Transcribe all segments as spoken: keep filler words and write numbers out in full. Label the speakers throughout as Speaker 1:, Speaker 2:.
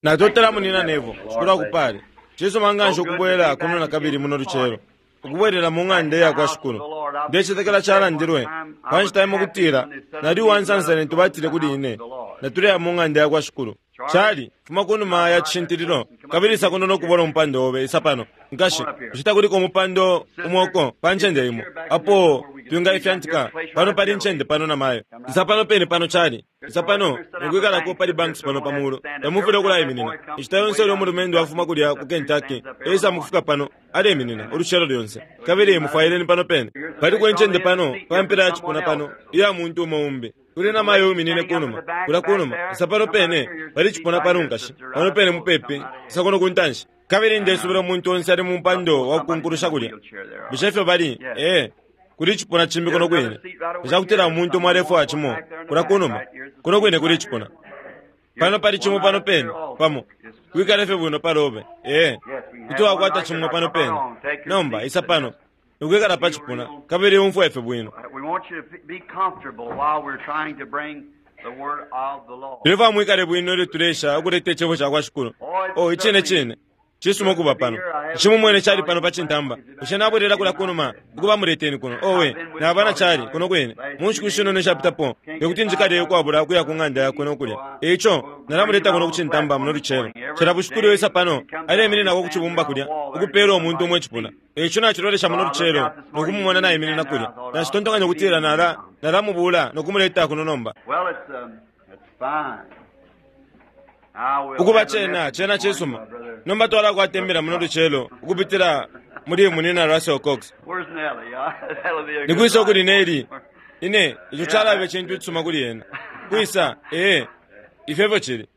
Speaker 1: Natotela munina Nevo, Shikulu akupale. Cisuma nganshi ukubwela kuno nakabili muno lucelo, ukubwelela mu ng'anda iya kwa Shikulu. Ndecetekela calandilwe pa nshita imo ukutila nali uwansansa lintu batile kuli ine, Natuleya mu ng'anda ya kwa Shikulu. Charlie, fuma kunuma ya cishintililo, kabili isa kuno no kubona umupando obe. Isa pano, nkashi. Bushe takuliko umupando umo uko pa ncende imo apo twingaifyantika? Pano pali incende pano na mayo. Isa pano pene pano, Charlie. Isa pano nokwikalako pali banks pano pa mulu. Tamufwile ukulaiminina. Inshita yonse ilyo umulumendo afuma kulya ku Kentucky, esa mukufika pano, aleminina ulucelo lyonse. Kabili mufwaileni pano pene. Paliko incende pano pa mpela ya cipuna pano iya muntu umo umbi. Kuli na mayo uminine kunuma, kulya kunuma. Isa pano pene pali cipuna pano, nkashi. Pano pene mupepi, isa kuno kuntanshi. Kabili ndesubila umuntu onse ali mu mpando wa kukunkulusha kulya. Bushe ifyo bali? Ee. Kuli icipuna cimbi kuno kwine. Nga ca kutila umuntu umo alefwaya cimo, kulya kunuma, kuno kwine kuli icipuna. Pano pali cimo pano pene, pamo. Wikale fye bwino palobe. Ee. Kuti wakwata cimo pano pene. Nomba, isa pano, nokwikala pa cipuna, kabili umfwe fye bwino. Tulefwaya mwikale bwino ilyo tuleesha ukuleta Icebo cakwa Shikulu. Oh, icine cine. Cisuma ukuba pano. Nshimumwene Charlie pano pa cintamba. Bushe nabwelela kulya kunuma, ukuba muleteni kuno? Owe, naba na Charlie, kuno kwine, mu nshiku shinono ishapitapo, tekuti njikale ukwabula ukuya ku ng'anda yakwe no kulya. E ico, nalamuleta kuno ku cintamba muno lucelo. Cila bushiku ilyo esa pano, aleimininako ku cibumba kulya, ukupeela umuntu umo icipuna. E ico nacilolesha muno lucelo, no kumumona naiminina kulya. Nacitontonkanya ukutila nala, nalamubuula no kumuleta kuno nomba. Ukuba cena, cena cisuma. Nomba twalakwata imbila muno lucelo ukupitila muli Munina Russell Cox. Nikwisa ukuli Nellie? Ine, ico calaba icintu icisuma kuli ena. Kwisa? Ee, ifyo efyo cili.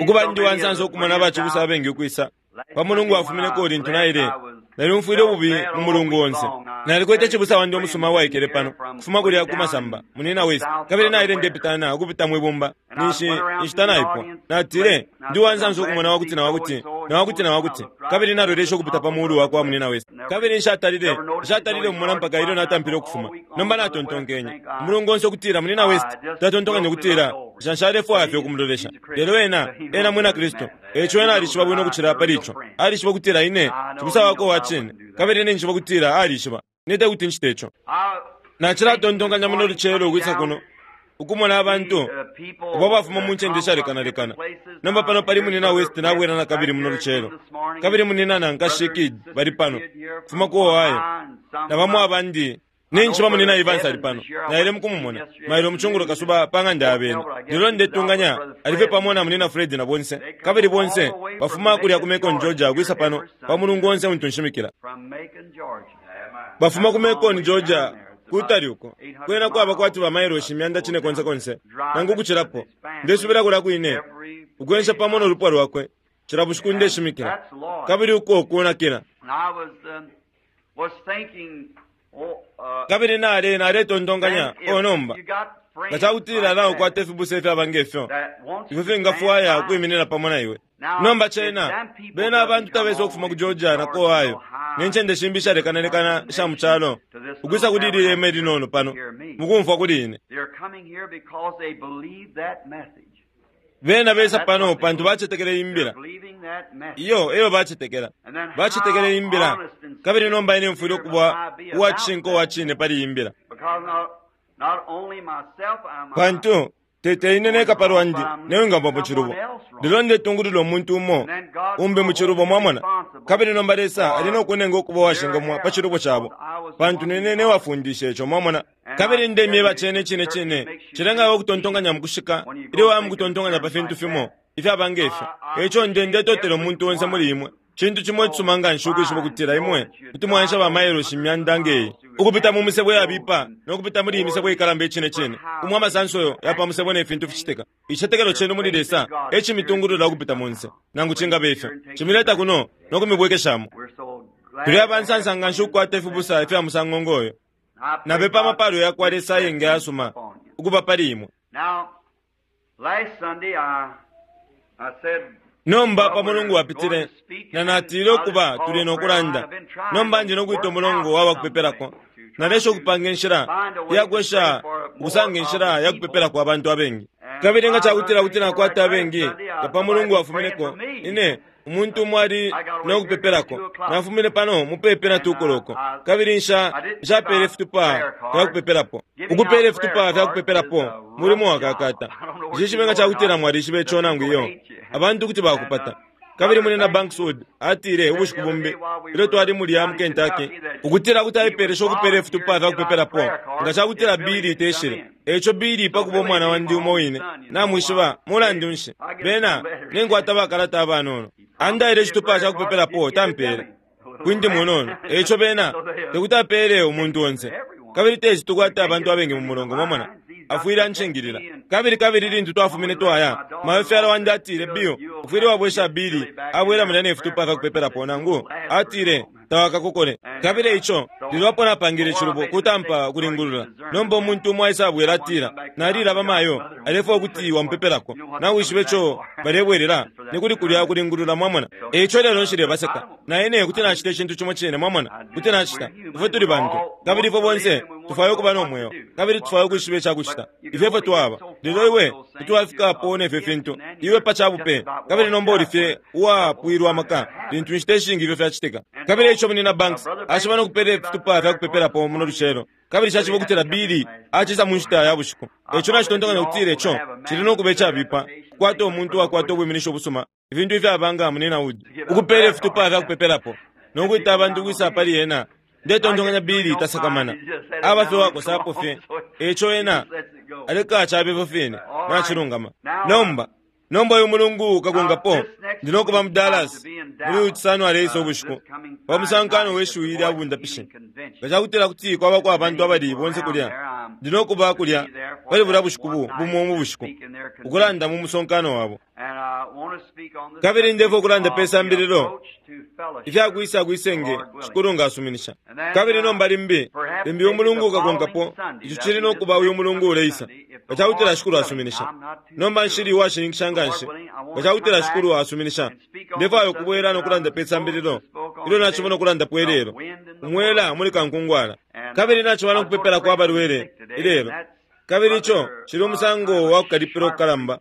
Speaker 1: Ukuba ndi uwansansa ukumona abacibusa abengi ukwisa. Pa Mulungu wafumineko lintu naile, nalyumfwile ububi mu mulungu onse. Nalikwete cibusa wandi umusuma uwaikele pano, kufuma kulya ku masamba, Munina West, kabili naile ndepitana ukupita mwi bumba, ninshi inshita naipwa. Natile, Ndi uwansansa ukumona wakuti na wakuti, na wakuti na wakuti. Kabili naloleshe ukupita pa mulu wakwa Munina West. Kabili nshatalile, nshatalile mumona mpaka ilyo natampile ukufuma. Nomba natontonkenye, umulungu onse ukutila Munina West, tatontonkanya ukutila nsha nshalefwaya fye ukumulolesha. Lelo ena, ena mwina Kristu. Eico ena alishiba bwino ukucila pali ico. Alishiba ukutila ine, cibusa wakwe uwa cine, kabili ine njishiba ukutila alishiba. Ine tekuti ncite ico. Nacilatontonkanya muno lucelo ukwisa kuno, ukumona abantu abo abafuma mu ncende ishalekanalekana. Nomba pano pali Munina West nabwela nakabili muno lucelo. Kabili Munina na Nkashi Kidd bali pano, ukufuma ku Ohio, na bamo abandi. Ninjishiba Munina Evans ali pano. Naile mukumumona, mailo mucungulo kasuba pa ng'anda ya bena. Lelo ndetunganya ali fye pamo na Munina Fred na bonse. Kabili bonse bafuma kulya ku Macon, Georgia, ukwisa pano pa mulungu onse untu nshimikila. Bafuma ku Macon, Georgia, kutali uko. Kwena kwaba kwati ba mailoshi imyanda cine konse konse, nangu ukucilapo. Ndesubila kulya kwine, ukwensha pamo no lupwa lwakwe, cila bushiku ndeshimikila. Kabili uko kunakila. Kabili nale, naletontonkanya, oh, nomba, nga cakutila naukwata ifibusa ifyaba nge fyo, ifyo fingafwaya ukwiminina pamo na iwe. Nomba cena, bena abantu tabesa ukufuma ku Georgia na ku Ohio, ne ncende shimbi ishalekanalekana isha mu calo, ukwisa kuli ili hema ilinono pano, mukumfwa kuli ine. Bena besa pano pantu bacetekela iyi Mbila. Iyo eyo bacetekela. Bacetekela iyi Mbila. Kabili nomba ine mfwile ukuba uwa cishinka uwa cine pali iyi Mbila. Pantu, te, te ine neka pa lwandi ne wingaba mu cilubo, lelo ndetungulula umuntu umo umbi mu cilubo, mwamona. Kabili nomba Lesa ali no kunenga ukuba uwashingamwa pa cilubo cabo, pantu nine ne wafundishe ico, mwamona. Kabili ndemyeba cene icine cine, cilenga iwe ukutontonkanya mukushika ilyo waya mukutontonkanya pa fintu fimo ifyaba nge fyo. Eico nde, ndetotela umuntu onse muli imwe. Cintu cimo icisuma nganshi ukwishiba ukutila imwe kuti mwaensha ba mailoshi imyanda nge iyi, ukupita mu misebo iyabipa no kupita muli iyi misebo ikalamba icine cine, umo amasanso ya pa musebo ne fintu ficitika. Icicetekelo cenu muli Lesa e cimitungulula ukupita monse, nangu cingaba ifyo. Cimileta kuno no kumibwekeshamo. Tuli aba nsansa nganshi ukukwata ifibusa ifya musango ngo yo. Napepa amapalo yakwa Lesa ayengi ayasuma ukuba pali imwe. Nomba pa Mulungu wapitile, na natile ukuba tuli no kulanda. Nomba ndi no kwita umulongo wa bakupepelako. Nalesha ukupanga inshila iya kwesha ukusanga inshila ya kupepelako abantu abengi. Kabili nga cakutila kuti nakwata abengi nga pa Mulungu wafumineko, ine umuntu umo ali nokupepelako. Nafumine pano mupepi na tukoloko, kabili nsha nshapele ifitupa fya kupepelapo. Ukupela ifitupa fya kupepelapo mulimo wakakata. Nshishibe nga cakutila mwalishiba ico nangu iyo. Abantu kuti bakupata. Kabili munena Bankswood atile ubushiku bumbi ilyo twali mulya mu Kentucky ukutila kuti aipelesha ukupela ifitupa fya kupepelapo nga cakutila Billy teshile. Eco Billy pakuba umwana wandi umo wine, namwishiba mulandu nshi bena ninkwata bakalata abanono. Andaile icitupa ca kupepelapo tampele kwindi munono. Eco bena tekuti apele umuntu onse, kabili teci tukwata abantu abengi mu mulongo, mwamona. Afwile anshingilila. Kabili kabili lintu twafumine twaya, mawefyala wandi atile, Bill, ufwile wabwesha Billy abwela mulya nefitupa fya kupepelapo, nangu atile tawakakokole. Kabili ico lilo apo napangile icilubo kutampa kulingulula. Nomba umuntu umo aisa abwela atila, nalilaba mayo alefwaya ukuti wampepelako. Nawishiba ico balebwelela ni kuli kulya kulingulula, mwamona. Eico lelo nshilebaseka. Na ine kuti nacita icintu cimo cine, mwamona. Kuti nacita. Ifwe tuli bantu, kabili ifwe bonse tufwaya ukuba no mweo, kabili tufwaya ukwishiba icakucita. Ifwe efwe twaba. Lelo iwe kuti wafikapo nefyo fintu iwe pa cabupe, kabili nomba uli fye uwapwilwa amaka lintu inshita ishingi ifyo fyacitika. Kabili ico munina Banks ashiba nokupela ifitupa fya kupepelapo muno lucelo, kabili caciba ukutila Billy acisa mu nshita ya bushiku. Eco nacitontonkanya ukutila ico cili nokuba icabipa kukwata umuntu uwakwata ubwiminisho busuma, ifintu ifyaba munina Wood, ukupela ifitupa fya kupepelapo nokwita abantu ukwisa pali ena. Ndetontonkanya Billy tasakamana, aba fye wakosapo fye. Eco ena aleka cabe fine nacilungama. Nomba nomba uyu mulungu ukakonkapo ndi nokuba mu Dallas muli uyu Cisano aleisa ubushiku pa musankano we shiwi lya bundapishi. Nga cakutila kuti kwabako abantu abali bonse kulya, ndi nokuba kulya pali bulya bushiku bumo mu bushiku ukulanda mu musonkano wabo. Kabili ndefwaya ukulanda pe sambililo ifyakwisa kwisenge Shikulu nga asuminisha. Kabili nomba limbi limbi umulungu ukakonkapo, ico cili nokuba uyu mulungu uleisa nga cakutila Shikulu asuminisha. Nomba nshili uwashininkisha nga nshi nga cakutila Shikulu asuminisha. Ndefwaya ukubwela nokulanda pe sambililo ilyo nacibona ukulandapo ilelo, umwela muli kankungwala. Kabili naciba nokupepelako abalwele ilelo. Kabili ico cili umusango wa kukalipila okukalamba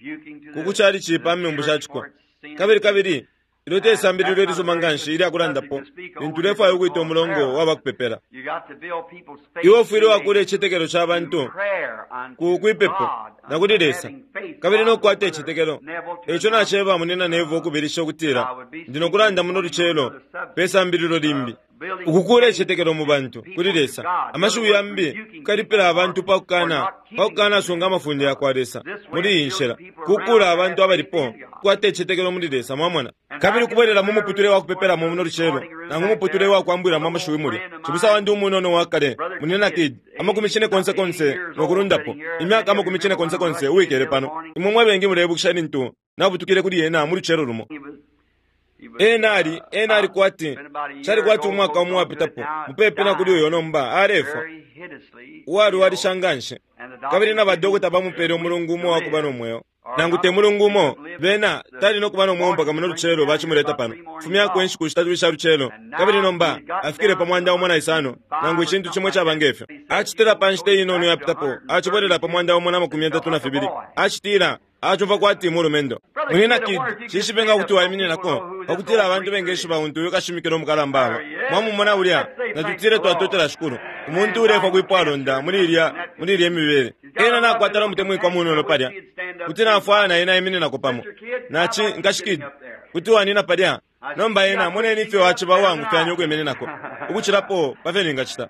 Speaker 1: kukucalici pa membu shaciko. Kabili kabili ilyo te sambililo ilisuma nganshi ilya kulandapo lintu ulefwaya ukwita umulongo wa bakupepela. Iwe ufwile wakula icicetekelo ca bantu ku kwipepo na kuli Lesa, kabili nokukwata icicetekelo. Eco naceba munina Nevo ukubilisha ukutila ndi nokulanda muno lucelo pe sambililo limbi, ukukula icicetekelo mu bantu kuli Lesa. Amashiwi yambi kukalipila abantu pakukana pakukanasunga amafunde yakwa Lesa muli iyi nshila, kukula abantu abalipo kukwata icicetekelo muli Lesa, mwamona. Kabili ukubwelela mu muputule wa kupepelamo muno lucelo, nangu umuputule wa kwambwilamo amashiwi mulya. Cibusa wandi umunono wa kale munina Kid, amakumi cine konse konse nokulundapo, imyaka amakumi cine konse konse uwikele pano. Imwe mwe bengi mulebukisha lintu nabutukile kuli ena mu lucelo lumo. Ena ali ena ali kwati cali kwati umwaka umo wapitapo mupepi na kuli uyo nomba alefwa uwalwalisha nganshi. Kabili na badokota bamupele umulungu umo wakuba no mweo, nangu te mulungu umo bena tali nokuba no mweo mpaka muno lucelo bacimuleta pano. Fumyako inshiku shitatu isha lucelo, kabili nomba afikile pa mwanda umo na isano nangu icintu cimwe caba ngefyo. Acitila pa nshita inono yapitapo, acibwelela pa mwanda umo na makumi yatatu na fibili. Acitila acumva kwati mulumendo. Munina Kid, shishibe nga kuti waimininako pakutila abantu bengeshiba untu uyu kashimikila omukalamba aba. Mwamumona ulya, natutile twatotela Shikulu. Umuntu ulefwa kwipwalonda muli ilya muli ilya imibele. Ena nakwata nomutemwikwa munono palya, kuti nafwaya na ena aimininako pamo. Nachi nkashi Kid, kuti wanina palya. Nomba ena moneni ifyo aciba uwangufyanya ukwimininako ukucilapo pa fyo ningacita.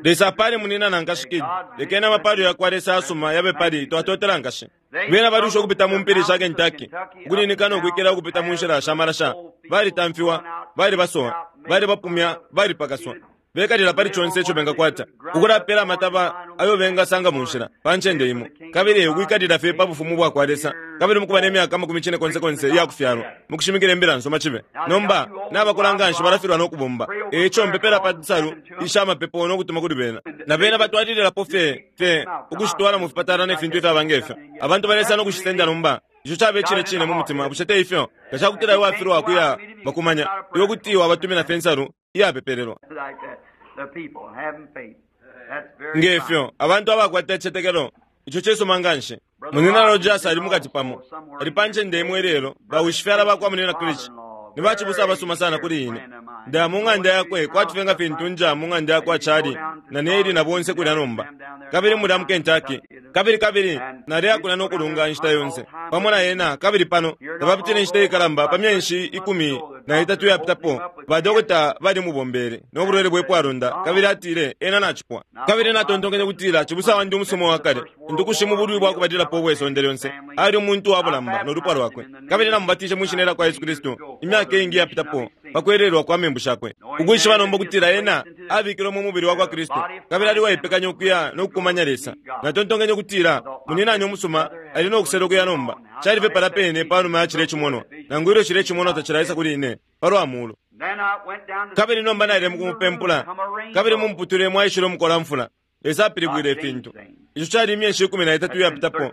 Speaker 1: Lesa apale munina na nkashi Kid. Lekeni amapalo yakwa Lesa asuma yabe pali twatotela nkashi. Bena balusha ukupita mu mpili sha Kentucky, ukuninika nokwikela ukupita mu nshila sha malasha. Balitamfiwa, balibasowa, balibapumya, balipakaswa. Bekalila pali conse ico bengakwata, ukulapela amataba ayo bengasanga mu nshila pa ncende imo, kabili ukwikalila fye pa bufumu bwakwa Lesa, kabili mukuba ne myaka amakumi cine konse konse iyakufyalwa mukushimikila imbila nsoma cibe. Nomba nabakula nganshi balafilwa nokubomba. Eco mpepela pa nsalu isha mapepo nokutuma kuli bena, na bena batwalililapo fye fye ukushitwala mu fipatala ne fintu ifyaba ngefyo. Abantu balesa nokushisenda nomba. Ico cabe cine cine mu mutima, bushe te ifyo? Nga cakutila iwe wafilwa kuya bakumanya, iwe kuti wabatumina fye insalu iyapepelelwa. Ngefyo abantu abakwata icicetekelo, Ico cesoma nganshi. Munina Rogers ali mukati pamo. Ali pa ncende imwe lelo, bawishifyala bakwa munina Krichi. Ni bacibusa abasuma sana kuli ine. Ndaya mu ng'anda yakwe kwati nga fintu nja mu ng'anda yakwa Chali na Neli na bonse kulya nomba. Kabili mulya mu Kentucky. Kabili kabili naleya kulya nokulunga inshita yonse. Pamo na ena kabili pano tabapitile inshita ikalamba pa myeshi ikumi na itatu yapitapo. Badokota bali mubombele no bulwele bwe pwalonda kabili atile ena nachipwa. Kabili natontonkenye kutila cibusa wandi umusumo wa kale ndukushi mu bulwi bwa kubalilapo ubwe sonde lyonse. Ali umuntu wa bulamba no lupwa lwakwe. Kabili namubatishe mu shina lya Yesu Kristu imyaka ingi yapitapo pakwelelwa kwa membu shakwe. Ukwishiba nomba kutila ena abikilwe mu mubili wa kwa Kristu kabili ali waipekanya ukuya no kukumanya Lesa. Natontonkenye kutila muninani umusuma ali no kusela ukuya nomba. Cali fye pala pene panuma ya chile chimono. Nangu ilyo chile chimono tachilaisa kuli ine palwa mulu. Kabili nomba naile mukumupempula kabili mumputule mwaishile umukola mfula. Lesa apilibwile ifintu. Ico cali imyeshi ikumi na itatu yapitapo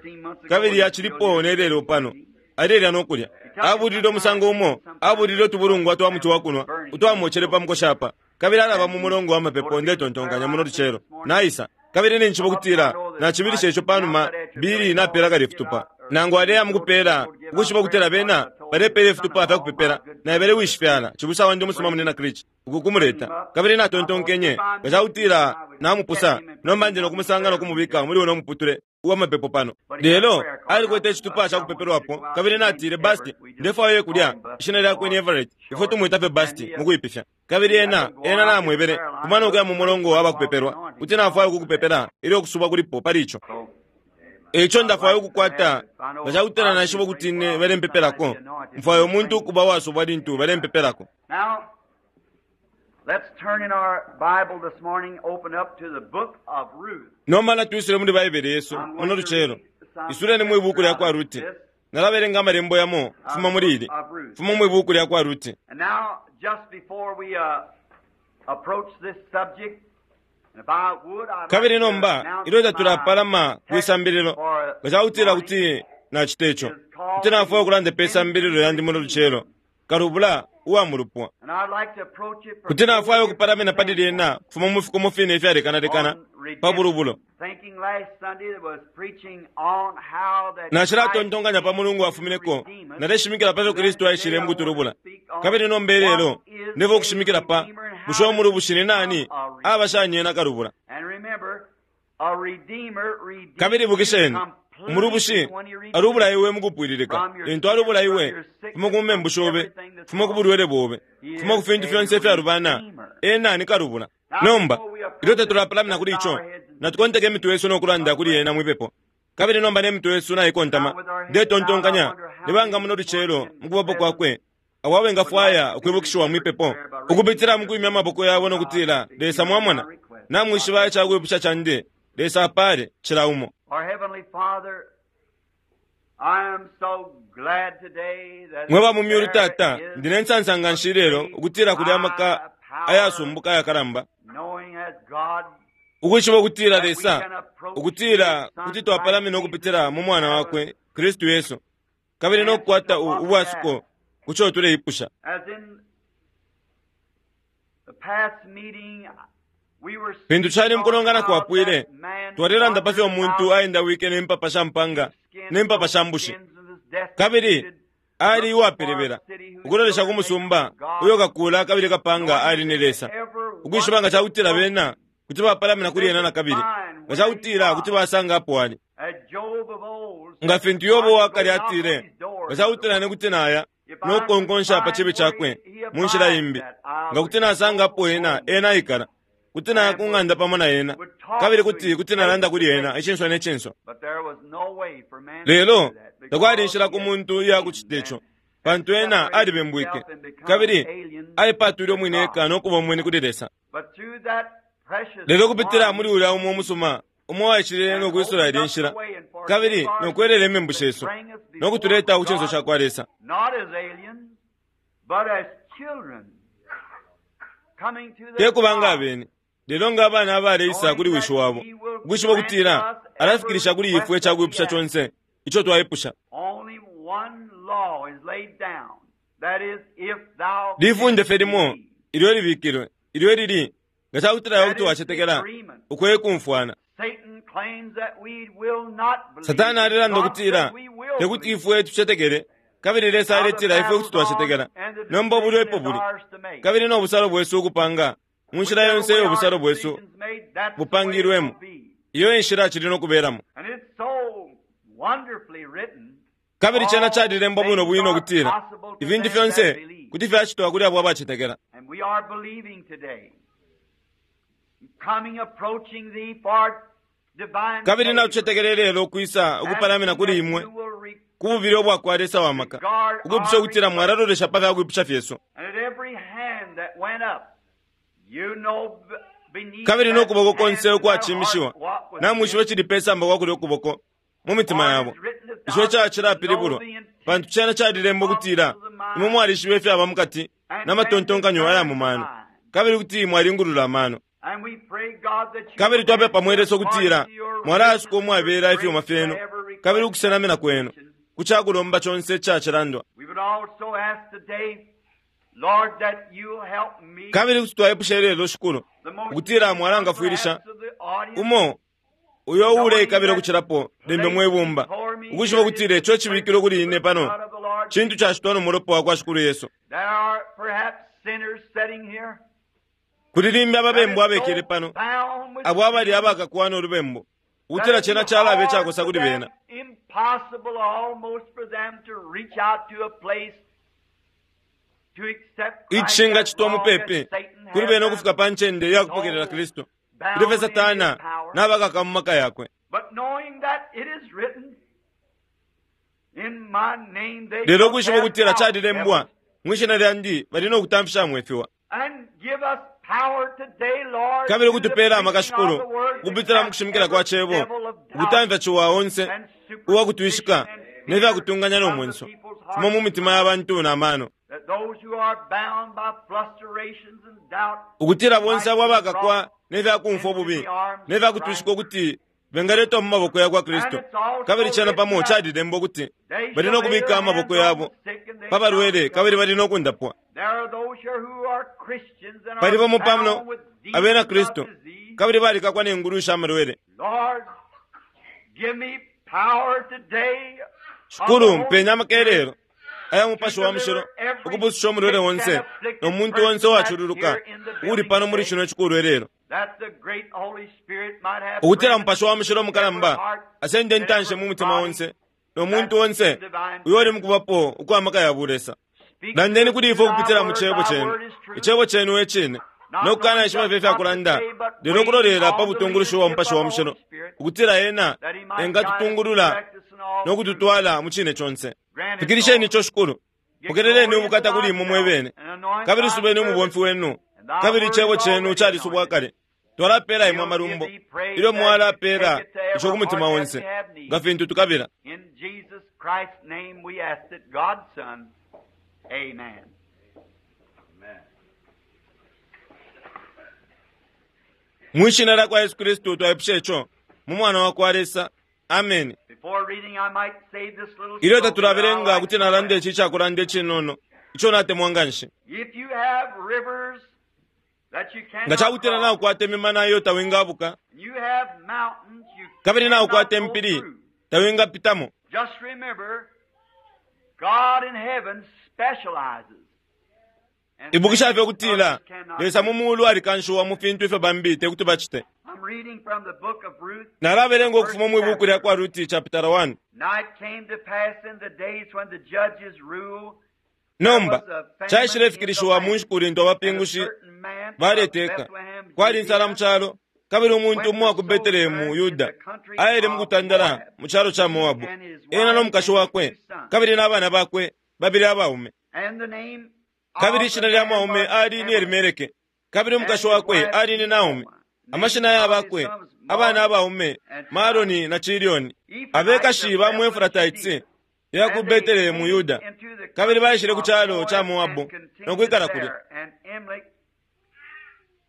Speaker 1: kabili yachilipo nelelo pano. Alelya no kulya. Abulile umusango umo, abulile utubulungwa twa muti wa kunwa, utwamocele pa mukoshapa. Kabili alaba mu mulongo wa mapepo ndetontonkanya muno lucelo. Naisa. Kabili ninchibo kutila nachibilisha ico panuma bili napela kale fitupa. Nangu aleya mukupela ukushiba kutila bena balepela ifitupa fya kupepela naebele wishifyala cibusa wandi umusuma munena Krichi ukukumuleta. Kabili natontonkenye ngacakutila namupusa nomba ndi nokumusanga nokumubika muli uno muputule uwa mapepo pano. Lelo alikwete icitupa ca kupepelwapo kabili natile Basti ndefwayo kulya ishina lyakwe ni Everett ifwe tumwita fye Basti mukuipifya. Kabili ena ena namwebele kumana ukuya mu mulongo wa bakupepelwa kuti nafwayo kukupepela ilyo kusubwa kulipo pali ico. Eco ndafwayo ukukwata ngacakutila nashiba kuti ine balempepelako. Mfwayo umuntu ukuba wasubwa lintu balempepelako.
Speaker 2: Let's turn in our Bible this morning, open up to the book of Ruth.
Speaker 1: Nomba natuisile muli Baibele yesu muno lucelo. Isuleni mu ibuku lya kwa Ruti. Nalabelenga amalembo yamo fuma muli ili. Fuma mu ibuku lya kwa Ruti.
Speaker 2: And now, just before we uh, approach this subject, if I would, I'd
Speaker 1: Kabili
Speaker 2: like to
Speaker 1: nomba
Speaker 2: announce
Speaker 1: ilyo tatulapalama
Speaker 2: my
Speaker 1: kwisambililo
Speaker 2: text for
Speaker 1: ngacakutila
Speaker 2: this
Speaker 1: kuti nachita ico. Kuti nafwaya ukulanda pe sambililo yandi muno lucelo. Kalubula uwa mulupwa.
Speaker 2: And I'd like to approach it from
Speaker 1: Kuti nafwaya
Speaker 2: four
Speaker 1: ukupalamina
Speaker 2: different
Speaker 1: pali lyena kufuma mu fikomo fine ifyalekanalekana pa bulubulo.
Speaker 2: Thinking last Sunday that was preaching on how that
Speaker 1: Nashilatontonkanya pa mulungu wafumineko naleshimikila pa fyo Kristu aishile mukutulubula. Kabili nomba ilelo ndefo kushimikila pa bushe umulubushi ni nani abashanye na kalubula.
Speaker 2: And remember, a redeemer redeems
Speaker 1: Kabili ibukisheni
Speaker 2: completely
Speaker 1: umulubushi
Speaker 2: when he redeems
Speaker 1: alubula iwe mukupwililika lintu alubula iwe fuma ku membu shobe fuma ku bulwele bobe fuma ku fintu fyonse ifyalubana ena ni kalubula. Nomba ilyo tatulapalamina kuli ico natukonteka imitwe yesu nokulanda kuli ena mwipepo. Kabili nomba ne mitwe yesu naikontama ndetontonkanya nibanga muno lucelo mukubapo kwakwe abo abengafwaya ukwibukishiwa mwipepo ukupitila mukwimya amaboko yabo nokutila Lesa mwamona namwishiba icakwipusha candi Lesa apale cila umo.
Speaker 2: Our Heavenly Father, I am so glad today that
Speaker 1: Mwe ba mu myulu tata
Speaker 2: there is
Speaker 1: ndine nsansa nga nshi lelo ukutila kuli amaka ayasumbuka ayakalamba
Speaker 2: knowing as God
Speaker 1: ukwishiba ukutila
Speaker 2: that we
Speaker 1: Lesa
Speaker 2: can approach
Speaker 1: ukutila
Speaker 2: His Son
Speaker 1: kuti twapalamina ukupitila mu mwana wakwe Kristu Yesu kabili nokukwata u- ubwasuko kuco tuleipusha.
Speaker 2: As in the past meeting, we were
Speaker 1: Fintu cali mukulongana
Speaker 2: speaking on how
Speaker 1: kwapwile
Speaker 2: that man
Speaker 1: twalelanda pa fyo umuntu
Speaker 2: wandered
Speaker 1: aendawike ne mpapa sha mpanga ne mpapa sha mbushi kabili
Speaker 2: kabili
Speaker 1: ali uwapelebela ukulolesha ku musumba uyo kakula kabili kapanga ali ni Lesa ukwishiba nga cakutila bena kuti bapalamina kuli ena nakabili nga cakutila kuti basanga apo ali nga fintu Yobo wakale atile nga cakutila ne kuti naya nokukonkonsha pa chibi chakwe mu nshila imbi nga kuti nasanga apo ena ena aikala kuti naya ku ng'anda pamo na ena kabili kuti kuti nalanda kuli ena icinso ne cinso. Lelo takwali inshila ku muntu iya kucita ico pantu ena alibembwike kabili aipatwile umwine eka nokuba umweni kuli Lesa. Lelo kupitila muli ulya umo umusuma umo waishile nokwisula ilya nshila kabili nokwelela imembu shesu nokutuleta ku cinso ca kwa Lesa. Te kubanga abeni lelo nga abana abaleisa kuli wishi wabo ukwishiba ukutila alafikilisha kuli ifwe icakwipusha conse ico twaipusha. Lifunde fye limo ilyo libikilwe ilyo lili nga cakutila iwe kuti wacetekela ukwe kumfwana.
Speaker 2: Satan claims that we will not believe.
Speaker 1: Satani alelanda
Speaker 2: God
Speaker 1: ukutila
Speaker 2: said we will
Speaker 1: tekuti
Speaker 2: believe.
Speaker 1: ifwe tucetekele, kabili Lesa
Speaker 2: Now the
Speaker 1: aletila ifwe
Speaker 2: battle's
Speaker 1: kuti twacetekela.
Speaker 2: on and the
Speaker 1: Nomba
Speaker 2: decision
Speaker 1: ubulwepo
Speaker 2: is
Speaker 1: buli
Speaker 2: ours to make.
Speaker 1: kabili no busalo bwesu ukupanga mu nshila
Speaker 2: Whichever
Speaker 1: yonse
Speaker 2: way our
Speaker 1: ubusalo bwesu
Speaker 2: decision's made, that's the way it
Speaker 1: bupangilwemo.
Speaker 2: will be.
Speaker 1: Iyo enshila cili no kuberamo.
Speaker 2: And it's so wonderfully written.
Speaker 1: Kabili cena
Speaker 2: All
Speaker 1: calilembwa bwino
Speaker 2: things
Speaker 1: bwino
Speaker 2: are
Speaker 1: ukutila
Speaker 2: possible to
Speaker 1: ifintu
Speaker 2: them that
Speaker 1: fyonse
Speaker 2: believe.
Speaker 1: kuti fyacitwa kuli abo abacetekela.
Speaker 2: And we are believing today. Coming approaching thee for divine
Speaker 1: Kabili
Speaker 2: favor.
Speaker 1: natucetekele lelo ukwisa ukupalamina
Speaker 2: Asking
Speaker 1: kuli
Speaker 2: that
Speaker 1: imwe
Speaker 2: you will re-
Speaker 1: ku bubili ubwa Lesa wa maka,
Speaker 2: regard
Speaker 1: ukupusha
Speaker 2: our
Speaker 1: ukutila
Speaker 2: request.
Speaker 1: mwalalolesha pa fyakwipusha fyesu.
Speaker 2: And at every hand that went up, you know b- beneath
Speaker 1: Kabili
Speaker 2: that
Speaker 1: n'okuboko
Speaker 2: hand
Speaker 1: konse
Speaker 2: and that
Speaker 1: ukwachimishiwa
Speaker 2: heart what was
Speaker 1: namwishiba
Speaker 2: meant.
Speaker 1: cili pe samba kwa kulya ukuboko mu mitima
Speaker 2: For it
Speaker 1: yabo.
Speaker 2: is written that
Speaker 1: Ico
Speaker 2: thou
Speaker 1: ca
Speaker 2: shalt know
Speaker 1: cilapilibulwa
Speaker 2: the intent
Speaker 1: pantu cena calilembwa
Speaker 2: of
Speaker 1: ukutila
Speaker 2: the mind
Speaker 1: imwe mwalishiba ifyaba mukati
Speaker 2: and can
Speaker 1: n'amatontonkanyo aya
Speaker 2: discern
Speaker 1: mu
Speaker 2: the
Speaker 1: mano,
Speaker 2: mind.
Speaker 1: kabili kuti mwalingulula amano.
Speaker 2: And we pray, God, that you
Speaker 1: Kabili
Speaker 2: will
Speaker 1: twapepa mwe
Speaker 2: answer
Speaker 1: Lesa
Speaker 2: according
Speaker 1: ukutila
Speaker 2: to your
Speaker 1: mwalasuka
Speaker 2: riches and your
Speaker 1: umwabela ifyuma
Speaker 2: grace to
Speaker 1: fyenu
Speaker 2: every
Speaker 1: kabili
Speaker 2: request and
Speaker 1: ukusenamina kwenu
Speaker 2: petition.
Speaker 1: ku cakulomba conse icacilandwa.
Speaker 2: We would also ask today, Lord, that you help me,
Speaker 1: Kabili kuti twaipusha ilelo Shikulu
Speaker 2: the most
Speaker 1: ukutila
Speaker 2: needy one
Speaker 1: mwalangafwilisha
Speaker 2: perhaps of the audience,
Speaker 1: umo uyo
Speaker 2: knowing
Speaker 1: uulekabila
Speaker 2: that
Speaker 1: ukucilapo limbi
Speaker 2: placed
Speaker 1: mwibumba
Speaker 2: before me
Speaker 1: ukwishiba
Speaker 2: here is
Speaker 1: ukutila
Speaker 2: the
Speaker 1: ico cibikilwe kuli ine
Speaker 2: precious
Speaker 1: pano
Speaker 2: blood of the Lord
Speaker 1: cintu
Speaker 2: Jesus.
Speaker 1: cacitwa no mulopa wa kwa Shikulu Yesu.
Speaker 2: There are perhaps sinners sitting here
Speaker 1: Kuli limbi
Speaker 2: that
Speaker 1: ababembu
Speaker 2: is so
Speaker 1: abekele pano
Speaker 2: bound with
Speaker 1: abo abali
Speaker 2: sin
Speaker 1: abakakwana olubembu
Speaker 2: that
Speaker 1: ukutila
Speaker 2: it'd be
Speaker 1: cena calabe
Speaker 2: hard
Speaker 1: icakosa
Speaker 2: for
Speaker 1: kuli
Speaker 2: them,
Speaker 1: bena.
Speaker 2: impossible almost for them to reach out to a place to accept Christ as
Speaker 1: Icingacitwa
Speaker 2: long as
Speaker 1: mupepi
Speaker 2: Satan
Speaker 1: kuli
Speaker 2: has
Speaker 1: bena
Speaker 2: them
Speaker 1: ukufika pa ncende ya kupokelela
Speaker 2: so
Speaker 1: Kristu ilyo fye
Speaker 2: bound in his
Speaker 1: Satana
Speaker 2: power.
Speaker 1: n'abakaka mu maka yakwe.
Speaker 2: But knowing that it is written, in my name they
Speaker 1: Lelo
Speaker 2: shall
Speaker 1: ukwishiba
Speaker 2: cast
Speaker 1: ukutila
Speaker 2: out
Speaker 1: calilembwa
Speaker 2: devils.
Speaker 1: mwishina lyandi bali no kutamfisha mwefiwa.
Speaker 2: And give us power today, Lord,
Speaker 1: Kabili
Speaker 2: through the
Speaker 1: ukutupela amaka
Speaker 2: preaching of
Speaker 1: Shikulu
Speaker 2: the word to
Speaker 1: ukupitila mu
Speaker 2: cast
Speaker 1: kushimikila
Speaker 2: every
Speaker 1: kwa cebo
Speaker 2: devil of doubt
Speaker 1: ukutamfya ciwa onse
Speaker 2: and
Speaker 1: uwakutwishika
Speaker 2: superstition and
Speaker 1: ne
Speaker 2: fear
Speaker 1: fyakutunganya no
Speaker 2: from the
Speaker 1: mwenso
Speaker 2: people's
Speaker 1: fuma
Speaker 2: hearts
Speaker 1: mu
Speaker 2: and
Speaker 1: mitima ya
Speaker 2: minds,
Speaker 1: bantu na mano.
Speaker 2: that those who are bound by frustrations and doubt
Speaker 1: Ukutila bonse
Speaker 2: might
Speaker 1: abo
Speaker 2: be
Speaker 1: abakakwa
Speaker 2: brought
Speaker 1: ne fyakumfwa
Speaker 2: into
Speaker 1: ububi
Speaker 2: the arms
Speaker 1: ne
Speaker 2: of
Speaker 1: fyakutwishika
Speaker 2: Christ.
Speaker 1: ukuti bengaletwa mu maboko ya kwa
Speaker 2: And
Speaker 1: Kristu.
Speaker 2: it's also
Speaker 1: Kabili cena
Speaker 2: written
Speaker 1: pamo
Speaker 2: that
Speaker 1: calilembwa ukuti
Speaker 2: they
Speaker 1: bali
Speaker 2: shall
Speaker 1: no
Speaker 2: lay
Speaker 1: kubika
Speaker 2: their
Speaker 1: amaboko
Speaker 2: hands on
Speaker 1: yabo
Speaker 2: the sick and they
Speaker 1: pa
Speaker 2: shall
Speaker 1: balwele kabili
Speaker 2: recover.
Speaker 1: bali no kundapwa.
Speaker 2: There are those here who are Christians and
Speaker 1: Pali
Speaker 2: are
Speaker 1: bamo pano
Speaker 2: bound with
Speaker 1: abena
Speaker 2: demons of
Speaker 1: Kristu
Speaker 2: disease.
Speaker 1: kabili balikakwa ne ngulu sha malwele.
Speaker 2: Lord, give me power today of the
Speaker 1: Shikulu
Speaker 2: Holy
Speaker 1: mpenya
Speaker 2: Spirit
Speaker 1: amakelelo aya
Speaker 2: to
Speaker 1: mupashi wa mushilo
Speaker 2: deliver every
Speaker 1: ukupususha umulwele
Speaker 2: sick and
Speaker 1: onse no
Speaker 2: afflicted
Speaker 1: muntu onse
Speaker 2: person that's
Speaker 1: uwachululuka
Speaker 2: here in the
Speaker 1: uli
Speaker 2: building
Speaker 1: pano muli
Speaker 2: today,
Speaker 1: chino chikulu elelo.
Speaker 2: that the great Holy Spirit might have
Speaker 1: Ukutila
Speaker 2: preeminence
Speaker 1: mupashi wa mushilo
Speaker 2: in every
Speaker 1: mukalamba
Speaker 2: heart
Speaker 1: asende
Speaker 2: and
Speaker 1: ntanshe
Speaker 2: every
Speaker 1: mu mutima
Speaker 2: body
Speaker 1: onse no
Speaker 2: that's
Speaker 1: muntu onse
Speaker 2: in divine
Speaker 1: uyo uli
Speaker 2: presence.
Speaker 1: mukubapo ukwa maka ya bulesa.
Speaker 2: Speak to
Speaker 1: Landeni
Speaker 2: us
Speaker 1: kuli
Speaker 2: through
Speaker 1: ifwe
Speaker 2: thy
Speaker 1: ukupitila mu
Speaker 2: word.
Speaker 1: cebo
Speaker 2: Thy
Speaker 1: chenu.
Speaker 2: word is truth.
Speaker 1: Icebo chenu e cine.
Speaker 2: Not
Speaker 1: No kukana
Speaker 2: knowing
Speaker 1: ishiba
Speaker 2: just
Speaker 1: fye
Speaker 2: what to
Speaker 1: fyakulanda
Speaker 2: say, but
Speaker 1: lelo
Speaker 2: waiting
Speaker 1: kulolela pa
Speaker 2: on the
Speaker 1: butungulushi bwa
Speaker 2: leadership
Speaker 1: mupashi
Speaker 2: of
Speaker 1: wa
Speaker 2: the
Speaker 1: mushilo
Speaker 2: Holy Spirit,
Speaker 1: ukutila ena
Speaker 2: that he might guide us and
Speaker 1: engatutungulula
Speaker 2: direct us in all
Speaker 1: no
Speaker 2: truth.
Speaker 1: kututwala mu cine conse.
Speaker 2: Grant it,
Speaker 1: Fikilisheni
Speaker 2: Lord.
Speaker 1: ico Shikulu.
Speaker 2: Get
Speaker 1: Pokeleleni
Speaker 2: glory unto
Speaker 1: ubukata kuli imwe
Speaker 2: thyself,
Speaker 1: mwebene
Speaker 2: and anoint
Speaker 1: kabili
Speaker 2: thy
Speaker 1: subeni
Speaker 2: servant,
Speaker 1: umubomfi wenu
Speaker 2: and thy
Speaker 1: kabili
Speaker 2: word
Speaker 1: icebo
Speaker 2: is
Speaker 1: chenu
Speaker 2: already
Speaker 1: calisubwa
Speaker 2: anointed.
Speaker 1: kale. Twalapela imwe
Speaker 2: We'll give
Speaker 1: amalumbo
Speaker 2: thee praise
Speaker 1: ilyo
Speaker 2: as you
Speaker 1: mwalapela
Speaker 2: take it to
Speaker 1: ico
Speaker 2: every
Speaker 1: ku mutima
Speaker 2: heart that
Speaker 1: onse
Speaker 2: we have need.
Speaker 1: nga fintu tukabila.
Speaker 2: In Jesus Christ's name we ask it, God's Son. Amen.
Speaker 1: Mwishina lya kwa Yesu Kristu twaipusha ico mu mwana wa kwa Lesa. Amen.
Speaker 2: Before reading, I might say this little
Speaker 1: Ilyo
Speaker 2: story that I
Speaker 1: tatulabelenga
Speaker 2: like
Speaker 1: kuti
Speaker 2: so
Speaker 1: nalanda
Speaker 2: well.
Speaker 1: ici icakulanda icinono ico natemwa nga nshi.
Speaker 2: If you have rivers that you
Speaker 1: Nga
Speaker 2: cannot
Speaker 1: cakutila
Speaker 2: cross,
Speaker 1: naukwata imimana iyo tawingabuka
Speaker 2: and you have mountains you
Speaker 1: kabili
Speaker 2: cannot
Speaker 1: naukwata
Speaker 2: go
Speaker 1: impili
Speaker 2: through,
Speaker 1: tawingapitamo.
Speaker 2: just remember, God in heaven specializes in
Speaker 1: Ibukisha fye
Speaker 2: things
Speaker 1: ukutila
Speaker 2: others cannot
Speaker 1: Lesa mu
Speaker 2: do.
Speaker 1: mulu alikanshiwa mu fintu ifyo bambi tekuti bacite.
Speaker 2: I'm reading from the book of Ruth, the
Speaker 1: Nalabelenga
Speaker 2: first
Speaker 1: ukufuma mu ibuku lya
Speaker 2: chapter.
Speaker 1: kwa Ruti chapter one.
Speaker 2: Now it came to pass in the days when the judges ruled, there
Speaker 1: Nomba
Speaker 2: was a famine in the
Speaker 1: caishilefikilishiwa mu
Speaker 2: land,
Speaker 1: nshiku lintu
Speaker 2: and a
Speaker 1: abapingushi
Speaker 2: certain man of
Speaker 1: baleteka.
Speaker 2: Bethlehem,
Speaker 1: Kwali insala mu
Speaker 2: Judea,
Speaker 1: calo kabili umuntu
Speaker 2: went
Speaker 1: umo
Speaker 2: to
Speaker 1: wa ku Betelehemu
Speaker 2: sojourn in
Speaker 1: Yuda
Speaker 2: the country
Speaker 1: aile mu
Speaker 2: of
Speaker 1: kutandala
Speaker 2: Moab,
Speaker 1: mu calo ca
Speaker 2: he
Speaker 1: Moabu
Speaker 2: and his
Speaker 1: ena no
Speaker 2: wife
Speaker 1: mukashi
Speaker 2: and his
Speaker 1: wakwe
Speaker 2: two sons.
Speaker 1: kabili n'abana bakwe babili abaume.
Speaker 2: And the name
Speaker 1: Kabili
Speaker 2: of the
Speaker 1: ishina lya
Speaker 2: man
Speaker 1: mwaume
Speaker 2: was
Speaker 1: ali ni
Speaker 2: Elimelech,
Speaker 1: Elimeleke kabili
Speaker 2: and
Speaker 1: umukashi
Speaker 2: his
Speaker 1: wakwe
Speaker 2: wife
Speaker 1: ali ni Naomi.
Speaker 2: Naomi.
Speaker 1: Amashina
Speaker 2: Names
Speaker 1: ya
Speaker 2: of his
Speaker 1: bakwe
Speaker 2: sons
Speaker 1: abana
Speaker 2: Mahlon
Speaker 1: abaume
Speaker 2: and Chilion.
Speaker 1: Maloni na Chilioni
Speaker 2: Ephrathites
Speaker 1: abekashi
Speaker 2: of
Speaker 1: ba mu
Speaker 2: Bethlehem,
Speaker 1: Efrataitsi
Speaker 2: Judea.
Speaker 1: ya ku
Speaker 2: And they
Speaker 1: Betelehemu
Speaker 2: came
Speaker 1: Yuda
Speaker 2: into the
Speaker 1: kabili
Speaker 2: country
Speaker 1: baishile ku
Speaker 2: of
Speaker 1: calo ca
Speaker 2: Moab
Speaker 1: Moabu
Speaker 2: and
Speaker 1: no
Speaker 2: continued
Speaker 1: kwikala kulya.
Speaker 2: there. And Elimelech,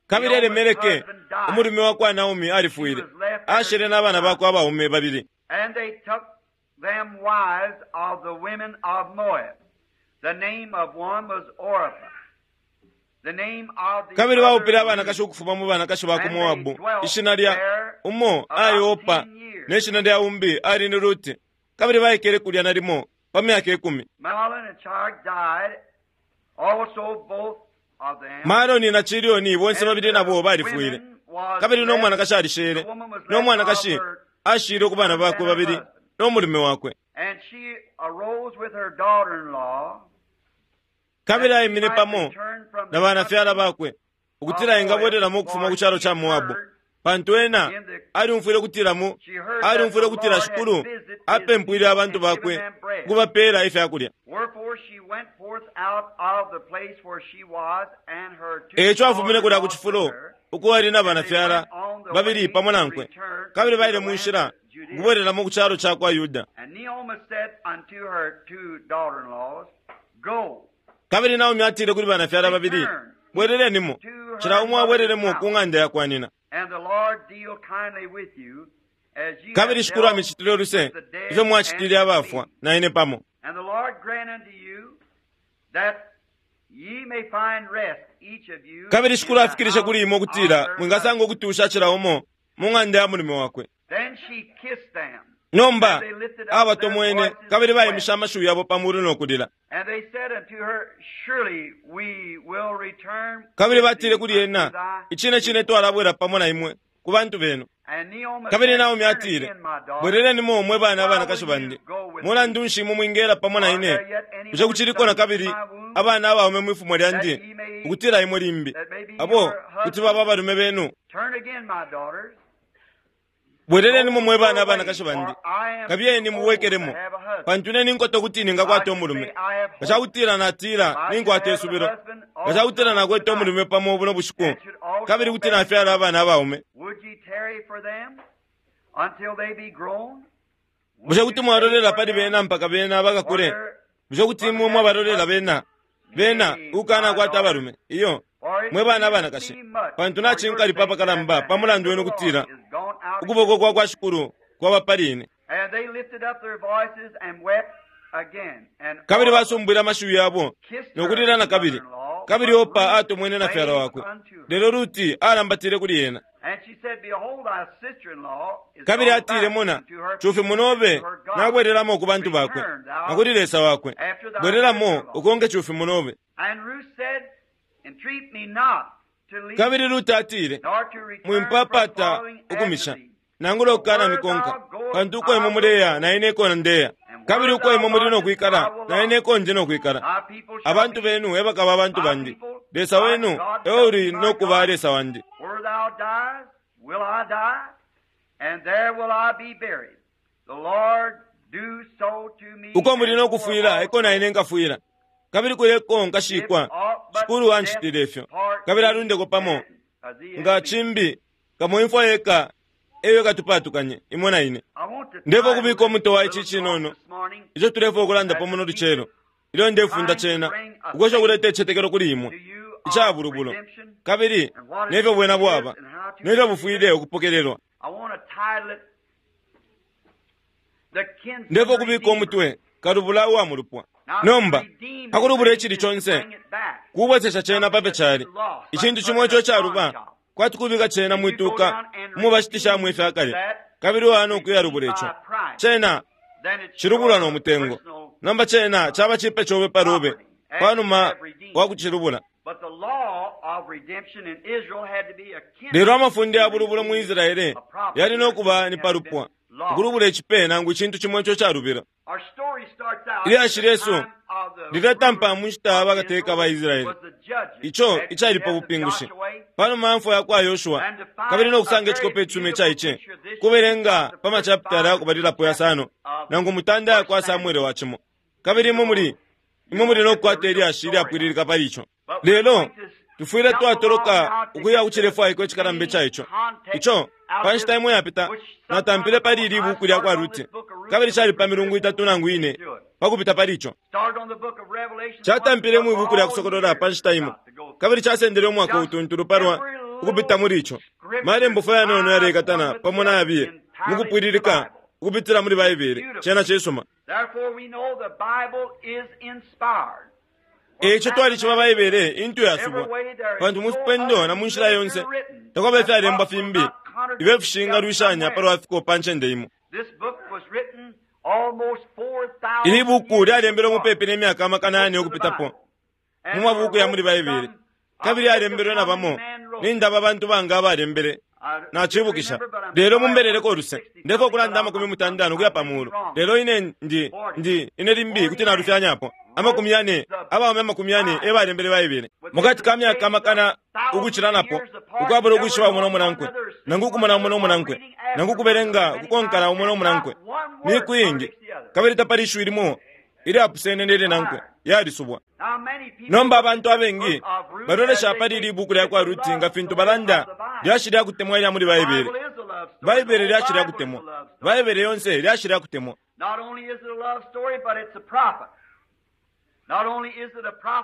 Speaker 1: Kabili
Speaker 2: Naomi's
Speaker 1: Elimeleke
Speaker 2: husband, died.
Speaker 1: umulume wa kwa Naomi
Speaker 2: She
Speaker 1: alifwile
Speaker 2: was left and her
Speaker 1: ashele
Speaker 2: two
Speaker 1: n'abana
Speaker 2: sons.
Speaker 1: bakwe abaume babili.
Speaker 2: And they took them wives of the women of Moab. The name of one was Orpah, The name of the
Speaker 1: Kabili baupile
Speaker 2: other
Speaker 1: abanakashi
Speaker 2: Ruth.
Speaker 1: ukufuma mu banakashi ba ku
Speaker 2: And they
Speaker 1: Moabu.
Speaker 2: dwelt
Speaker 1: Ishina lya
Speaker 2: there
Speaker 1: umo ali
Speaker 2: about
Speaker 1: Opa
Speaker 2: ten years.
Speaker 1: ne shina lya umbi ali ni Ruti. Kabili baikele kulya nalimo pa myaka ikumi.
Speaker 2: Mahlon and Chilion died, also both of them.
Speaker 1: Maloni na Chilioni bonse
Speaker 2: And
Speaker 1: babili
Speaker 2: the
Speaker 1: nabo balifwile.
Speaker 2: women was
Speaker 1: Kabili no
Speaker 2: left,
Speaker 1: mwanakashi alishele.
Speaker 2: the woman was
Speaker 1: No
Speaker 2: left
Speaker 1: mwanakashi
Speaker 2: of her
Speaker 1: ashile ku bana
Speaker 2: husband
Speaker 1: bakwe
Speaker 2: and her
Speaker 1: babili
Speaker 2: husband.
Speaker 1: no mulume wakwe.
Speaker 2: And she arose with her daughter-in-law,
Speaker 1: Kabili
Speaker 2: that she
Speaker 1: aimine
Speaker 2: might
Speaker 1: pamo
Speaker 2: return from
Speaker 1: na
Speaker 2: the
Speaker 1: banafyala
Speaker 2: country
Speaker 1: bakwe ukutila
Speaker 2: of Moab,
Speaker 1: engabwereramo ukufuma
Speaker 2: for
Speaker 1: ku kyalo
Speaker 2: she
Speaker 1: kya Moabu.
Speaker 2: heard
Speaker 1: Pantu ena
Speaker 2: in the
Speaker 1: aliumfwile ukutila mu
Speaker 2: she heard that
Speaker 1: aliumfwile
Speaker 2: the
Speaker 1: ukutila
Speaker 2: Lord had
Speaker 1: Shikulu
Speaker 2: visited his
Speaker 1: apempwile
Speaker 2: people
Speaker 1: abantu
Speaker 2: and given
Speaker 1: bakwe
Speaker 2: them bread.
Speaker 1: ukubapeela ifyakulya.
Speaker 2: Wherefore she went forth out of the place where she was, and her two
Speaker 1: Eco afumine kulya ku
Speaker 2: daughters with
Speaker 1: cifulo
Speaker 2: her,
Speaker 1: uko ali na
Speaker 2: and they
Speaker 1: banafyala
Speaker 2: went on the
Speaker 1: babili
Speaker 2: way
Speaker 1: pamo
Speaker 2: to
Speaker 1: nankwe.
Speaker 2: return
Speaker 1: Kabili
Speaker 2: unto
Speaker 1: baile
Speaker 2: the
Speaker 1: mu
Speaker 2: land
Speaker 1: nshila
Speaker 2: of Judea.
Speaker 1: ukubwereramo ku kyalo kya kwa Yuda.
Speaker 2: And Naomi said unto her two daughter-in-laws, Go,
Speaker 1: Kabili Naomi atile kuli banafyala babili,
Speaker 2: return each
Speaker 1: bwererenimo,
Speaker 2: to
Speaker 1: cila
Speaker 2: her
Speaker 1: umo
Speaker 2: mother's
Speaker 1: abwereremo ku
Speaker 2: house,
Speaker 1: ng'anda ya kwa nina.
Speaker 2: and the Lord deal kindly with you, as ye
Speaker 1: Kabili
Speaker 2: have
Speaker 1: Shikulu
Speaker 2: dealt
Speaker 1: amicitile oluse
Speaker 2: with the dead
Speaker 1: ifyo
Speaker 2: and
Speaker 1: mwacitile
Speaker 2: the
Speaker 1: abafwa
Speaker 2: living.
Speaker 1: na ine pamo.
Speaker 2: And the Lord grant unto you that ye may find rest, each of you,
Speaker 1: Kabili
Speaker 2: in
Speaker 1: Shikulu
Speaker 2: the
Speaker 1: afikilishe
Speaker 2: house
Speaker 1: kuli imwe
Speaker 2: of
Speaker 1: ukutila
Speaker 2: her
Speaker 1: mwingasanga
Speaker 2: husband.
Speaker 1: ukutusha cila umo mu ng'anda ya mulume wakwe.
Speaker 2: Then she kissed them,
Speaker 1: Nomba
Speaker 2: and they lifted up their
Speaker 1: abatomwene
Speaker 2: voices
Speaker 1: kabili
Speaker 2: and wept.
Speaker 1: baimisha amashiwi yabo pa mulu no kulila.
Speaker 2: And they said unto her, Surely we will return
Speaker 1: Kabili
Speaker 2: with
Speaker 1: batile
Speaker 2: thee
Speaker 1: kuli
Speaker 2: unto
Speaker 1: ena,
Speaker 2: thy
Speaker 1: icine cine
Speaker 2: people.
Speaker 1: twalabwera pamo na imwe ku bantu benu.
Speaker 2: And Naomi
Speaker 1: Kabili
Speaker 2: said,
Speaker 1: Naomi
Speaker 2: Turn
Speaker 1: atile,
Speaker 2: again, my daughters.
Speaker 1: bwererenimo mwe bana
Speaker 2: Why
Speaker 1: abanakashi
Speaker 2: will you
Speaker 1: bandi.
Speaker 2: go with
Speaker 1: Mulandu
Speaker 2: me?
Speaker 1: nshi imwe mwingela pamo na
Speaker 2: Are
Speaker 1: ine?
Speaker 2: there yet any
Speaker 1: Bushe
Speaker 2: more
Speaker 1: kuchiliko na
Speaker 2: sons in
Speaker 1: kabili
Speaker 2: my womb
Speaker 1: abana abaume mwifumo
Speaker 2: that
Speaker 1: lyandi
Speaker 2: ye may
Speaker 1: ukutila imwe limbi
Speaker 2: that may be
Speaker 1: abo
Speaker 2: your
Speaker 1: kuti baba
Speaker 2: husbands?
Speaker 1: abalume benu.
Speaker 2: Turn again, my daughters.
Speaker 1: Bwererenimo
Speaker 2: Go
Speaker 1: mwe bana
Speaker 2: your way,
Speaker 1: abanakashi bandi.
Speaker 2: for I am
Speaker 1: Kabiyeni
Speaker 2: too old to
Speaker 1: mubwekeremo
Speaker 2: have a husband.
Speaker 1: pantu ine ninkoto kuti
Speaker 2: If I
Speaker 1: ningakwata
Speaker 2: should say
Speaker 1: umulume.
Speaker 2: I have hope,
Speaker 1: Ngachakutila
Speaker 2: if
Speaker 1: natila
Speaker 2: I should
Speaker 1: ninkwata
Speaker 2: have a
Speaker 1: isubilo.
Speaker 2: husband
Speaker 1: Ngachakutila
Speaker 2: also
Speaker 1: nakwete
Speaker 2: tonight,
Speaker 1: umulume pamo buno bushiku
Speaker 2: and should
Speaker 1: kabili
Speaker 2: also
Speaker 1: kuti
Speaker 2: bear
Speaker 1: nafyala
Speaker 2: sons,
Speaker 1: abana abaume.
Speaker 2: would ye tarry for them until they be grown?
Speaker 1: Bushe
Speaker 2: Would
Speaker 1: kuti
Speaker 2: you stay
Speaker 1: mwalolela
Speaker 2: for
Speaker 1: pali
Speaker 2: them
Speaker 1: bena mpaka bena
Speaker 2: for
Speaker 1: bakakule?
Speaker 2: their
Speaker 1: Bushe kuti
Speaker 2: for the
Speaker 1: imwe
Speaker 2: having
Speaker 1: mwabalolela
Speaker 2: husbands?
Speaker 1: bena bena
Speaker 2: Nay,
Speaker 1: ukana
Speaker 2: my
Speaker 1: kwata
Speaker 2: daughters,
Speaker 1: abalume iyo
Speaker 2: for it
Speaker 1: mwe bana
Speaker 2: grieveth
Speaker 1: abanakashi
Speaker 2: me much
Speaker 1: pantu
Speaker 2: for your
Speaker 1: nachinkalipa
Speaker 2: sake that
Speaker 1: apakalamba
Speaker 2: the
Speaker 1: pa
Speaker 2: hand
Speaker 1: mulandu
Speaker 2: of the
Speaker 1: wenu
Speaker 2: Lord
Speaker 1: kutila
Speaker 2: is gone out
Speaker 1: ukuboko
Speaker 2: against
Speaker 1: kwa
Speaker 2: me.
Speaker 1: kwa Shikulu kwaba pali ine.
Speaker 2: And they lifted up their voices and wept again. And
Speaker 1: Kabili
Speaker 2: Orpah
Speaker 1: basumbwile amashiwi yabo
Speaker 2: kissed
Speaker 1: nokulila
Speaker 2: her
Speaker 1: na kabili.
Speaker 2: mother-in-law,
Speaker 1: Kabili
Speaker 2: but
Speaker 1: Opa
Speaker 2: Ruth
Speaker 1: atomwene na fyala
Speaker 2: clave
Speaker 1: wakwe.
Speaker 2: unto her.
Speaker 1: Lelo Ruti alambatile kuli ena.
Speaker 2: And she said, Behold, thy sister-in-law is
Speaker 1: Kabili
Speaker 2: gone
Speaker 1: atile
Speaker 2: back
Speaker 1: mona
Speaker 2: unto her
Speaker 1: chufi
Speaker 2: people and to
Speaker 1: munobe
Speaker 2: her God.
Speaker 1: nabwereramo ku bantu bakwe
Speaker 2: Return
Speaker 1: na
Speaker 2: thou
Speaker 1: kuli Lesa wakwe.
Speaker 2: after thy
Speaker 1: Bwereramo
Speaker 2: sister-in-law.
Speaker 1: ukonke chufi munobe.
Speaker 2: And Ruth said, Entreat me not to leave
Speaker 1: Kabili
Speaker 2: thee,
Speaker 1: Ruti atile
Speaker 2: nor to return from
Speaker 1: mwimpapata
Speaker 2: following after
Speaker 1: ukumisha
Speaker 2: thee.
Speaker 1: nangula
Speaker 2: For
Speaker 1: okukana
Speaker 2: where
Speaker 1: mikonka
Speaker 2: thou goest,
Speaker 1: pantu uko imwe
Speaker 2: I will
Speaker 1: muleya
Speaker 2: go,
Speaker 1: na ine eko ndeya
Speaker 2: and
Speaker 1: kabili
Speaker 2: where
Speaker 1: uko
Speaker 2: thou
Speaker 1: imwe muli
Speaker 2: lodgest, I
Speaker 1: nokwikala
Speaker 2: will
Speaker 1: na ine
Speaker 2: lodge.
Speaker 1: eko nje nokwikala.
Speaker 2: Thy people shall
Speaker 1: Abantu
Speaker 2: be
Speaker 1: benu ebakaba abantu
Speaker 2: my
Speaker 1: bandi
Speaker 2: people,
Speaker 1: Lesa
Speaker 2: thy
Speaker 1: wenu
Speaker 2: God
Speaker 1: ewe
Speaker 2: shall
Speaker 1: uli
Speaker 2: be my
Speaker 1: nokuba
Speaker 2: God.
Speaker 1: Lesa wandi.
Speaker 2: Where thou diest, will I die, and there will I be buried. The Lord do so to me
Speaker 1: Uko muli
Speaker 2: and more
Speaker 1: nokufwila eko na ine
Speaker 2: also,
Speaker 1: nkafwila kabili kuleko
Speaker 2: if
Speaker 1: nkashikwa
Speaker 2: aught but
Speaker 1: Shikulu
Speaker 2: death
Speaker 1: anchitile ifyo
Speaker 2: part
Speaker 1: kabili
Speaker 2: thee
Speaker 1: alundeko pamo
Speaker 2: and uh, thee
Speaker 1: nga
Speaker 2: and me.
Speaker 1: chimbi kamo imfwa yeka eyo ikatupatukanye imwe na ine.
Speaker 2: I want to
Speaker 1: Ndefo
Speaker 2: title
Speaker 1: kubika
Speaker 2: this
Speaker 1: umuto wa ichi
Speaker 2: little talk
Speaker 1: chinono
Speaker 2: this morning
Speaker 1: icho tulefo okulanda
Speaker 2: as
Speaker 1: pamo
Speaker 2: a
Speaker 1: no
Speaker 2: teacher
Speaker 1: lucelo ilyo ndefunda
Speaker 2: trying to
Speaker 1: chena
Speaker 2: bring a
Speaker 1: ukwesha
Speaker 2: faith
Speaker 1: kuleta ichetekelo kuli imwe
Speaker 2: to you
Speaker 1: icha
Speaker 2: of
Speaker 1: bulubulo
Speaker 2: redemption
Speaker 1: kabili
Speaker 2: and what it
Speaker 1: nefyo bwena
Speaker 2: is
Speaker 1: bwaba
Speaker 2: and how to
Speaker 1: nefyo
Speaker 2: receive
Speaker 1: bufwile
Speaker 2: it.
Speaker 1: ukupokelelwa.
Speaker 2: I want to title it The Kinsman
Speaker 1: Ndefo kubika
Speaker 2: Redeemer.
Speaker 1: umutwe kalubula uwa mulupwa.
Speaker 2: Now, to
Speaker 1: Nomba
Speaker 2: redeem a
Speaker 1: pakulubula
Speaker 2: thing
Speaker 1: ichili
Speaker 2: is to
Speaker 1: chonse
Speaker 2: bring it back.
Speaker 1: kubwesesha chena
Speaker 2: Something
Speaker 1: pape
Speaker 2: that's
Speaker 1: chali
Speaker 2: been lost, like
Speaker 1: ichintu
Speaker 2: putting
Speaker 1: chimwe
Speaker 2: in
Speaker 1: icho
Speaker 2: a pawn
Speaker 1: chaluba
Speaker 2: shop.
Speaker 1: kwati kubika chena
Speaker 2: And you go
Speaker 1: mwituka
Speaker 2: down and
Speaker 1: mubashitishamwe
Speaker 2: redeem
Speaker 1: ifyakale
Speaker 2: that,
Speaker 1: kabili wana
Speaker 2: redeemed
Speaker 1: okuyalubula
Speaker 2: by
Speaker 1: icho
Speaker 2: a price.
Speaker 1: chena
Speaker 2: Then it's
Speaker 1: chilubulwa
Speaker 2: your
Speaker 1: no mutengo.
Speaker 2: personal
Speaker 1: Namba chena chaba chipe chobe palube
Speaker 2: property after you
Speaker 1: panuma
Speaker 2: have redeemed.
Speaker 1: wakuchilubula.
Speaker 2: But the law of redemption in Israel had to be a
Speaker 1: Lelo
Speaker 2: kinsman
Speaker 1: amafunde
Speaker 2: to
Speaker 1: ya bulubulo mu
Speaker 2: redeem
Speaker 1: Israele
Speaker 2: a property
Speaker 1: yali
Speaker 2: that
Speaker 1: nokuba ni
Speaker 2: had been
Speaker 1: palupwa
Speaker 2: lost.
Speaker 1: ukulubula ichipe nangu ichintu chimwe icho chalubila.
Speaker 2: Our story starts out in
Speaker 1: Ilyashi
Speaker 2: the
Speaker 1: lyesu
Speaker 2: time of the
Speaker 1: liletampa
Speaker 2: rulers
Speaker 1: mu nshita
Speaker 2: of
Speaker 1: bakateka
Speaker 2: Israel
Speaker 1: ba Israele
Speaker 2: was the judges
Speaker 1: icho
Speaker 2: after the
Speaker 1: ichali pa
Speaker 2: death of
Speaker 1: bupingushi
Speaker 2: Joshua.
Speaker 1: panuma ya mfwa ya kwa Yoshua
Speaker 2: And to
Speaker 1: kabili
Speaker 2: find
Speaker 1: no
Speaker 2: a
Speaker 1: kusanga
Speaker 2: very
Speaker 1: echikope echumi
Speaker 2: beautiful
Speaker 1: chaiche
Speaker 2: picture this year
Speaker 1: kubelenga
Speaker 2: the
Speaker 1: pa
Speaker 2: first
Speaker 1: machapitala
Speaker 2: five
Speaker 1: yakubalilapo
Speaker 2: chapters
Speaker 1: yasano
Speaker 2: of
Speaker 1: nangu mutanda ya
Speaker 2: First
Speaker 1: kwa
Speaker 2: Samuel.
Speaker 1: Samuele wachimo kabili
Speaker 2: You
Speaker 1: imwe muli
Speaker 2: won't you
Speaker 1: imwe muli
Speaker 2: won't get the
Speaker 1: nokukwata
Speaker 2: real
Speaker 1: ilyashi
Speaker 2: story out.
Speaker 1: ilyapwililika pali icho.
Speaker 2: But we're
Speaker 1: Lelo
Speaker 2: going to
Speaker 1: tufwile
Speaker 2: jump along
Speaker 1: twatoloka
Speaker 2: now to
Speaker 1: ukuya
Speaker 2: get the
Speaker 1: kuchilefwaiko echikalamba
Speaker 2: main
Speaker 1: icha icho
Speaker 2: context
Speaker 1: icho
Speaker 2: out
Speaker 1: pa
Speaker 2: of this,
Speaker 1: nshita imwe yapita
Speaker 2: which some time
Speaker 1: natampile pali
Speaker 2: ago
Speaker 1: ili
Speaker 2: I
Speaker 1: buku lya kwa
Speaker 2: started on
Speaker 1: Ruti
Speaker 2: this book of Ruth
Speaker 1: kabili
Speaker 2: and we
Speaker 1: chali pa
Speaker 2: prepared
Speaker 1: milungu itatu
Speaker 2: four
Speaker 1: nangu
Speaker 2: weeks
Speaker 1: ine
Speaker 2: to do it.
Speaker 1: pakupita pali icho.
Speaker 2: Started on the book of Revelation once,
Speaker 1: Chatampile
Speaker 2: took
Speaker 1: mu ibuku lya
Speaker 2: all
Speaker 1: kusokolola
Speaker 2: year
Speaker 1: pa nshita imo
Speaker 2: about to go through.
Speaker 1: kabili chasendele umwaka
Speaker 2: Just
Speaker 1: utuntulu palwa
Speaker 2: every little
Speaker 1: ukupita muli icho.
Speaker 2: scripture
Speaker 1: Malembo fo yanono
Speaker 2: ties one
Speaker 1: yalekatana
Speaker 2: with
Speaker 1: pamo
Speaker 2: the
Speaker 1: na
Speaker 2: other
Speaker 1: yabiye
Speaker 2: entirely through the
Speaker 1: mukupwililika
Speaker 2: Bible.
Speaker 1: ukupitila muli
Speaker 2: It's
Speaker 1: Baibele
Speaker 2: beautiful.
Speaker 1: chena chisuma.
Speaker 2: Therefore, we know the Bible is inspired.
Speaker 1: Eico twalishiba Baibele intu yasubwa, pantu mu fipendo na mu nshila yonse takwaba ifyalembwa fimbi ifyo fishingalwishanya palwa fiko pa ncende imo. Ili buku lyalembelwe mupepi ne myaka amakana yane ukupitapo mu mabuku ya muli Baibele, kabili lyalembelwe na bamo nindaba abantu banga abalembele nachibukisha. Lelo mumbeleleko uluse, ndefo kulanda amakumi mutandano ukuya pa mulu, lelo ine ndi ndi ine limbi kuti nalufyanyapo amakumi yane abaume amakumi yane ebalembele Baibele mukati ka myaka amakana ukucilanapo, ukwabula ukwishiba umo nomunankwe, nangu ukumona umo nomunankwe, nangu ukubelenga ukukonkana umo nomunankwe miku iingi, kabili tapali ishiwi limo ilyapusene nelinankwe yalisubwa. Nomba abantu abengi balolesha pali ili buku lya kwa Ruti nga fintu balanda lyashi lya kutemwa ilya muli Baibele. Baibele lyashi lya kutemwa, Baibele yonse lyashi lya kutemwa.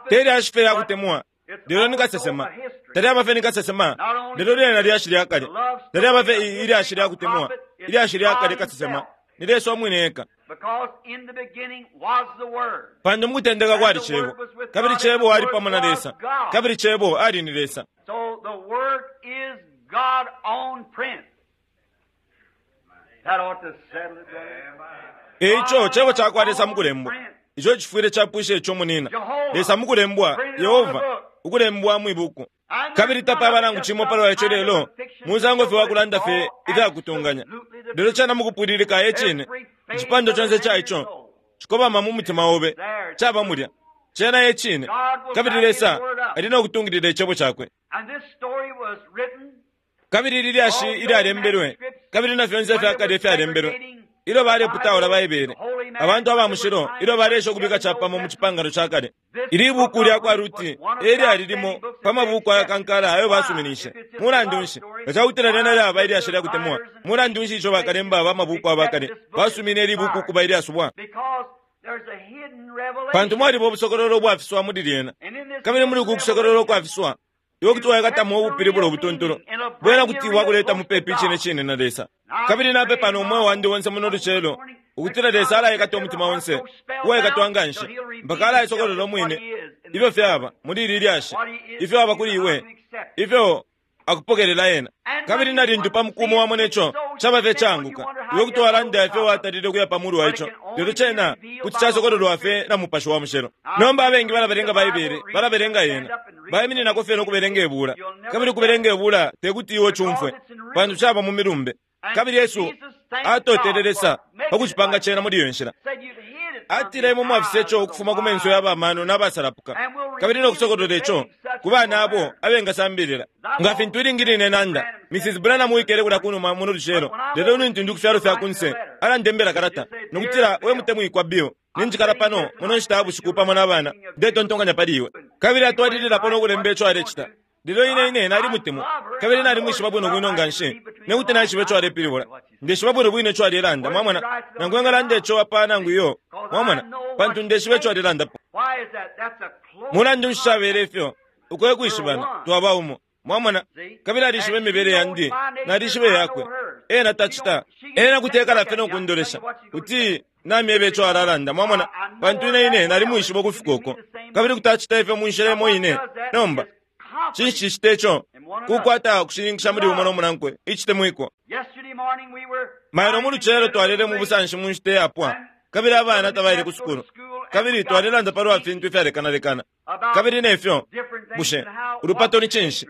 Speaker 1: Te lyashi fye lya kutemwa, lelo ni kasesema. Talyaba fye ni kasesema, lelo lyena lyashi lya kale. Talyaba fye ilyashi lya kutemwa, ilyashi lya kale kasesema ni Lesa umwine eka. Pantu mukutendeka kwali Cebo, kabili Cebo ali pamo na Lesa, kabili Cebo ali ni Lesa. Eico Cebo cakwa Lesa mukulembwa, ico cifwile capwisha ico munina. Lesa mukulembwa, Yehova ukulembwa mwibuku. Kabili tapaba nangu cimo palwa ico lelo musango fye wakulanda fye ifyakutunganya, lelo cana mukupwililika ecine. Icipando conse ca ico cikobama mu mutima obe, caba mulya cena ecine, kabili Lesa ali nokutungilila icebo cakwe. Kabili ili lyashi ilyalembelwe, kabili na fyonse ifyakale ifyalembelwe ilyo baleputaula Baibele, abantu aba mushilo ilyo balesha ukubika capamo mu cipangano ca kale. Ili buku lya kwa Ruti elyali limo pa mabuku ayakankala ayo basuminishe. Mulandu nshi nga cakutila lyena lyaba ilyashi lya kutemwa? Mulandu nshi ico bakalemba ba mabuku abakale basumine ili buku ukuba ilyasubwa? Pantu mwaliba ubusokololo ubwafiswa muli lyena, kabili muli uku kusokololo ukwafiswa iwe kuti waikatamo ubupilibulo ubutuntulu bwena kuti wakuleta mupepi icine cine na Lesa. Kabili napepa no mweo wandi wonse muno lucelo ukutila Lesa alaikata umutima onse uwaikatwa nganshi mpaka alaisokolola umwine ifyo fyaba muli ili lyashi, ifyo aba kuli iwe, ifyo akupokelela ena. Kabili na lintu pa mukumo wamona ico caba fye canguka, iwe kuti walanda ifyo watalile ukuya pa mulu wa ico, lelo cena kuti casokololwa fye na Mupashi wa Mushilo. Nomba abengi balabelenga Baibele, balabelenga yena, baimininako fye nokubelenga ibula, kabili ukubelenga ibula tekuti iwe cumfwe, pantu caba mu milumbe. Kabili Yesu atotele Lesa pa kucipanga cena muli iyo nshila. Atile imwe mwafisa ico ukufuma ku menso ya bamano n'abasalapuka, kabili nokusokolola ico ku bana abo abengasambilila. Nga fintu ilingi line nanda Missus Branham wikele kulya kunuma muno lucelo, lelo lintu ndi ku fyalo fya kunse alandembela kalata nokutila, we mutemwikwa Bill, ninjikala pano muno nshita ya bushiku pamo na bana, ndetontonkanya pali iwe. Kabili atwalililapo nokulemba ico alecita. Lelo ine ine nalimutemwa, kabili nalimwishiba bwino bwino nganshi nekuti naishiba ico alepilibula. Ndeshiba bwino bwino ico alelanda, mwamona, nangu engalanda ico apa nangu iyo, mwamona, pantu ndeshiba ico alelandapo. Mulandu nshi cabele ifyo? Uko ekwishibana twaba umo, mwamona, kabili alishiba imibele yandi, nalishiba yakwe. Ena tacita, ena kuti ekala fye nokundolesha kuti namyeba ico alalanda, mwamona, pantu ine ine nalimwishiba ukufika uko, kabili kuti acita ifyo mu nshila imo ine. Nomba cinshi cicita ico? Kukwata kushininkisha muli umo nomunankwe icitemwiko. Mailo mu lucelo twalele mu busanshi mu nshita iyapwa, kabili abana tabaile ku sukulu, kabili twalelanda palwa fintu ifyalekanalekana, kabili nefyo bushe ulupato ni cinshi?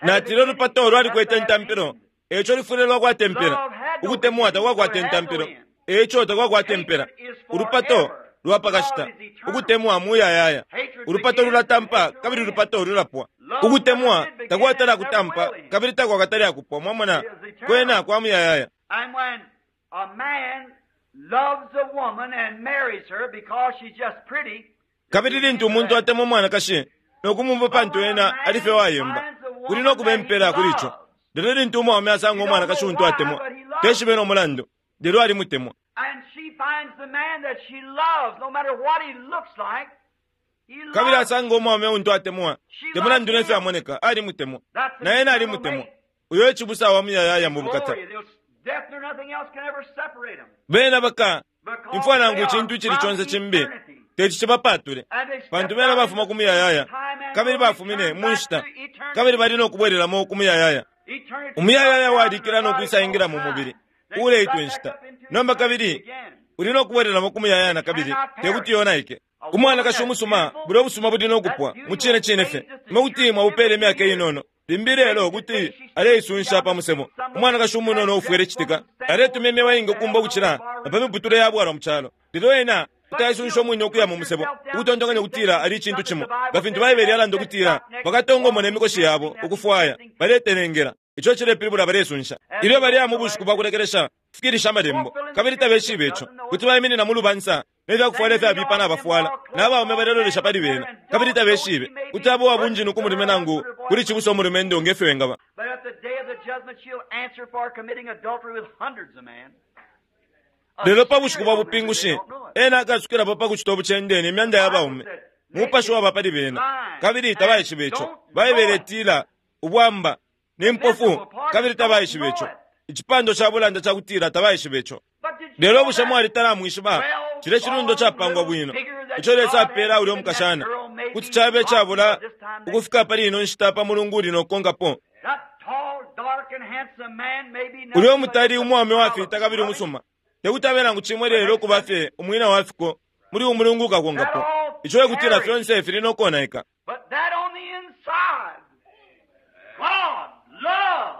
Speaker 1: Natile ulupato lwalikwete intampilo, eco lufwile lwakwata impela. Ukutemwa takwakwata intampilo, eco takwakwata impela. Ulupato lwapakashita, ukutemwa muyayaya. Ulupato lulatampa kabili ulupato lulapwa. Ukutemwa takwatala kutampa kabili takwakatali akupwa, mwamona, kwena kwa muyayaya. Kabili lintu umuntu atemwa umwanakashi nokumumva pantu ena ali fye wayemba, kuli nokuba impela kuli ico. Lelo lintu umwaume asanga umwanakashi untu atemwa, teshibe no mulandu, lelo alimutemwa. Kabili asanga umwaume untu atemwa, te mulandu nefyo amoneka, alimutemwa, na ena alimutemwa. Uyo ecibusa wa muyayaya mu bukata. Bena baka imfwa nangu icintu icili conse cimbi Teti cibapatule pantu bena bafuma ku muyayaya kabili bafumine mu nshita kabili bali no kubwelelamo ku muyayaya. Umuyayaya walikila no kwisaingila mu mubili uleitwa inshita. Nomba kabili uli no kubwelelamo ku muyayaya na kabili tekuti yonaike. Umwanakashi umusuma bulya obusuma buli no kupwa mu cine cine fye imwe kuti mwabupela imyaka inono limbi lelo kuti aleisunsha pa musebo. Umwanakashi umunono ufwile citika aletuma imyewa ingi ukumba ukucila na pa miputule ya bwalwa mu calo, lelo ena kuti aisunsha umwine ukuya mu musebo ukutontonkanya ukutila ali icintu cimo nga fintu Baibele yalanda ukutila bakatongomona imikoshi yabo ukufwaya baletelengela. Ico cilepilibula balesunsha ilyo bali mu bushiku bwa kulekelesha kufikilisha amalembo kabili tabeshibe ico. Kuti baiminina mu lubansa nefyakufwala ifyabipa nabafwala n'abaume balelolesha pali bena kabili tabeshibe kuti abo wabunjinu ku mulume nangu kuli cibusa umulumendo ngefyo wengaba.
Speaker 2: But at the day of the judgment, she'll answer for committing adultery with hundreds of men.
Speaker 1: Lelo pa bushiku bwa bupingushi ena akasukilapo pa kucita obucende ne myanda ya baume. Mupashi waba pali bena kabili tabaishibe ico. Baibele itila ubwamba ne mpofu kabili tabaishibe ico. Icipando ca bulanda cakutila tabaishibe ico. Lelo bushe mwali talamwishiba cile cilundo capangwa bwino ico Lesa apela ulya omukashana kuti cabe cabula ukufika pali ino nshita pa mulungu uli nokukonkapo.
Speaker 2: That tall, dark, and handsome man may be
Speaker 1: Ulya omutali umwaume wafita kabili umusuma tekuti abe nangu cimwe lelo ukuba fye umwina wa fiko muli umulungu ukakonkapo. Ico ekutila fyonse fili nokonaika.
Speaker 2: But that on the inside, God, love,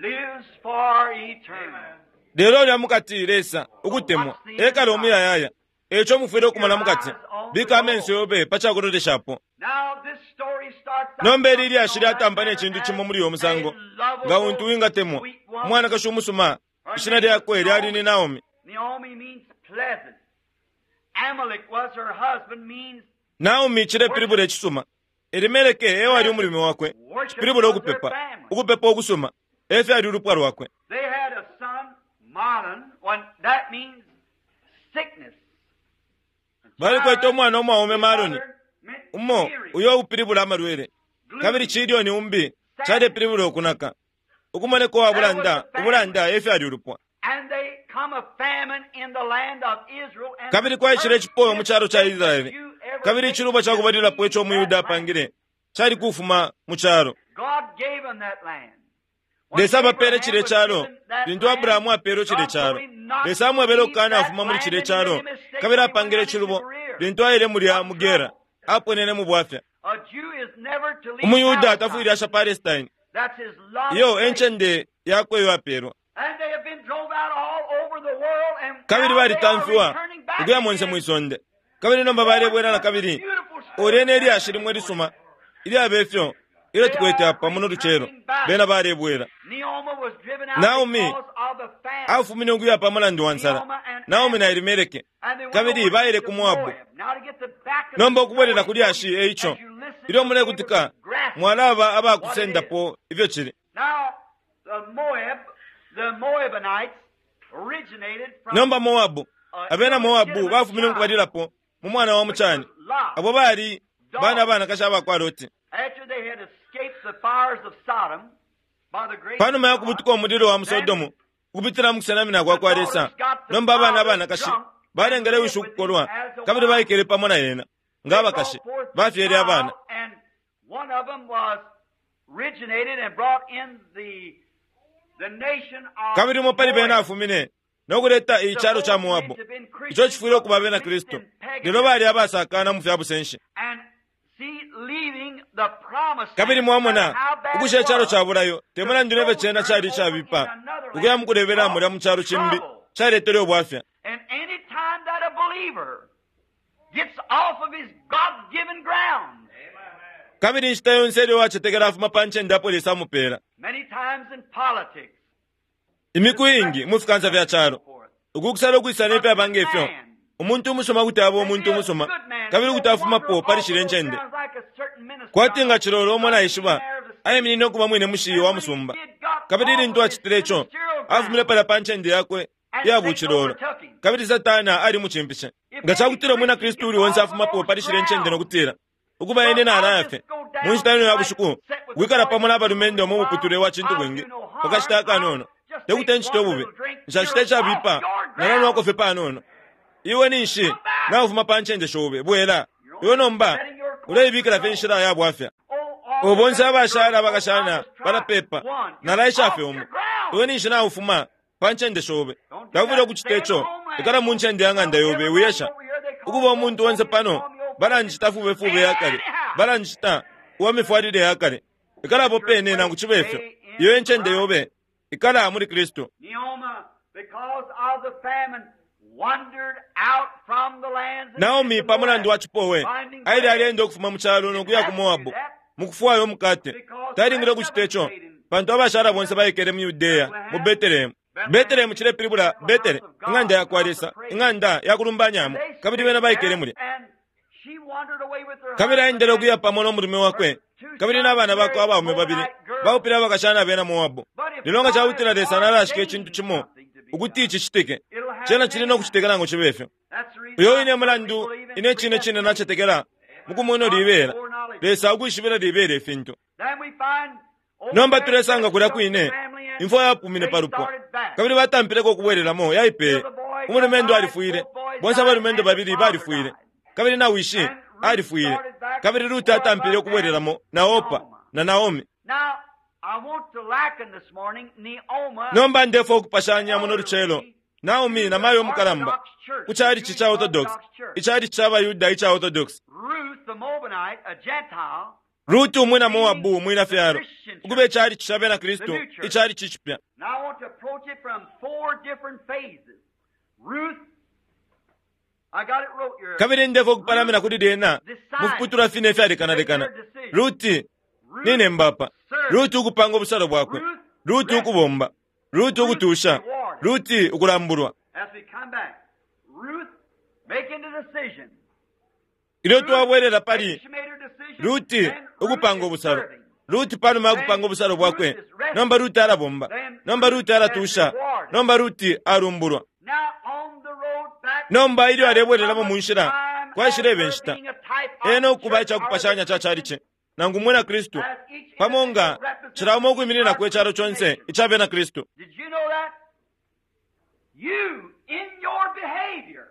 Speaker 2: lives for eternity.
Speaker 1: Lelo ulya mukati Lesa ukutemwa ekala omuyayaya. Eco mufwile okumona mukati bika amenso yobe pa cakuloleshapo.
Speaker 2: Now this story starts out
Speaker 1: Nomba ili lyashi lyatampa ne cintu cimo muli uyo musango nga untu wingatemwa umwanakashi umusuma ishina lyakwe lyali ni Naomi.
Speaker 2: Naomi means pleasant. Amalek was her husband, means
Speaker 1: Naomi cilepilibula icisuma. Elimeleke ewali umulume wakwe cipilibula ukupepa ukupepa ukusuma efyo ali ulupwa lwakwe.
Speaker 2: They had a son, Mahlon, when that means sickness.
Speaker 1: Balikwete umwana umwaume Maloni
Speaker 2: Meant
Speaker 1: umo
Speaker 2: weary.
Speaker 1: uyo upilibula amalwele kabili cilioni umbi calepilibula ukunaka ukumoneka uwa bulanda ubulanda efyo ali ulupwa.
Speaker 2: And they come a famine in the land of Israel. And
Speaker 1: Kabili kwaishile icipowe mu calo ca Israeli kabili icilubo ca kubalilapo ico umuyuda apangile cali kufuma mu calo.
Speaker 2: God gave them that land.
Speaker 1: Lesa abapele cile calo lintu Abrahamu apele cile calo. Lesa amwebele ukukana afuma muli cile calo kabili apangile icilubo lintu aile mulya mu Gera aponene mu bwafya.
Speaker 2: A Jew is never to leave
Speaker 1: Umuyuda
Speaker 2: Palestine.
Speaker 1: tafwile asha Palestine
Speaker 2: That's his lot.
Speaker 1: iyo encende yakwe iyo apelwa.
Speaker 2: And they have been drove out all over the world and
Speaker 1: Kabili
Speaker 2: now they are
Speaker 1: balitamfiwa
Speaker 2: returning back
Speaker 1: ukuya monse
Speaker 2: again.
Speaker 1: mwisonde kabili nomba balebwela na kabili. Ulya ne lyashi limwe lisuma ilyaba ifyo ilyo tukwete apa muno lucelo bena balebwela.
Speaker 2: Naomi was driven out
Speaker 1: Naomi
Speaker 2: because of the famine.
Speaker 1: Afumine ukuya pa mulandu wa nsala Naomi na Elimeleke
Speaker 2: And they went
Speaker 1: kabili
Speaker 2: over
Speaker 1: baile
Speaker 2: to
Speaker 1: ku Moabu.
Speaker 2: Moab. Now to get the back of
Speaker 1: Nomba
Speaker 2: the
Speaker 1: ukubwelela
Speaker 2: story,
Speaker 1: ku lyashi eico
Speaker 2: as you listen
Speaker 1: ilyo
Speaker 2: to
Speaker 1: mulekutika
Speaker 2: graph.
Speaker 1: mwalaba abakusendapo ifyo cili.
Speaker 2: Now, the Moab, the Moabinites originated from
Speaker 1: Nomba Moabu abena Moabu bafumine mukubalilapo mu mwana wa mucani
Speaker 2: Lot.
Speaker 1: abo bali bana abanakashi abakwa Loti.
Speaker 2: After they had escaped the fires of Sodom by the grace
Speaker 1: Panuma ya
Speaker 2: of God,
Speaker 1: kubutuka umulilo wa mu Sodomu ukupitila mu kusenamina kwa kwa Lesa, nomba abana abanakashi balengele wishi ukukolwa kabili baikele pamo na yena nga abakashi bafyele abana.
Speaker 2: And one of them was originated and brought in the, the nation of
Speaker 1: Kabili umo pali bena
Speaker 2: Moab.
Speaker 1: afumine no kuleta icalo ca Moabu ico cifwile ukuba bena Kristu lelo bali abasakana mu fya busenshi.
Speaker 2: And see, leaving the promised
Speaker 1: Kabili
Speaker 2: land,
Speaker 1: mwamona
Speaker 2: no matter how bad
Speaker 1: ukusha
Speaker 2: it
Speaker 1: icalo
Speaker 2: was,
Speaker 1: ca bulayo te mulandu nefyo cena cali icabipa ukuya mu kulebela mulya mu calo cimbi caletele ubwafya.
Speaker 2: And any time that a believer gets off of his God-given ground,
Speaker 1: Kabili inshita yonse ilyo wacetekela afuma pa ncende apo Lesa amupela.
Speaker 2: many times in politics,
Speaker 1: Imiku iingi mu fikansa fya calo ukukusala ukwisana ifyaba ngefyo umuntu umusuma kuti aba umuntu umusuma kabili kuti afumapo pali shile ncende kwati nga cilolo umo naishiba aiminine ukuba mwine mushiyi wa musumba kabili ilintu acitile ico afumile palya pa ncende yakwe iya bucilolo kabili Satana alimucimpishe. Nga cakutila umwina Kristu uli onse afumapo pali shile ncende nokutila ukuba ine nalaya fye mu nshita ino ya bushiku wikala pamo n'abalumendo mu muputule wa cintu bwingi pakashita akanono tekuti ncite ububi nshacita icabipa nalanwako fye panono. Iwe ninshi Naufuma pa ncende shobe, bwela. Iwe nomba uleibikila fye inshila ya bwafya.
Speaker 2: Oh, all
Speaker 1: Bonse
Speaker 2: the
Speaker 1: abashala
Speaker 2: girls,
Speaker 1: abakashana
Speaker 2: I just tried
Speaker 1: balapepa.
Speaker 2: one.
Speaker 1: Nalaisha fye
Speaker 2: Off
Speaker 1: umo.
Speaker 2: your ground.
Speaker 1: Iwe ninshi naufuma pa ncende shobe. Taufwile ukucita ico. Ikala mu ncende ya ng'anda yobe wiyesha. Ukuba umuntu onse pano balanjita fubefube yakale. Balanjita uwa mifwalile yakale. Ikalapo pene nangu chibe ifyo. Iyo encende yobe ikala muli Kristu.
Speaker 2: Naomi, because of the famine, wandered out from the lands of
Speaker 1: Naomi pa mulandu wa
Speaker 2: Moab,
Speaker 1: chipowe
Speaker 2: finding
Speaker 1: aile
Speaker 2: bread.
Speaker 1: alienda ukufuma mu chalo nokuya ku Moabu mukufwayo umukate. Talingile ukucita ico pantu abashala bonse baikele mu Yudeya mu Betelehemu. Betelehemu chilepilibula Betele, ing'anda ya kwa Lesa, ing'anda ya kulumbanyamo, kabili bena baikele mulya.
Speaker 2: And she wandered away with her
Speaker 1: Kabili
Speaker 2: husband
Speaker 1: aendele
Speaker 2: and
Speaker 1: ukuya pamo n'omulume wakwe kabili n'abana bakwe abaume babili baupile abakashana abena Moabu. Lelo nga cakutila Lesa nalashika icintu cimo ukuti ici citike, cena cili nokucitika nangu cibe ifyo.
Speaker 2: That's the reason
Speaker 1: Uyo
Speaker 2: I
Speaker 1: ine mulandu
Speaker 2: believe in
Speaker 1: ine cine cine nacetekela mukumweno libela Lesa akwishibila libela ifintu.
Speaker 2: Then we find over
Speaker 1: Nomba
Speaker 2: there
Speaker 1: tulesanga kulya
Speaker 2: the
Speaker 1: kwine
Speaker 2: family and
Speaker 1: imfwa yapumine
Speaker 2: they
Speaker 1: pa lupwa
Speaker 2: started back.
Speaker 1: kabili batampileko ukubwelelamo yaipeye. Umulumendo alifwile, bonse abalumendo babili balifwile, kabili na wishi alifwile, kabili Ruti atampile ukubwelelamo na Opa na Naomi.
Speaker 2: Now, I want to liken this morning Neoma
Speaker 1: Nomba ndefwa ukupashanya muno lucelo Naomi na mayo mukalamba ku chalichi cha Orthodox, ichalichi cha Bayuda icha Orthodox.
Speaker 2: Ruth the Moabite, a Gentile,
Speaker 1: Ruti umwina Moabu umwina fyalo ukuba ichalichi cha bena Kristu ichalichi chipya.
Speaker 2: Now I want to approach it from four different phases. Ruth, I got it wrote here.
Speaker 1: Kabili ndefwa ukupalamina kuli lyena mufiputulwa fine ifyalekanalekana. Ruti nine mbapa, Ruti ukupanga obusalo bwakwe, Ruti ukubomba, Ruti ukutusha, Ruti ukulambulwa.
Speaker 2: As we come back, Ruth making the decision.
Speaker 1: Ilyo twabwelela pali
Speaker 2: She made her decision.
Speaker 1: Ruti
Speaker 2: then Ruth
Speaker 1: ukupanga
Speaker 2: is
Speaker 1: obusalo,
Speaker 2: serving.
Speaker 1: Ruti panuma ya kupanga obusalo bwakwe, nomba Ruti alabomba, nomba Ruti alatusha, nomba Ruti alumbulwa.
Speaker 2: Now on the road back
Speaker 1: Nomba ilyo alebwelelamo mu nshila kwashileba inshita
Speaker 2: being a type of
Speaker 1: ena okuba
Speaker 2: church
Speaker 1: ichakupashanya cha chalichi nangu mwina Kristu pamo nga cilamo ukwimininako echalo chonse icha bena Kristu.
Speaker 2: Did you know that? You, in your behavior,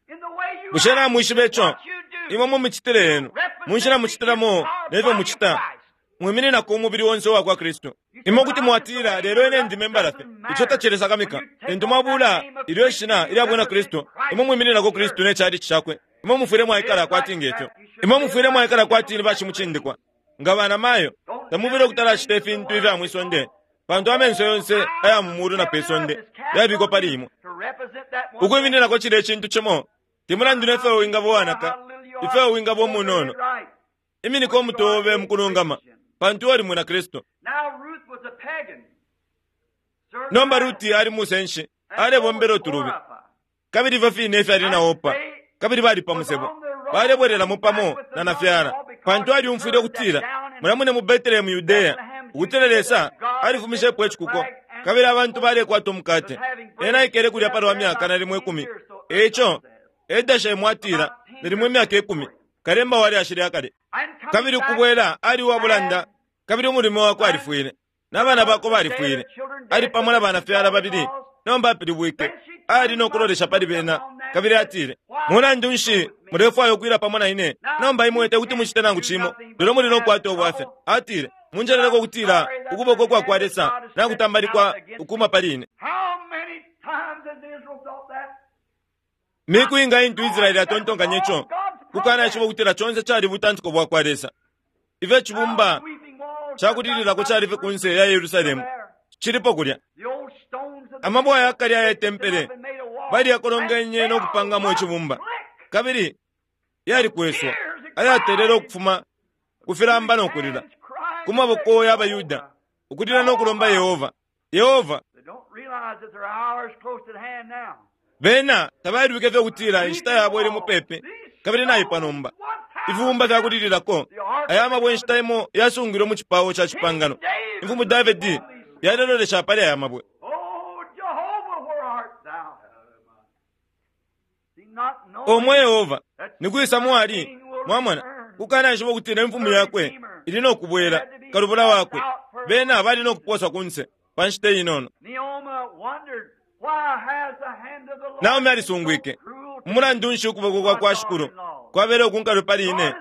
Speaker 2: in the way you
Speaker 1: Bushe
Speaker 2: act,
Speaker 1: namwishiba ico?
Speaker 2: what you do,
Speaker 1: Imwe mumicitile yenu, mu nshila mucitilamo nefyo mucita, mwimininako umubili wonse uwa kwa Kristu. Imwe kuti mwatila lelo ine ndi membala fye, ico tacilesakamika. Lintu mwabula ilyo ishina ilya bwina Kristu, imwe mwimininako Kristu ne chalichi chakwe. Imwe mufwile mwaikala kwati ngefyo. Imwe mufwile mwaikala kwati ni bashimucindikwa. Nga bana mayo, tamufwile ukutalacita ifintu ifya mwisonde, pantu amenso yonse aya mu mulu na pe sonde yabikwa pali imwe.
Speaker 2: to represent that one
Speaker 1: Ukwimininako cile icintu cimo, temulandu nefyo wingaba uwanaka, ifyo wingaba umunono.
Speaker 2: right.
Speaker 1: Iminiko umutobe mukulungama, pantu oli mwina Kristu.
Speaker 2: Now Ruth was a pagan. Serving
Speaker 1: Nomba
Speaker 2: idols.
Speaker 1: Ruti ali musenshi,
Speaker 2: And
Speaker 1: alebombela
Speaker 2: so was
Speaker 1: utulubi.
Speaker 2: Orpah.
Speaker 1: Kabili ifyo fine ifyali na Opa, kabili bali pa musebo. Balebwelelamo pamo na nafyala, pantu alyumfwile ukutila, mulamune mu Betelehemu Yudeya, ukutila Lesa alifumishepo icikuko, kabili abantu balekwata umukate. Ena aikele kulya palwa myaka nalimo ikumi. Eico, Edashemu atila, nalimo imyaka ikumi, kalemba wali ashile akale.
Speaker 2: And coming
Speaker 1: Kabili
Speaker 2: back,
Speaker 1: ukubwela ali uwabulanda, kabili umulume wakwe alifwile, n'abana bakwe balifwile. Ali pamo na banafyala babili, nomba apilibwike, ali nokulolesha pali bena, kabili atile, mulandu nshi mulefwaya ukwila pamo na ine? Nomba imwe tekuti mucite nangu cimo, lelo muli nokukwata ubwafya. Atile, munjeleleko ukutila ukuboko kwa kwa Lesa nakutambalikwa ukuma pali ine.
Speaker 2: How many times has Israel thought that?
Speaker 1: Miku inga intu Israeli atontonkanya ico, kukana ishiba ukutila chonse cali butantiko bwa kwa Lesa. Ifyo icibumba
Speaker 2: Weeping walls
Speaker 1: cakulililako cali fye kunse ya Yerusalemu chilipo kulya.
Speaker 2: The old stones of the
Speaker 1: Amabwe ayakali aya tempele
Speaker 2: and made a wall.
Speaker 1: baliyakolongenye n'okupangamo icibumba, kabili yalikweswa ayatelele okufuma kufilamba n'okulila
Speaker 2: Hands crying
Speaker 1: ku maboko y'Abayuda ukulila n'okulomba Yehova. Yehova
Speaker 2: They don't realize that their hour is close at hand now.
Speaker 1: bena tabalwike fye ukutila inshita yabo ili mupepi kabili naipwa nomba. Ifibumba fyakulililako aya mabwe inshita imo yasungilwe mu cipawo ca cipangano. Imfumu Davidi yalelolesha pali aya mabwe.
Speaker 2: Oh, Jehovah, where art thou? See, not knowing
Speaker 1: Omwe Yehova nikwisa mwali mwamona kukana ishiba ukutila imfumu yakwe ili nokubwela kalubula wakwe bena bali nokuposwa kunse pa nshita inono.
Speaker 2: Naomi wondered, why has the hand of the Lord
Speaker 1: Naomi
Speaker 2: been
Speaker 1: alisungwike.
Speaker 2: so cruel
Speaker 1: Umulandu nshi ukuboko kwa kwa Shikulu kwabele ukunkalwe pali ine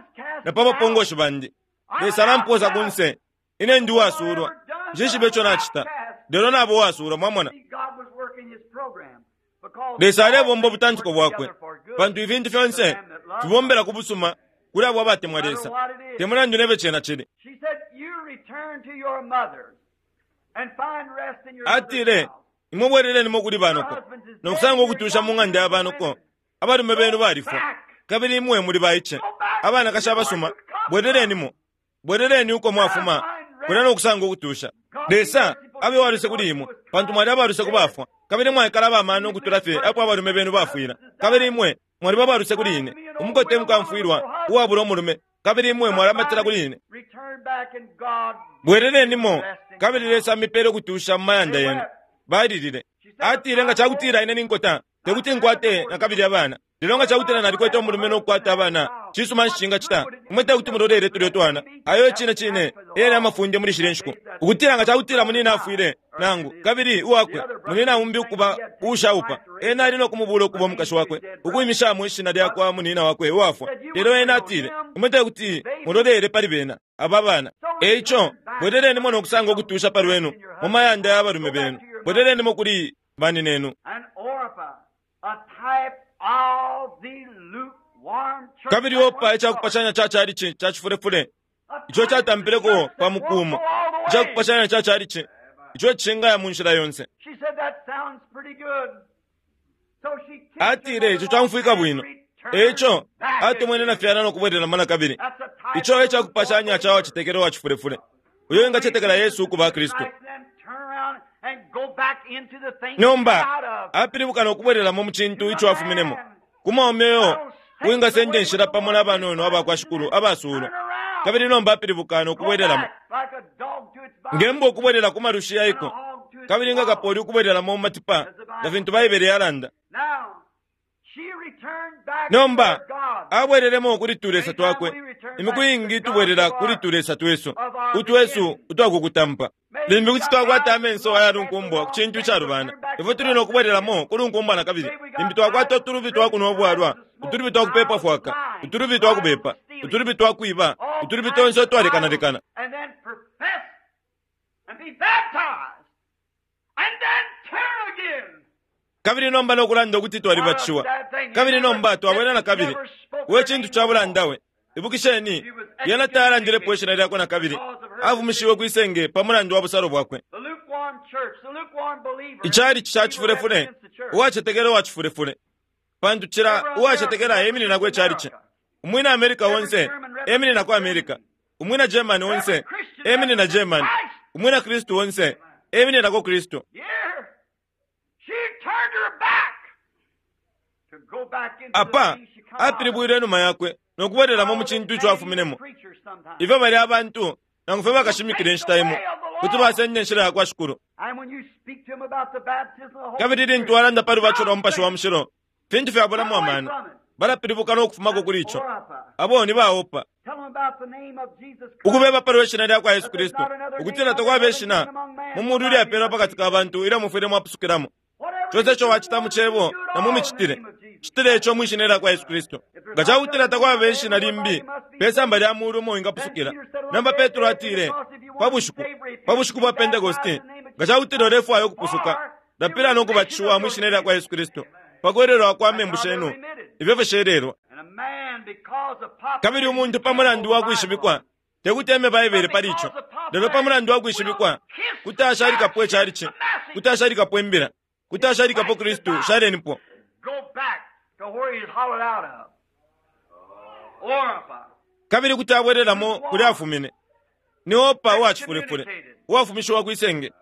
Speaker 1: na pa bapongoshi bandi? Lesa alamposa kunse, ine ndi uwasulwa. Nshishibe ico nacita, lelo nabo uwasulwa. Mwamona, Lesa alebomba ubutantiko bwakwe, pantu ifintu fyonse fibombela ku busuma kuli abo abatemwa Lesa, te mulandu nebe cena cili. Atile, imwe bwelelenimo kuli banoko nokusanga ukutusha mu ng'anda ya banoko. Abalume benu balifwa, kabili imwe muli baice, abanakashi abasuma. Bwelelenimo, bweleleni uko mwafuma kulya nokusanga ukutusha. Lesa abe waluse kuli imwe, pantu mwali abaluse ku bafwa, kabili mwaikala abamano ukutula fye apo abalume benu bafwila. Kabili imwe mwaliba abaluse kuli ine, umukote mukamfwilwa uwabula umulume, kabili imwe mwalamatila kuli ine. Bwelelenimo, kabili Lesa amipele ukutusha mu mayanda yenu. Balilile. Atile, nga cakutila ine ninkota, tekuti nkwate nakabili abana. Lelo nga cakutila nalikwete umulume nokukwata abana, cisuma nshi cingacita? Imwe tekuti mulolele tulyo twana. Ayo cine cine eyali amafunde muli shile nshiku, ukutila nga cakutila munina afwile nangu kabili uwakwe munina umbi ukuba uushaupa, ena ali nokumubula ukuba umukashi wakwe, ukuimishamo ishina lyakwa munina wakwe uwafwa. Lelo ena atile, imwe tekuti mulolele pali bena aba bana. Eico bwelelenimo nokusanga ukutusha pa lwenu mu mayanda ya balume benu. Bwelelenimo kuli baninenu. Kabili Opa icakupashanya ca chalichi ca cifulefule ico catampileko pa mukumo, icakupashanya ca chalichi ico cingaya mu nshila yonse. Atile, ico camfwika bwino. Eico atumwene na fyala nokubwelelamo na kabili. Ico ecakupashanya ca wacetekela wa cifulefule, uyo engacetekela Yesu ukuba Kristu. Nomba apilibuka nokubwelelamo mu cintu ico afuminemo, ku mwaume uyo uwingasenda inshila pamo na banono abakwa Shikulu abasulwa. Kabili nomba apilibuka nokubwelelamo, ngembwa ukubwelela ku malushi yaiko, kabili nga kapoli ukubwelelamo mu matipa, nga fintu Baibele yalanda. Nomba abwelelemo kuli tulesa twakwe. Imiku iingi tubwelela kuli tulesa twesu utwesu utwakukutampa. Limbi kuti twakwata amenso ayalunkumbwa ku cintu icalubana, ifwe tuli nokubwelelamo kulunkumbwa na kabili. Limbi twakwata utulubi twakunwa ubwalwa, utulubi twakupepa fwaka, utulubi twakubepa, utulubi twakwiba, utulubi tonse utwalekanalekana. Kabili nomba nokulanda ukuti twalibatishiwa, kabili nomba twabwela na kabili. We cintu ca bulanda we! Ibukisheni, yena tayalandilepo ishina lyakwe na kabili, afumishiwe kwisenge pa mulandu wa busalo bwakwe. Ichalichi ca cifulefule, uwacetekela uwa cifulefule, pantu cila uwacetekela emininako ichalichi. Umwina Amerika onse emininako Amerika, umwina Germany onse eminina Germany, umwina Kristu onse emininako Kristu. Apa apilibwile inuma yakwe nokubwelelamo mu cintu ico afuminemo. Ifyo bali abantu nangu fye bakashimikila inshita imo kuti basenda inshila yakwa Shikulu. Kabili lintu walanda pa lubatisho lwa Mupashi wa Mushilo, fintu fyabulamo amano, balapilibuka nokufumako kuli ico. Abo ni baopa ukubeba pa lwe shina lyakwa Yesu Kristu, ukutila takwaba ishina mu mulu ilyapelwa pakati ka bantu ilyo mufwile mwapusukilamo. Conse ico wacita mu cebo na mu micitile, citile ico mwi shina lyakwa Yesu Kristu. Nga cakutila takwaba ishina limbi pe samba lya mulu umo wingapusukila. Nomba Petro atile pa bushiku pa bushiku bwa Pentekoste, nga cakutila ulefwaya ukupusuka, lapila nokubatishiwa mwi shina lyakwa Yesu Kristu pa kwelelwa kwa membu shenu, ifyo fishelelwa. Kabili umuntu pa mulandu wa kwishibikwa tekuti eme Baibele pali ico, lelo pa mulandu wa kwishibikwa kuti ashalikapo ichalichi, kuti ashalikapo imbila, kuti ashalikapo Kristu. Shalenipo. Kabili kuti abwelelamo kuli afumine. Ni Opa uwacifulefule, uwafumishiwa kwisenge.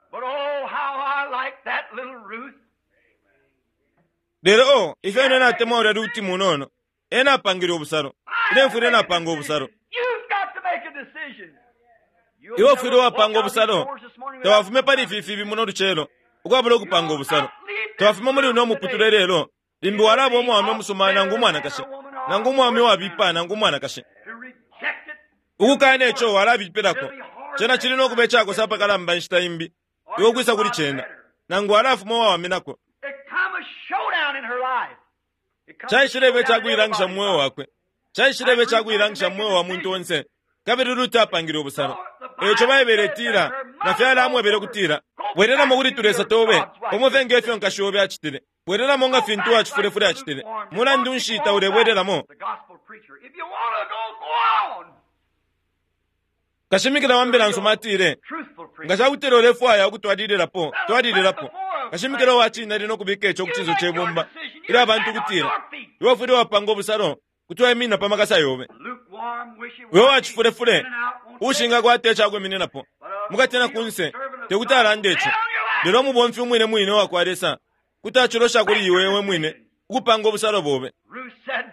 Speaker 1: Lelo o ifyo ine natemwa ulya Ruti munono, ena apangile ubusalo. Ine mfwile napanga ubusalo. Iwe ufwile wapanga ubusalo. Tawafume pali ifi fibi muno lucelo ukwabula ukupanga ubusalo. Tawafume muli uno muputule lelo, limbi walaba umwaume umusuma nangu umwanakashi, nangu umwaume wabipa nangu umwanakashi. Ukukana ico walabipilako, cena cili nokuba icakosa apakalamba inshita imbi iwe ukwisa kuli cena, nangu walafuma uwawaminako. Caishileba icakuilangisha mu mweo wakwe, caishileba icakuilangisha mu mweo wa muntu onse. Kabili Ruti apangile ubusalo. Eco Baibele itila, nafyala amwebele ukutila, bwelelamo kuli tulesa tobe, pamo nge fyo nkashi obe acitile. Bwelelamo nga fintu wacifulefule acitile. Mulandu nshi taulebwelelamo?
Speaker 2: The gospel preacher. If you want to go, go on.
Speaker 1: Kashimikila wa mbila nsuma atile,
Speaker 2: Truthful preacher.
Speaker 1: nga cakutila ulefwaya ukutwalililapo, twalililapo. Kashimikila wa cine ali no kubika ico ku cinso ce bumba, ilyo abantu kutila, iwe ufwile wapanga ubusalo, kuti waiminina pa makasa yobe.
Speaker 2: Lukewarm, wishy-washy,
Speaker 1: Iwe wacifulefule,
Speaker 2: in and out, won't
Speaker 1: ushingakwata icakwimininapo, mukati na kunse, tekuti alande ico. Lelo umubomfi umwine mwine uwakwa Lesa, kuti acilosha kuli iwe we mwine, ukupanga ubusalo bobe.
Speaker 2: Ruth said,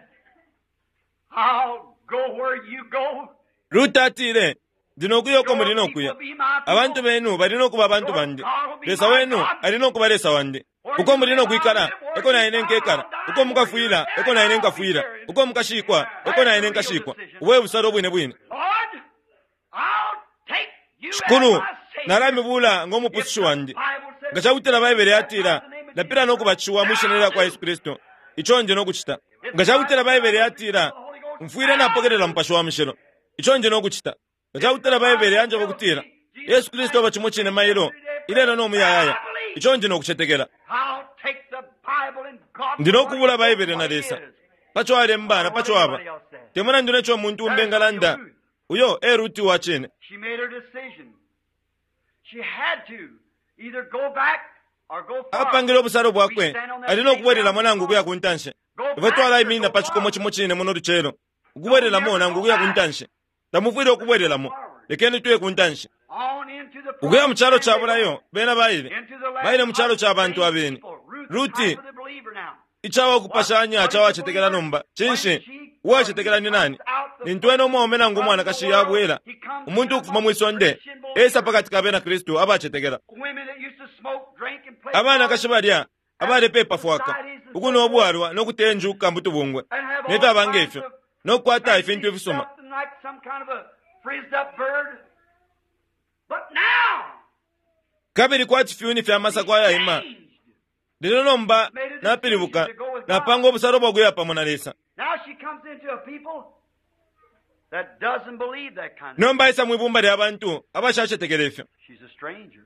Speaker 2: I'll go where you go.
Speaker 1: Ruti atile, ndi nokuya uko muli
Speaker 2: Your
Speaker 1: nokuya.
Speaker 2: people be my people.
Speaker 1: Abantu benu bali nokuba abantu bandi. Lesa wenu ali nokuba Lesa wandi. Uko muli nokwikala, eko na ine nkekala. Uko mukafwila, eko na ine nkafwila. Uko mukashikwa, eko na ine nkashikwa. Uwe busalo bwine bwine.
Speaker 2: Lord, I'll take you as
Speaker 1: Shikulu,
Speaker 2: my Savior.
Speaker 1: nalamibula ngomupusushi wandi. Nga cakutila Baibele yatila, lapila nokubatishiwa mwi shina lya kwa Yesu Kristu. Ico ndi nokucita. Nga cakutila Baibele yatila, mfwile napokelela Mupashi wa Mushilo. Ico ndi nokucita. Nga cakutila Baibele yanjeba kutila, Yesu Kristu aba cimo cine mailo, ilelo no muyayaya. Ico ndi nokucetekela.
Speaker 2: I'll take the Bible and God
Speaker 1: Ndi nokubula Baibele na Lesa. Paco alemba na paco aba. Te mulandu neco umuntu umbi engalanda, uyo e Ruti wa cine.
Speaker 2: She made her decision. She had to either go back or go forward.
Speaker 1: Apangile ubusalo bwakwe, ali nokubwelelamo nangu ukuya ku ntanshi. Ifwe twalaiminina pa cikomo cimo cine muno lucelo, ukubwelelamo nangu ukuya ku ntanshi. Tamufwile ukubwelelamo, lekeni tuye ku ntanshi.
Speaker 2: On into the
Speaker 1: Ukuya mu calo ca bulayo, bena baile.
Speaker 2: into the land
Speaker 1: Baile mu calo
Speaker 2: of
Speaker 1: ca bantu abeni.
Speaker 2: people. Ruth,
Speaker 1: Ruti,
Speaker 2: type of the believer now.
Speaker 1: icawa kupashanya cawacetekela nomba. Cinshi? Uwacetekela ni nani? Lintu ena umwaume nangu umwanakashi yabwela, umuntu ukufuma mwi sonde, esa pakati ka bena Kristu abacetekela.
Speaker 2: Women that used to smoke, drink, and play
Speaker 1: Abanakashi balya, abalepepa fwaka, ukunwa ubwalwa nokutenjuka mutubungwe,
Speaker 2: and have all
Speaker 1: nefyaba
Speaker 2: kinds
Speaker 1: ngefyo,
Speaker 2: of
Speaker 1: nokukwata ifintu ifisuma.
Speaker 2: Something like some kind of a frizzed up bird. But now,
Speaker 1: Kabili kwati fyuni fya masako ayaima.
Speaker 2: changed.
Speaker 1: Lelo nomba napilibuka, napanga obusalo bwakuya pamo na Lesa.
Speaker 2: Now she comes into a people that doesn't believe that kind of
Speaker 1: Nomba aisa mwibumba lya bantu abashacetekela ifyo.
Speaker 2: She's a stranger.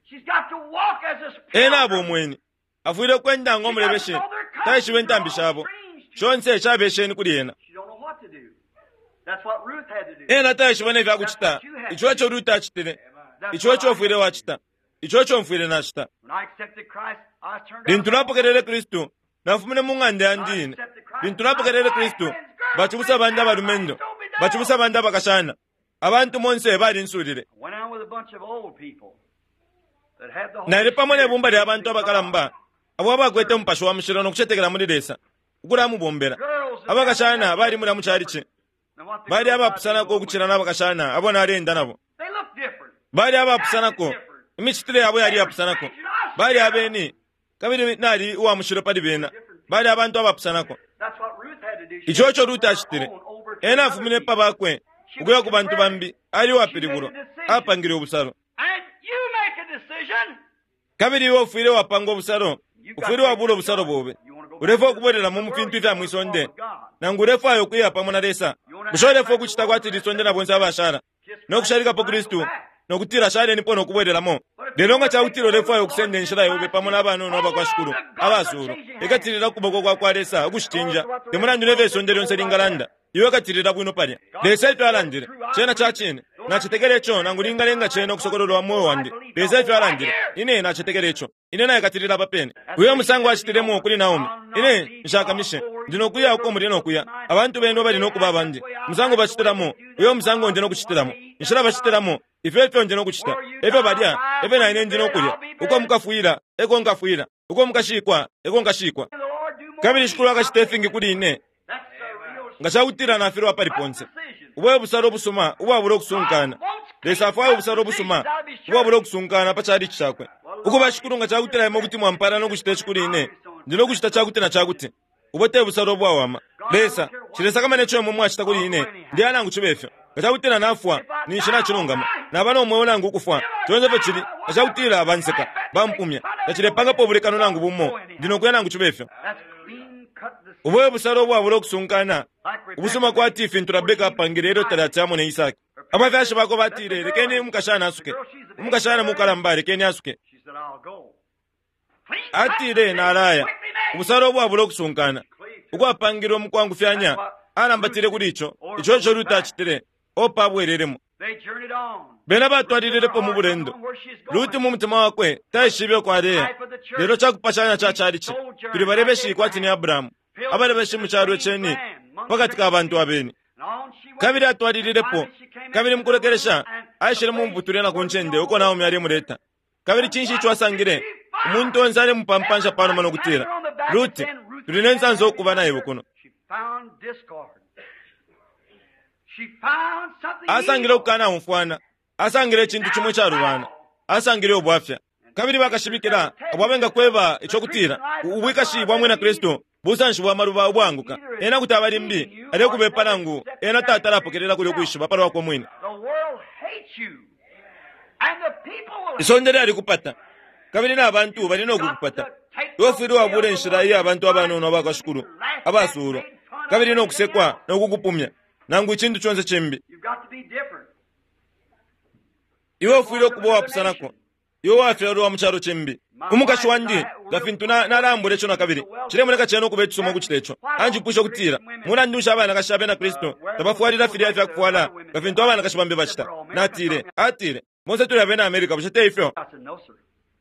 Speaker 2: She's got to walk as a
Speaker 1: Ena abo
Speaker 2: pilgrim.
Speaker 1: umweni, afwile ukwenda ng'omulebeshe, taishiba intambi shabo. Shonse shabesheni kuli ena.
Speaker 2: She don't know what to do. That's what Ruth had to do.
Speaker 1: Ena taishiba nefyakucita, ico eco Ruti acitile,
Speaker 2: That's
Speaker 1: ico
Speaker 2: what
Speaker 1: eco
Speaker 2: I
Speaker 1: mfwile wacita, ico eco mfwile nacita.
Speaker 2: When I accepted Christ, I turned
Speaker 1: Lintu
Speaker 2: out
Speaker 1: napokelele Kristu, nafumine mu ng'anda yandi ine. Lintu napokelele Kristu, bachibusa bandi abalumendo, bachibusa bandi abakashana. Abantu monse balinsulile.
Speaker 2: I went out with a bunch of old people that had the Holy
Speaker 1: Nali pamo
Speaker 2: Spirit.
Speaker 1: nebumba lya bantu abakalamba, abo abakwete Umupashi wa Mushilo nokucetekela muli Lesa, ukulamubombela.
Speaker 2: Girls that
Speaker 1: Abakashana bali mulya mu chalichi,
Speaker 2: And what the
Speaker 1: bali
Speaker 2: girls I
Speaker 1: abapusanako
Speaker 2: did
Speaker 1: ukucila n'abakashana abo nalenda nabo.
Speaker 2: They look different.
Speaker 1: Bali abapusanako, imicitile yabo yali yapusanako. Bali abeni, kabili nali uwa mushilo pali bena. Bali abantu abapusanako.
Speaker 2: That's what Ruth had to do. She
Speaker 1: Ico
Speaker 2: had
Speaker 1: eco
Speaker 2: to
Speaker 1: Ruti
Speaker 2: turn her
Speaker 1: acitile.
Speaker 2: own over to
Speaker 1: Ena
Speaker 2: another
Speaker 1: afumine
Speaker 2: people.
Speaker 1: pa bakwe, ukuya ku bantu bambi, ali uwapilibulwa, apangile ubusalo.
Speaker 2: And you make a decision.
Speaker 1: Kabili iwe ufwile wapanga ubusalo,
Speaker 2: You've got
Speaker 1: ufwile
Speaker 2: to make
Speaker 1: wabula
Speaker 2: a
Speaker 1: ubusalo
Speaker 2: choice.
Speaker 1: bobe.
Speaker 2: You want to go back
Speaker 1: Ulefwa
Speaker 2: to the
Speaker 1: ukubwelelamo mu
Speaker 2: world,
Speaker 1: fintu
Speaker 2: you
Speaker 1: ifya
Speaker 2: want
Speaker 1: mwi
Speaker 2: to walk
Speaker 1: sonde,
Speaker 2: with God.
Speaker 1: nangu ulefwaya ukuya pamo na Lesa.
Speaker 2: You want to
Speaker 1: Bushe
Speaker 2: act
Speaker 1: ulefwa
Speaker 2: like the
Speaker 1: ukucita
Speaker 2: world
Speaker 1: kwati
Speaker 2: and the
Speaker 1: lisonde na bonse abashala,
Speaker 2: Kiss Christ
Speaker 1: nokushalikapo
Speaker 2: goodbye and go
Speaker 1: Kristu,
Speaker 2: back.
Speaker 1: nokutila shalenipo nokubwelelamo.
Speaker 2: But if you
Speaker 1: Lelo nga
Speaker 2: want to take
Speaker 1: cakutila
Speaker 2: the way with
Speaker 1: ulefwaya
Speaker 2: the Lord
Speaker 1: ukusenda
Speaker 2: Jesus
Speaker 1: inshila yobe
Speaker 2: Christ,
Speaker 1: pamo n'abanono
Speaker 2: hold
Speaker 1: abakwa
Speaker 2: on
Speaker 1: Shikulu,
Speaker 2: to God's
Speaker 1: abasuulu,
Speaker 2: unchanging hand.
Speaker 1: ekatilila kuboko kwa kwa Lesa ukushicinja.
Speaker 2: Regardless of what the
Speaker 1: Te
Speaker 2: rest of
Speaker 1: mulandu
Speaker 2: the
Speaker 1: nefyo
Speaker 2: world
Speaker 1: isonde
Speaker 2: says,
Speaker 1: lyonse
Speaker 2: hold right
Speaker 1: lingalanda,
Speaker 2: there.
Speaker 1: iwe katilila bwino palya.
Speaker 2: God
Speaker 1: Lesa
Speaker 2: said
Speaker 1: ifyo alandile,
Speaker 2: true, I
Speaker 1: cena
Speaker 2: believe
Speaker 1: ca
Speaker 2: it.
Speaker 1: cine.
Speaker 2: Though I
Speaker 1: Nacetekela ico
Speaker 2: understand
Speaker 1: nangu
Speaker 2: that
Speaker 1: lingalenga
Speaker 2: I
Speaker 1: cena
Speaker 2: like
Speaker 1: ukusokololwa
Speaker 2: God,
Speaker 1: mwoyo
Speaker 2: I
Speaker 1: wandi.
Speaker 2: believe the
Speaker 1: Lesa ifyo
Speaker 2: whole right
Speaker 1: alandile,
Speaker 2: here.
Speaker 1: ine nacetekela ico. Ine nayekatilila papene.
Speaker 2: That's
Speaker 1: Uyo
Speaker 2: what he
Speaker 1: musango
Speaker 2: said to
Speaker 1: acitilemo
Speaker 2: Naomi.
Speaker 1: kuli Naomi.
Speaker 2: I'll not
Speaker 1: Ine
Speaker 2: leave you. I'll
Speaker 1: nshakamishe.
Speaker 2: go where
Speaker 1: Ndi
Speaker 2: you go.
Speaker 1: nokuya uko
Speaker 2: Your
Speaker 1: muli
Speaker 2: people will be
Speaker 1: nokuya.
Speaker 2: mine.
Speaker 1: Abantu
Speaker 2: The
Speaker 1: benu
Speaker 2: way
Speaker 1: bali
Speaker 2: they
Speaker 1: nokuba
Speaker 2: act, that's
Speaker 1: abandi.
Speaker 2: the way I'll
Speaker 1: Musango
Speaker 2: act. The way
Speaker 1: bacitilamo,
Speaker 2: they do,
Speaker 1: uyo
Speaker 2: that's what
Speaker 1: musango
Speaker 2: I'll
Speaker 1: ndi
Speaker 2: do. What
Speaker 1: nokucitilamo.
Speaker 2: they eat,
Speaker 1: Inshila
Speaker 2: that's what I'll eat.
Speaker 1: bacitilamo, ifyo efyo ndi nokucita.
Speaker 2: Where you
Speaker 1: Efyo
Speaker 2: die,
Speaker 1: balya,
Speaker 2: I'll die.
Speaker 1: efyo
Speaker 2: Where
Speaker 1: na
Speaker 2: you
Speaker 1: ine ndi
Speaker 2: buried,
Speaker 1: nokulya.
Speaker 2: I'll be
Speaker 1: Uko
Speaker 2: buried.
Speaker 1: mukafwila, eko nkafwila. Uko mukashikwa, eko nkashikwa.
Speaker 2: And the Lord do more
Speaker 1: Kabili
Speaker 2: to
Speaker 1: Shikulu
Speaker 2: me. I
Speaker 1: akacita
Speaker 2: believe
Speaker 1: ifingi
Speaker 2: it.
Speaker 1: kuli ine.
Speaker 2: That's the real
Speaker 1: Nga cakutila nafilwa pali
Speaker 2: good
Speaker 1: ponse.
Speaker 2: decision.
Speaker 1: Ubwe busalo obusuma ubwabula
Speaker 2: God
Speaker 1: okusunkana.
Speaker 2: wants
Speaker 1: Lesa
Speaker 2: clean
Speaker 1: afwaya
Speaker 2: cut
Speaker 1: obusalo obusuma
Speaker 2: decisions, I'll be sure.
Speaker 1: ubwabula okusunkana pa chalichi chakwe.
Speaker 2: Well,
Speaker 1: Ukuba
Speaker 2: Lord,
Speaker 1: Shikulu nga cakutila imwe kuti mwampala nokucita ici kuli ine, ndi nokucita cakuti na cakuti. Ubo te busalo obwawama.
Speaker 2: God, I
Speaker 1: Lesa,
Speaker 2: don't care what
Speaker 1: cilesakamana ico imwe mwacita kuli
Speaker 2: I'll go
Speaker 1: ine,
Speaker 2: anyhow.
Speaker 1: ndi anangu chibe ifyo. Nga cakutila nafwa, ninshi nacilungama. Naba no mweo nangu ukufwa, conse fyo cili. Nga cakutila banseka, bampumya, tacilepangapo ubulekano nangu bumo, ndi nokuya nangu cibe fyo. Ubo e busalo ubwabula ukusunkana, ubusuma kwati fintu Rabeka apangile ilyo talati ne Isaki. Abafyashi bako batile, lekeni umukashana asuke. Umukashana mukalamba, lekeni asuke. Atile, nalaya. Ubusalo ubwabula ukusunkana, ukwapangilwe mukwangufyanya, alambatile kuli ico. Ico ico Ruti acitile, Opa abwelelemo. Bena batwalililepo mu bulendo. Ruti mu mutima wakwe taishibe uko aleya, lelo cakupashanya ca calici. Tuli balebeshi kwati ni Abrahamu, abalebeshi mu calo ceni pakati ka bantu abeni. Kabili atwalililepo, kabili mukulekelesha aishile mu muputule na ku ncende uko Naomi alemuleta. Kabili cinshi ico asangile? Umuntu onse alemupampansha panuma no kutila, Ruti, tuli ne nsansa ukuba na iwe kuno. Asangile ukukanaumfwana, asangile icintu cimwe calubana, asangile ubwafya. Kabili bakashimikila abo abengakweba ico kutila ubwikashi bwa mwina Kristu busanshi bwa maluba ubwanguka. Ena kuti aba limbi alekubepa nangu ena tatalapokelela kuli ukwishiba palwakwe mwine. Isonde lyalikupata, kabili na bantu bali no kukupata. Iwe ufwile wabula inshila iya bantu abanono abakwa Shikulu abasuulwa, kabili no kusekwa no kukupumya nangu icintu conse cimbi. Iwe ufwile ukuba uwapusanako. Iwe wafyalwa mu calo cimbi. Umukashi wandi nga fintu nalambula ico na kabili, cilemoneka cena ukuba icisuma ukucita ico. Anjipwisha ukutila, mulandu nshi abanakashi abena Kristu tabafwalila filya ifyakufwala nga fintu abanakashi bambi bacita? Natile, atile, bonse tuli abena Amerika, bushe te ifyo?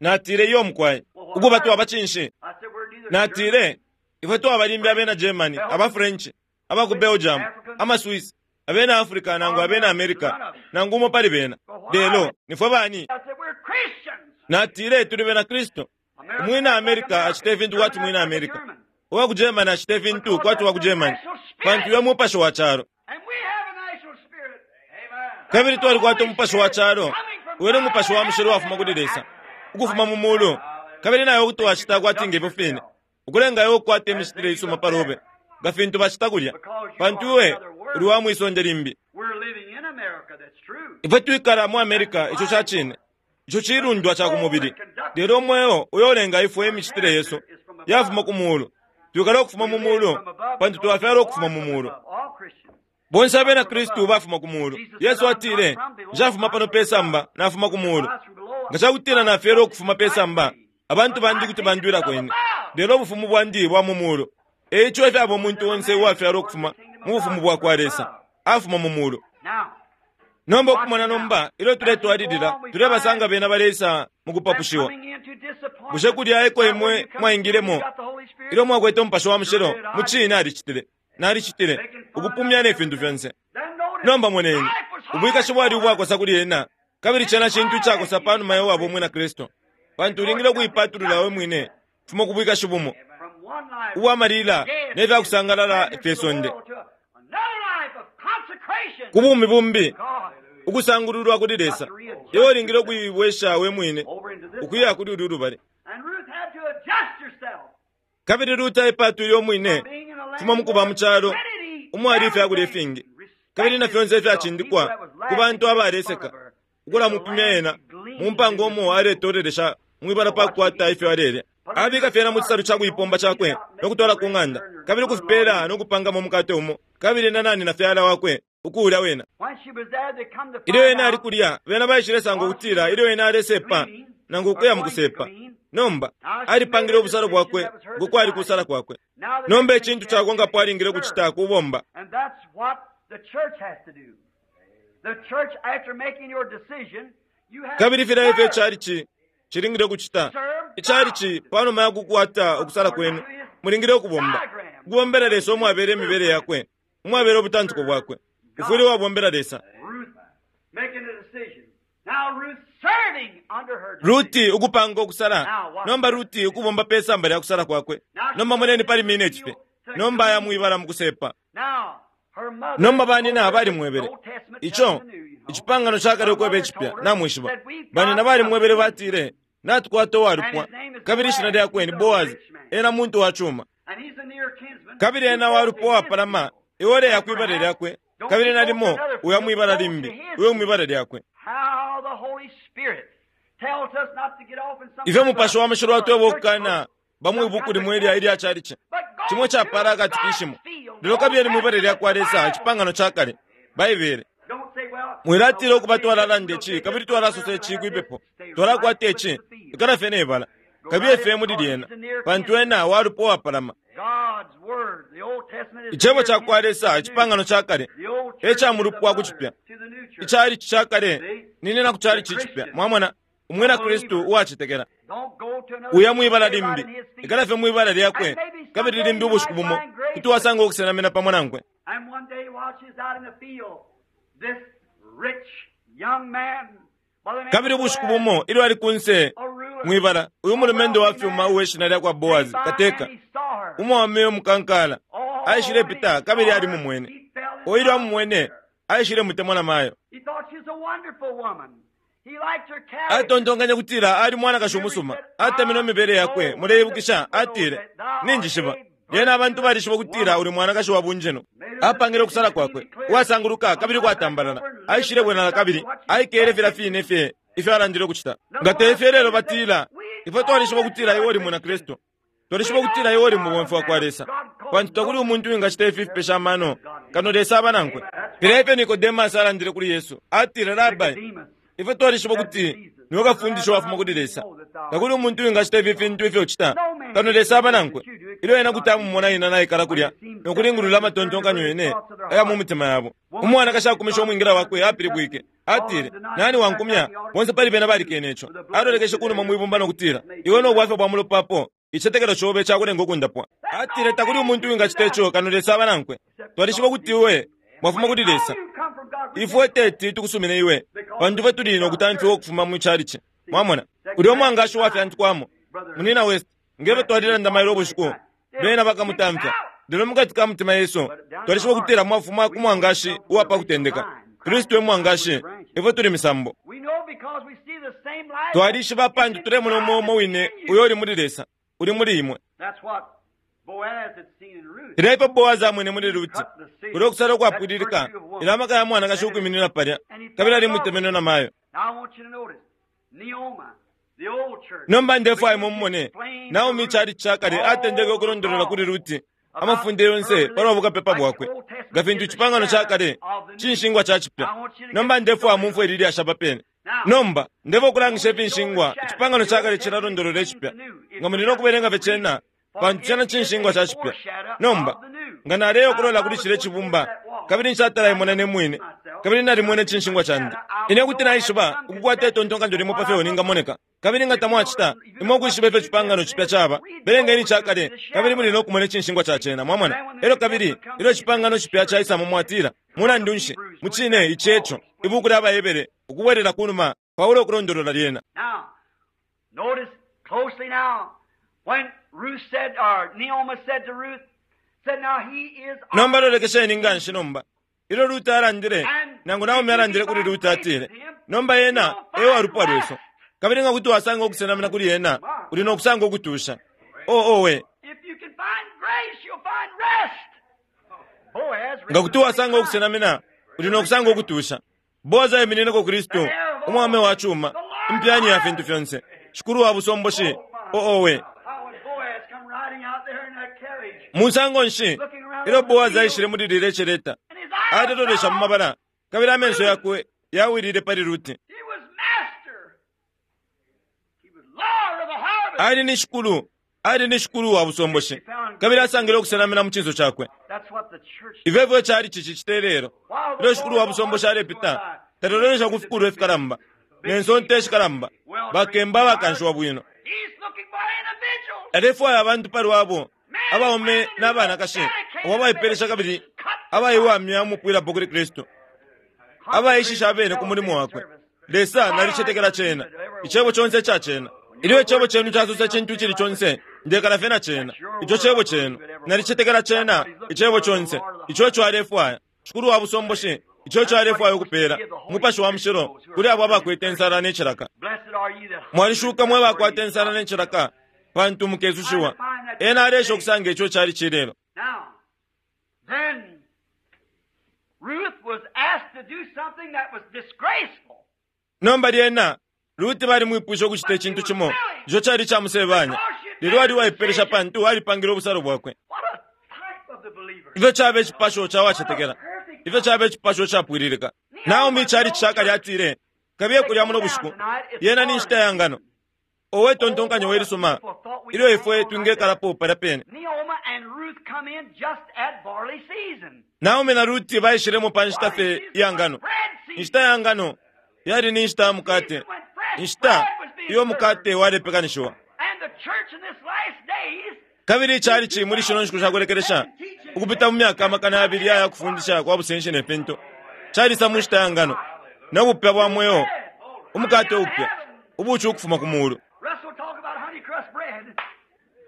Speaker 1: Natile, iyo mukwai. Ukuba twaba cinshi? Natile, ifwe twaba limbi abena Germany, aba French, aba ku Belgium, ama Swiss, abena Africa nangu abena America, nangu umo pali bena. Lelo nifwe bani? Natile, tuli bena Kristu. Umwina America acita ifintu kwati mwina America, uwa ku Germany acita ifintu kwati wa ku Germany, pantu iwe mupashi wa calo. Kabili twalikwata umupashi wa calo, uyo ni umupashi wa mushilo wafuma kuli Lesa, ukufuma mu mulu. Kabili nawe kuti wacita kwati ngefyo fine, ukulenga iwe ukukwata imicitile isuma palobe nga fintu bacita kulya, pantu iwe uli wa mwisonde limbi. Ifwe twikala mu America, ico ca cine, ico cilundwa ca ku mubili. Lelo umweo uyo ulenga ifwe imicitile yesu yafuma ku mulu. Twikala ukufuma mu mulu, pantu twafyalwa ukufuma mu mulu. Bonse abena Kristu bafuma ku mulu. Yesu atile, nshafuma pano pe samba, nafuma ku mulu. Nga cakutila nafyalwa ukufuma pe samba, abantu bandi kuti bandwilako ine. Lelo ubufumu bwandi bwa mu mulu. Eico ifyaba umuntu onse uwafyalwa ukufuma mu bufumu bwa kwa Lesa, afuma mu mulu. Nomba ukumona nomba, ilyo tuletwalilila, tulebasanga bena baleisa mu kupapushiwa. Bushe kulya eko imwe mwaingilemo ilyo mwakwete umupashi wa mushilo? Mu cine alicitile, nalicitile, ukupumya ne fintu fyonse. Nomba moneni, ubwikashi bwali ubwakosa kuli ena, kabili cena cintu icakosa panuma ya wabo umwina Kristu, pantu ulingile ukuipatulula we mwine fuma ku bwikashi bumo ubwa malila ne fyakusangalala ifye sonde, ku bumi bumbi, ukusangululwa kuli Lesa. Iwe ulingile ukuibwesha we mwine ukuya kuli ulu lubali. Kabili Ruti aipatwile umwine fuma mukuba mu calo umwali ifyakulya ifingi kabili na fyonse ifyacindikwa ku bantu abaleseka ukulamupimya ena mu mpango umo aletolelesha mwibala pa kukwata ifyo alelya. Abika fyena mu cisalu ca kuipomba cakwe no kutwala ku ng'anda, kabili ukufipela no kupangamo umukate umo, kabili na nani na fyala wakwe ukuulya wena. Ilyo ena ali kulya, bena baishilesanga ukutila ilyo ena alesepa nangu ukuya mu kusepa. Nomba alipangile ubusalo bwakwe ngo kwali kusala kwakwe. Nomba icintu cakonkapo alingile kucita kubomba. Kabili filya ifyo icalici cilingile kucita. Icalici panuma ya kukwata ukusala kwenu, mulingile ukubomba. Ukubombela Lesa umwabele imibele yakwe, umwabele ubutantuko bwakwe. Ufwile wabombela Lesa. Ruti ukupanga ukusala. Nomba Ruti ukubomba pe samba lya kusala kwakwe. Nomba moneni pali minute fye. Nomba ayamwibala mu kusepa. Nomba banina balimwebele ico icipangano cakale ukweba icipya, namwishiba. Banina balimwebele batile, natukwata uwalupwa, kabili ishina lyakwe ni Boazi, ena muntu wa cuma, kabili ena walupwa wapalama, iwe uleya kwibala lyakwe Kabili nalimo uya mwibala limbi, uyo mwibala lyakwe. Ifyo Mupashi wa Mushilo watweba ukukana bamwibuku limwe ilya ilya chalichi chimwe chapala akatikishimo, lelo kabili mwibala lyakwa Lesa icipangano cha kale Baibele. Mwilatila ukuba twalalanda ici kabili twalasosa ici kwipepo, twalakwata ici ikala fye nebala kabili fye muli lyena, pantu ena walupwa wapalama. Icebo cha kwa Lesa icipangano cha kale e mulupwa kuchipya, ichalichi cha kale ninena ku chalichi chipya. Mwamona umwina Kristu uwachetekela uya mwibala limbi, ikala fye mwibala lyakwe kabili limbi ubushiku bumo kuti wasanga ukusenamina pamo nankwe. Kabili ubushiku bumo ilyo ali kunse mwibala, uyu mulumendo wa fyuma uwe shina lyakwa Boazi kateka umwaume umukankala aishile pita kabili ali mumwene. Oilyo amumwene aishile mutemwa na mayo. Atontonkanya kutila ali mwanakashi umusuma, atemenwe imibele yakwe. Muleibukisha atile, ninjishiba lyena abantu balishiba kutila uli mwanakashi wa bunjeno. Apangile ukusala kwakwe uwasanguluka kabili kwatambalala. Aishile bwenala kabili aikele fila fine fye ifyo alandile ukuchita. Nga tefye lelo batila, ifwe twalishiba kutila iwe uli mwina Kristu, twalishiba kutila iwe uli mubomfi wa kwa Lesa, pantu takuli umuntu wingachita ifi fipesha amano kano Lesa aba nankwe. Filya ifyo Nikodemasi alandile kuli Yesu, atile, Rabai, ifwe twalishiba kuti niwe kafundisha wafuma kuli Lesa, takuli umuntu wingachita ifi fintu ifyo uchita kano Lesa aba nankwe. Ilyo ena kuti amumona ina naikala kulya nokulingulula amatontonkanyo yene aya mu mitima yabo. Umwanakashi akumisha umwingira wakwe apilibwike, atile, nani wankumya? Bonse pali bena balikene ico. Alolekeshe kunuma mwibumba nokutila, iwe nobwafya bwa mulopapo, ichicetekelo chobe chakulenga ukundapwa. Atile, takuli umuntu wingachita ico kano Lesa aba nankwe. Twalishiba kuti iwe mwafuma kuli Lesa, ifwe teti tukusumine iwe, pantu ifwe tuli nokutamfiwa ukufuma mu chalichi. Mwamona ulya umwangashi wafyantukwamo munina West, ngefyo twalilanda mailo ubushiku, bena bakamutamfya. Lelo mukati ka mutima Yesu twalishiba kutila mwafuma ku mwangashi uwapa kutendeka. Kristu e mwangashi, ifwe tuli misambo. Twalishiba pantu tulemona umo umo wine uyo uli muli Lesa uli muli imwe. Filya ifyo Boazi amwene muli Ruti, ulya ukusala ukwapwililika, ila amaka ya mwanakashi ukwiminina palya kabili alimutemenwe na mayo. Nomba ndefwaya mumone Naomi chalichi cha kale atendeke ukulondolola kuli Ruti amafunde yonse palwa bukapepa bwakwe, nga fintu icipangano cha kale cinshingwa cha chipya. Nomba ndefwaya mumfwe lili ashapa pene. Nomba ndefwaya ukulangisha ifinshingwa icipangano cha kale cilalondolola icipya, nga muli nokubelenga fye cena, pantu cena cinshingwa cha chipya. Nomba nga naleya ukulola kuli cile cibumba kabili nshatala ne mwine, kabili nalimwene cinshingwa chandi, ine kuti naishiba ukukwata itontonkanyo limo pa fyo ningamoneka. Kabili nga tamwachita imwe ukwishiba ifyo icipangano chipya chaba, belengeni chakale kabili muli nokumona icinshingwa cha cena. Mwamona? Elyo kabili ilyo icipangano chipya chaisamo mwatila, mulandu nshi mucine ici eco ibuku lya Bahebere ukubwelela kunuma Paulo ukulondolola lyena. Nomba lolekesheni nganshi nomba ilyo Ruti alandile, nangu Naomi alandile kuli Ruti atile, nomba yena e walupwa lwesu, kabili nga kuti wasanga ukusenamina kuli yena uli nokusanga ukutusha. Oh owe, nga kuti wasanga ukusenamina uli nokusanga ukutusha. Boazi aiminineko Kristu, umwame wa chuma, impyani ya fintu fyonse, shikulu wa busomboshi. Oh owe, musango nshi ilyo Boazi aishile muli lile cheleta, alelolesha mu mabala kabili amenso yakwe yawilile pali Ruti. Ali ni shikulu, ali ni shikulu wa busomboshi, kabili asangile ukusenamina mu cinso cakwe. Ifyo chali chichi chitelero ilyo shikulu wa busomboshi alepita, talolesha ku fikulu ifikalamba nensonte shikalamba, bakemba bakanshiwa bwino. Alefwaya abantu palwabo, abaume n'abanakashi abo abaipelesha kabili abaiwamya umupwilapo kuli Kristu, abaishisha abene ku mulimo wakwe. Lesa nalichetekela cena, icebo chonse cha cena. Ilyo icebo chenu chasosa chintu chili chonse, ndekala fye na cena, ico cebo chenu nalichetekela cena, icebo chonse ico ico alefwaya shikulu wa busomboshi, ico ico alefwaya ukupela Umupashi wa Mushilo kuli abo abakwete ensala ne cilaka. Mwalishuka mwe bakwata ensala ne cilaka, pantu mukesushiwa. Ena alesha okusanga ico chali chilelo.
Speaker 2: Ruth was asked to do something that was disgraceful.
Speaker 1: Nomba lyena Ruti balimwipwishe ukucita icintu cimo ico cali camusebanya, lelo ali uwaipelesha pantu alipangile ubusalo bwakwe.
Speaker 2: What a type of the believer.
Speaker 1: Ifyo caba icipasho ca wacetekela, ifyo caba icipasho capwililika. Naomi cali cishakali atile, kabiye kulya muno bushiku, yena ni nshita ya ngano. Owe tontonkanyo welisuma ilyo ifwe twingekalapo palya pene.
Speaker 2: Naomi and Ruth come in just at barley season.
Speaker 1: Naomi na Ruti baishilemo pa nshita fye ya ngano. Inshita ya ngano yali ni nshita ya mukate, inshita iyo mukate walepekanishiwa.
Speaker 2: And the church in this last days
Speaker 1: Kabili icalici muli shino nshiku shakulekelesha ukupita mu myaka amakana yabili aya kufundisha kwa busenshi ne fintu calisa mu nshita ya ngano no bupya bwa mweo, umukate upya ubuci ukufuma ku mulu.
Speaker 2: Russell talk about honeycrust bread.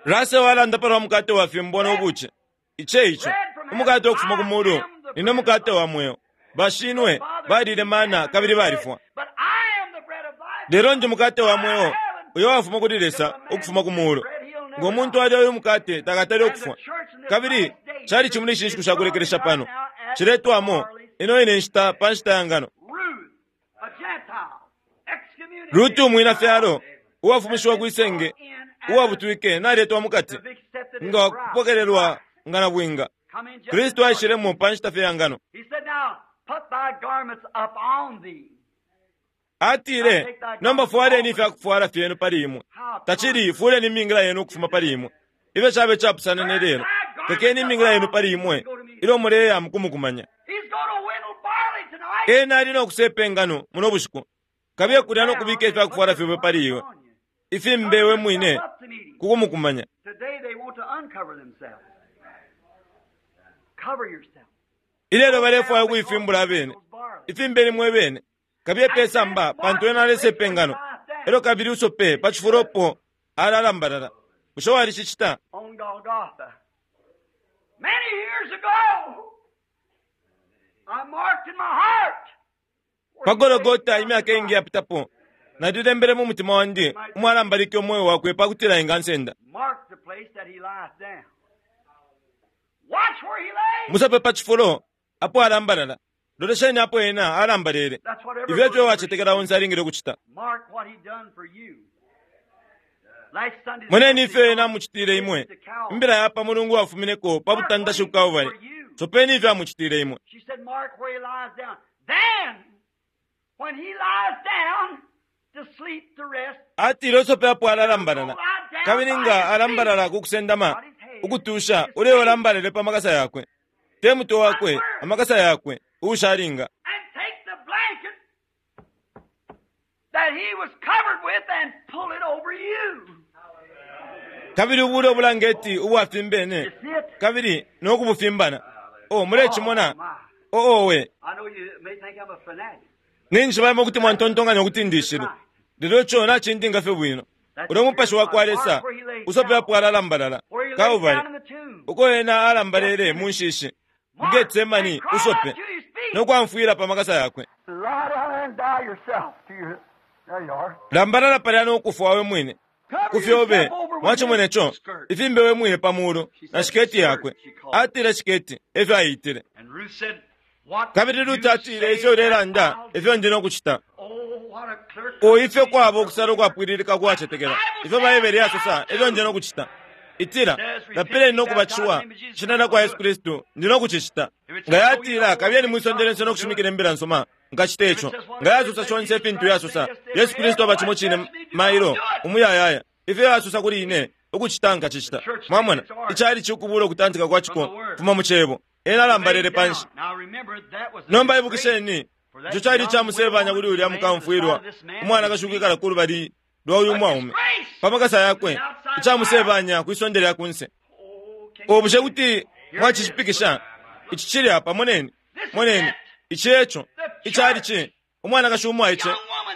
Speaker 1: Russell walanda palwa mukate wa fimbwa no buci. Ice ico umukate ukufuma ku mulu nine mukate wa mweo. Bashinwe balile mana kabili balifwa,
Speaker 2: But I am the bread of life.
Speaker 1: lelo nje mukate wa mweo uyo wafuma kuli Lesa ukufuma ku mulu. Ngo muntu alya uyu mukate takatale ukufwa. Kabili cali chimuli ishi nshiku shakulekelesha pano ciletwamo ino ine nshita pa nshita ya ngano.
Speaker 2: Ruth, a Gentile, excommunicated.
Speaker 1: Ruti umwina fyalo uwafumishiwa kwisenge uwabutwike naletwa mukati
Speaker 2: To be accepted as
Speaker 1: nga
Speaker 2: bride.
Speaker 1: wakupokelelwa nga na bwinga.
Speaker 2: Come in just
Speaker 1: Kristu
Speaker 2: as
Speaker 1: aishilemo pa nshita fye ya ngano.
Speaker 2: He said, now put thy garments upon thee.
Speaker 1: Atile, nomba fwaleni ifyakufwala fyenu pali imwe, tacili fuleni imingila yenu ukufuma pali imwe. Ifyo cabe capusana ne lelo, tekeni imingila yenu pali imwe ilyo muleya mukumukumanya.
Speaker 2: He's going to winnow barley tonight.
Speaker 1: Ena ali no kusepa engano muno bushiku, kabiye kulya no kubika ifyakufwala fyobe pali iwe, ifimbewe mwine kukumukumanya.
Speaker 2: Today they want to uncover themselves. Cover yourself.
Speaker 1: Ilelo balefwaya ukuifimbula abene, ifimbeni mwe bene, kabiye pe samba pantu ena alesepa engano, elo kabili usope pa cifulopo alalambalala. Bushe walicicita?
Speaker 2: On Golgotha. Many years ago, I marked in my heart.
Speaker 1: Pa Gologota imyaka ingi yapitapo, nalilembele mu mutima wandi umwalambalike umweo wakwe pakutila engansenda.
Speaker 2: Mark the place that he lies down. Watch where he lays.
Speaker 1: Musape pa cifulo apo alambalala, lolesheni apo ena alambalele.
Speaker 2: That's what every
Speaker 1: Ifyo efyo
Speaker 2: believer
Speaker 1: wacetekela onse alingile ukucita.
Speaker 2: Mark what he done for you. Last Sunday's
Speaker 1: Moneni ifyo
Speaker 2: message
Speaker 1: ena amucitile imwe. Imbila ya pa mulungu wafumineko pa butandashi ku Kalvari. Sopeni ifyo amucitile imwe.
Speaker 2: She said, Mark where he lies down. Then, when he lies down to sleep to rest,
Speaker 1: Atile usope apo alalambalala, kabili nga alambalala ku kusendama ukutusha, uleyo alambalele pa makasa yakwe, te mutwe wakwe, amakasa yakwe uushalinga.
Speaker 2: and take the blanket that he was covered with and pull it over you.
Speaker 1: Kabili ubule ubulangeti ubwafimbene,
Speaker 2: You see it?
Speaker 1: kabili nokubufimbana. O mulecimona?
Speaker 2: Oh, my.
Speaker 1: O owe,
Speaker 2: I know you may think I'm a fanatic.
Speaker 1: ninshi balimo kuti mwantontonkanya ukuti ndishile, lelo ico nacindinga fye bwino. Ulya mupashi wa kwa Lesa usope apo alalambalala
Speaker 2: Where he lays
Speaker 1: Kalvari,
Speaker 2: down in the tomb.
Speaker 1: uko ena alambalele mu nshishi mu Getsemani,
Speaker 2: And cry
Speaker 1: usope
Speaker 2: out to his feet.
Speaker 1: no kwamfwila pa makasa yakwe.
Speaker 2: Lie down there and die yourself to your. There you are.
Speaker 1: Lambalala palya no kufwa we mwine
Speaker 2: Cover
Speaker 1: kufyobe
Speaker 2: yourself over with
Speaker 1: mwachimwene
Speaker 2: his
Speaker 1: co
Speaker 2: skirt.
Speaker 1: ifimbe we mwine pa mulu na shiketi yakwe. Atile shiketi efyo aitile.
Speaker 2: And Ruth said, What
Speaker 1: Kabili
Speaker 2: you
Speaker 1: Ruti atile
Speaker 2: say
Speaker 1: ifyo ulelanda
Speaker 2: that I'll do.
Speaker 1: efyo ndi no kucita.
Speaker 2: Oh, what a clerk.
Speaker 1: O ifyo kwaba ukusala ukwapwililika kwacetekela ifyo Baibele yasosa efyo ndi no kucita. Itila lapileni no kubatishiwa shina lya kwa Yesu Kristu ndi no kucicita. Nga yatila kabiyeni mwisondelense no kushimikila imbila nsoma nkacita ico. Nga yasosa shonse ifintu yasosa Yesu Kristu aba cimo cine mailo umuyayaya ifyo yasosa kuli ine ukucita nkacicita. Mwamona icali cikubula ukutantika kwa ciko fuma mu cebo. Ena alambalele panshi.
Speaker 2: Now remember, that was
Speaker 1: Nomba ibukisheni ico cali icamusebanya kuli ulya mukamfwilwa umwanakashi ukwikala ku lubali lwa uyu mwaume pa makasa yakwe, icamusebanya kwisonde lya kunse. O bushe kuti mwacishipikisha ici cili apa? Moneni, moneni ici eco icali ci umwanakashi umwaice,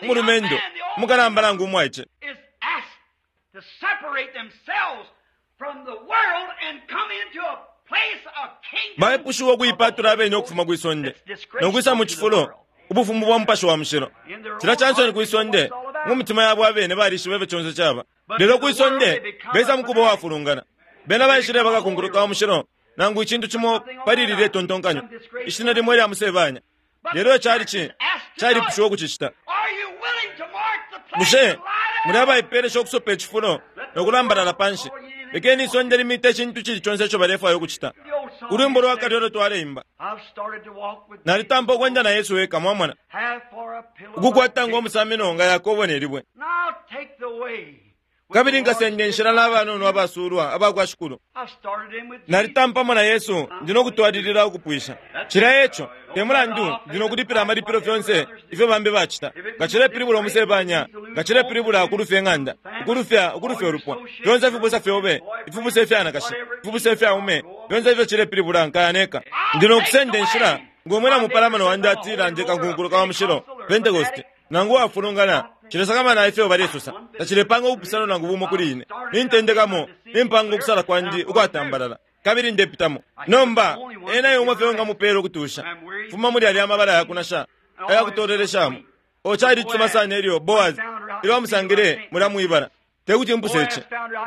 Speaker 1: umulumendo umukalamba nangu umwaice
Speaker 2: is asked to separate themselves from the world and come into a place of kingdom.
Speaker 1: Baipushiwa ukuipatula abene ukufuma kwisonde nokwisa mu cifulo ubufumu bwa mupashi wa mushilo. Cila cansoni kwisonde mu mitima yabo abene balishiba ifyo conse caba, lelo kwisonde besa mukuba wafulungana. Bena baishile bakakunkuluka wa mushilo Nangu icintu cimo pali lilye tontonkanyo, ishina limo ilya musebanya. Lelo cali calipushiwa ukucicita. Bushe muli abaipelesha ukusopa icifulo nokulambalala panshi? Lekeni isonde limite icintu cili conse ico balefwaya ukucita. Ulwimbo lwa kale ulo twaleimba, nalitampa ukwenda na Yesu weka, mwamona, ukukwata ngomusamino nga Yakobo ne libwe. Kabili nkasenda inshila n'abanono abasulwa abakwa Shikulu. Nalitampamo na Yesu, ndi nokutwalilila ukupwisha. Cila eco, te mulandu ndi nokulipila amalipilo fyonse ifyo bambi bacita. Nga cilepilibula umusebanya, nga cilepilibula ukulufya ing'anda, ukulufya ukulufya ulupwa, fyonse ifibusa fyobe, ifibusa ifyanakashi, ifibusa ifyaume, fyonse ifyo cilepilibula nkaya neka. Ndi nokusenda inshila ng'omwina mupalamano wandi atila ndi kankunkuluka wa mushilo, Pentecost, nangu wafulungana. Cilesakamana ifyo balesosa, tacilepanga ubupusano nangu bumo kuli ine. Nintendekamo, nimpanga ukusala kwandi ukwatambalala, kabili ndepitamo. Nomba ena yomwe fye ngamupela ukutusha fuma muli alya amabala yakunasha ayakutoleleshamo. O cali cisuma sana elyo Boaz ilyo amusangile mulya mwibala. Tekuti mpuse ici.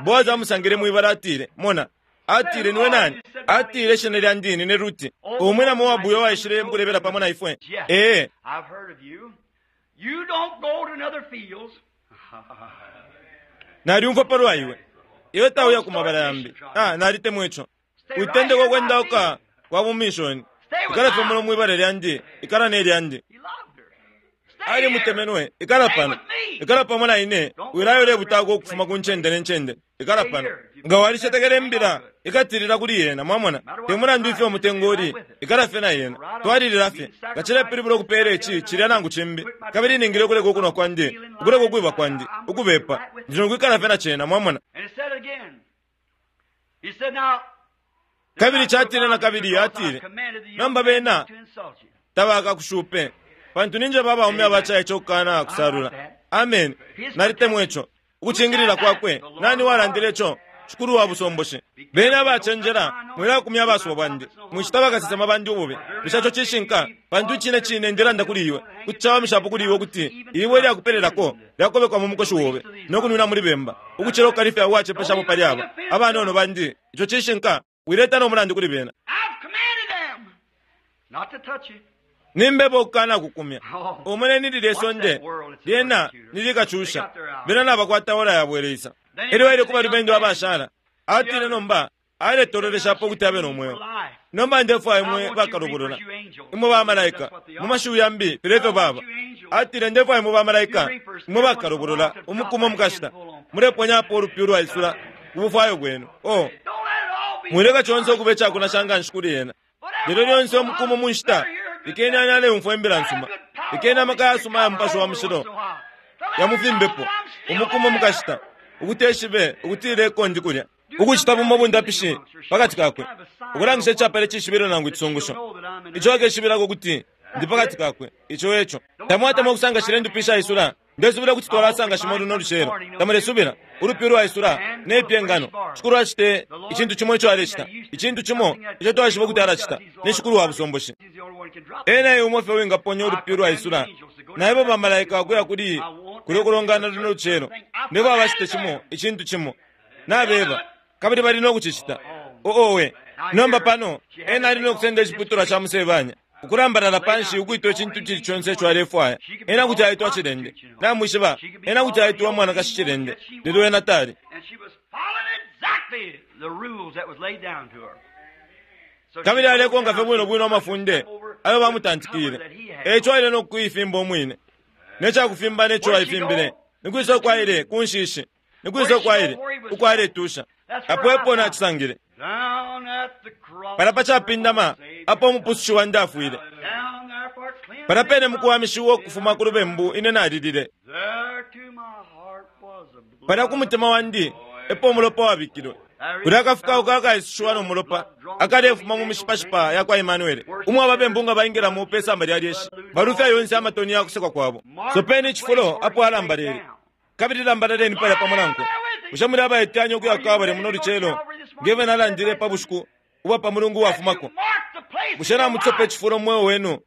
Speaker 1: Boaz amusangile mwibala, atile, mona, atile niwe nani? Atile ishina lyandi nine Ruti, umwina Moabu uyo waishile mukulebela pamo na ifwe. Ee,
Speaker 2: You don't go to another fields.
Speaker 1: Naliumfwa palwa iwe. Iwe tauya ku mabala yambi. Ah, nalitemwa ico. Uitendeka ukwendauka kwa bumishoni. Ikala fye muno mwibala lyandi, ikala ne lyandi. Ali mutemenwe, ikala pano. Ikala pamo na ine, wilayo lebutako ukufuma ku ncende ne ncende. Ikala pano. Nga walishetekele imbila, ikatilila kuli yena, mwamona. Te mulandu ifyo umutengo uli, ikala fye na yena. Twalilila fye. Nga cilepilibula ukupeela ici, cilya nangu cimbi. Kabili ningile ukuleka ukunwa kwandi, ukuleka ukwiba kwandi, ukubepa. Ndi nokwikala fye na cena, mwamona. Kabili catile na kabili, atile, nomba bena tabakakushupe, pantu ninje babaume abacaice ukukana kusalula. Amen. Nalitemwa ico. Ukucingilila kwakwe. Nani walandile ico? Shikulu wa busomboshe. Bena abacenjela, mwilakumya abasuba bandi, mwicita bakasesema bandi ububi. Bushe ico cishinka? Pantu icine cine ndilanda kuli iwe, kuti cawamishapo kuli iwe ukuti iwe lyakupelelako lyakobekwa mu mukoshi wobe nokunwina muli bemba, ukucila ukukalifya uwacepeshapo pali aba abanono bandi. Ico cishinka. Wileta no mulandu kuli bena. Nimbeba ukukana kukumya. Umone lilye sonde lyena nilikacusha. Bena nabakwata ora yabweleisa. Elyo aile kuba lubendo abashala. Atile nomba aletoleleshapo ukuti abe no mweo. Nomba ndefwaya imwe bakalubulula, imwe bamalaika, mu mashiwi yambi filya ifyo baba. Atile ndefwaya imwe bamalaika, imwe bakalubulula, umukumo mukashita muleponyapo ulupi ulwaisula ku bufwayo bwenu. Oh, mwileka conse ukuba icakunasha nganshi kuli yena. Lelo lyonse umukumo mu nshita, lekeni ani aleumfwa imbila nsuma, lekeni amaka yasuma ya Mupashi wa Mushilo yamufimbepo. Umukumo mukashita ukuti eshibe ukuti ileko ndi kulya ukucita bumo bundapishi pakati kakwe, ukulangisha icapele cishibilo nangu icisungusho ico akeshibilako kuti ndi pakati kakwe. Ico eco tamwatemwa ukusanga shile ndupi isula. Ndesubila kuti twalasanga shimo luno lucelo. Tamulesubila ulupi lwaisula nepye ngano. Shikulu acite icintu cimo ico alecita, icintu cimo ico twaishiba kuti alacita, ni Shikulu wa busomboshi. Ena e umo fye wingaponya ulupi lwaisula. Naibo bamalaika akuya kuli kuli ukulongana luno lucelo, nebo abacite cimo icintu cimo nabeba, kabili bali nokucicita. Oowe, nomba pano ena ali nokusenda iciputulwa ca musebanya, ukulambalala panshi ukwitwa icintu cili conse ico alefwaya. Ena kuti aitwa cilende, namwishiba, ena kuti aitwa mwanakashi cilende, lelo ena tali. Kabili alekonka fye bwino bwino amafunde ayo bamutantikile. Eco aile nokuifimba umwine necakufimba neco aifimbile. Nikwisa ukwaile kunshishi, nikwisa ukwaile ukwaletusha. Apo epo nacisangile pala pacapindama apo umupusushi wandi afwile. Pala pene mukuwamishiwa ukufuma ku lubembu ine nalilile. Pala ku mutima wandi epo umulopa wabikilwe. Kulya akafukauka akaisushiwa no mulopa akalefuma mu mishipashipa ya kwa Emmanuel, umwe ababembu nga baingilamo pe samba lya lyeshi, balufya yonse amatoni ya kusekwa kwabo. Sopeni icifulo apo alambalele, kabili lambalaleni palya pamo nankwe. Bushe muli abaitanya ukuya Kalvari muno lucelo ngeve nalandile pa bushiku ubwa pa mulungu wafumako? Bushe namusopa icifulo mu mweo wenu?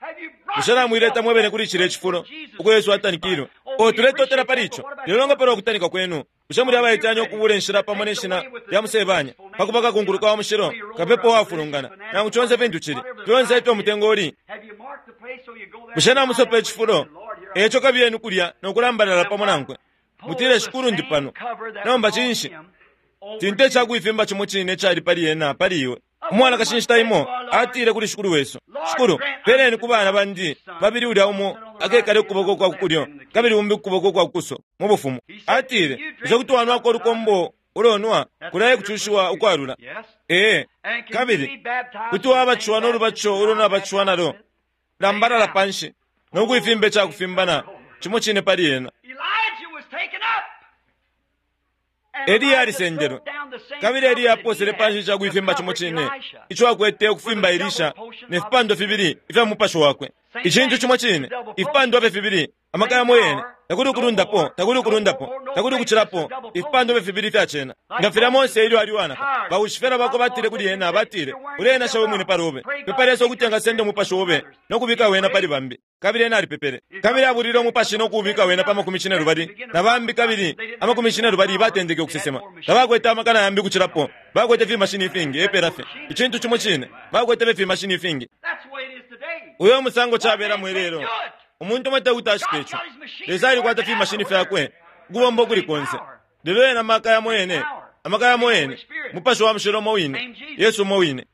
Speaker 1: Bushe namwileta mwebene kuli cile cifulo uko Yesu atanikilwe? O tuletotela pali ico. Lelo nga palwa kutanika kwenu, bushe muli abaitanya ukubula inshila pamo ne shina lya musebanya pakuba kakunkuluka wa mushilo, kapepo wafulungana, nangu conse fintu cili, fyonse ifyo umutengo uli? Bushe namusopa icifulo eco kabiyeni kulya nokulambalala pamo nankwe, mutile, Shikulu, ndi pano. Nomba cinshi? Tinte icakuifimba cimo cine icali pali ena pali iwe. Umwanakashi inshita imo atile kuli Shikulu wesu, Shikulu, peleni ku bana bandi babili ulya umo akekale kukuboko kwa kukulyo kabili umbi kukuboko kwa kukuso mu bufumu. Atile, bushe kuti wanwako ulukombo ulonwa kulaye kucushiwa ukwalula? Ee, kabili kuti wabatishiwa n'olubatisho ulo nabatishiwa nalo, lambalala panshi nokuifimba icakufimbana cimo cine pali ena. Eliya alisendelwe, kabili Eliya aposele panshi icakuifimba cimo cine ico akwete ukufimba Elisha ne fipando fibili ifya mupashi wakwe. Icintu cimo cine, ifipando fye fibili, amaka yamo yene, takuli ukulundapo, takuli ukulundapo, takuli ukucilapo, ifipando fye fibili ifya cena. Nga filya Mose ilyo ali uwanaka, baushifela bakwe batile kuli ena, batile, uleenasha we mwine pali ube, pepa Lesa ukuti angasenda umupashi obe nokubika wena pali bambi. Kabili ena alipepele, kabili abulile umupashi nokuubika wena pa makumi cine lubali na bambi, kabili amakumi cine lubali batendeke ukusesema. Tabakwete amakana yambi kucilapo, bakwete fimashini ifingi epela fye. Icintu cimo cine, bakwete fye fimashini ifingi. Uyo musango cabelamo ilelo. Umuntu umwe tekuti ashite ico. Lesa alikwata fimashini fyakwe ukubomba ukuli konse, lelo ena maka yamo yene, amaka yamo yene, mupashi wa mushilo umo wine, Yesu umo wine.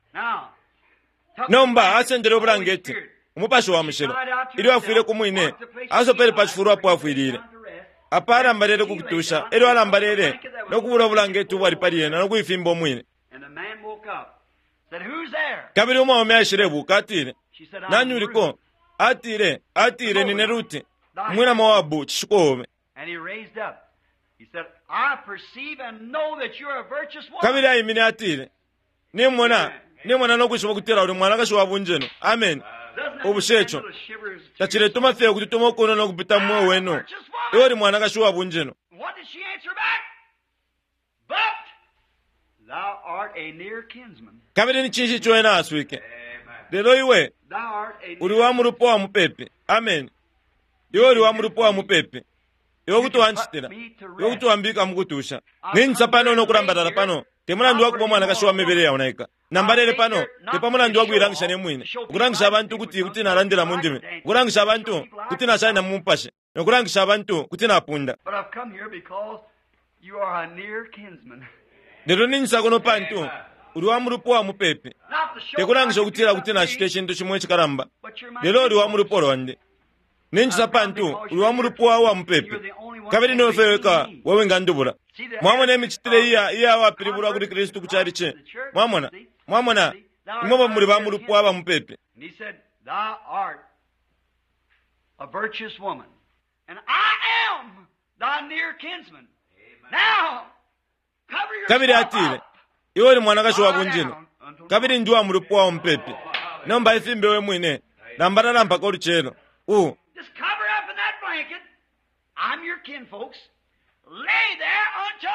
Speaker 1: Nomba asendele ubulangeti, umupashi wa mushilo, ilyo afwile ku mwine, asopele pa cifulo apo afwilile. Apa alambalele ku kutusha, elyo alambalele nokubula ubulangeti ubwali pali ena nokuifimba umwine. Kabili umwaume aishilebuka, atile, nani uliko? Atile, atile, nine Ruti, umwina Moabu, cishiko obe. Kabili aimine, atile, nimona, nimona nokwishiba ukutila uli mwanakashi wa bunjeno. Amen. Ubushe ico taciletuma fye ukututuma ukuno nokupita mu mweo wenu. Iwe uli mwanakashi wa bunjeno. Kabili ni cinshi ico ena aswike? Lelo iwe uli wa mulupo wa mupepi. Amen. Iwe uli wa mulupo wa mupepi. Iwe kuti wancitila, iwe kuti wambika mukutusha. Ninjisa pano nokulambalala pano, te mulandu wakuba umwanakashi wa mibele yaonaika. Nambalele pano te pa mulandu wakuilangisha ne mwine, ukulangisha abantu kuti kuti nalandila mu ndimi, ukulangisha abantu kuti nashaina mu mupashi, nokulangisha abantu kuti napunda. Lelo ninjisa kuno pantu uli wa mulupo wa mupepi, tekulangisha ukutila kuti nacita icintu cimo icikalamba, lelo uli wa mulupo lwandi. Ninjisa pantu uli wa mulupo wa mupepi, kabili niwe fye weka wewingandubula. Mwamona imicitile iya iya wapilibulwa kuli Kristu ku chalichi. Mwamona, mwamona, imwe muli ba mulupo aba mupepi. Kabili atile, iwe uli mwanakashi wa bunjino, kabili ndi wa mulupo wa mupepi. Nomba ifimbe we mwine, lambalala mpaka ulucelo. U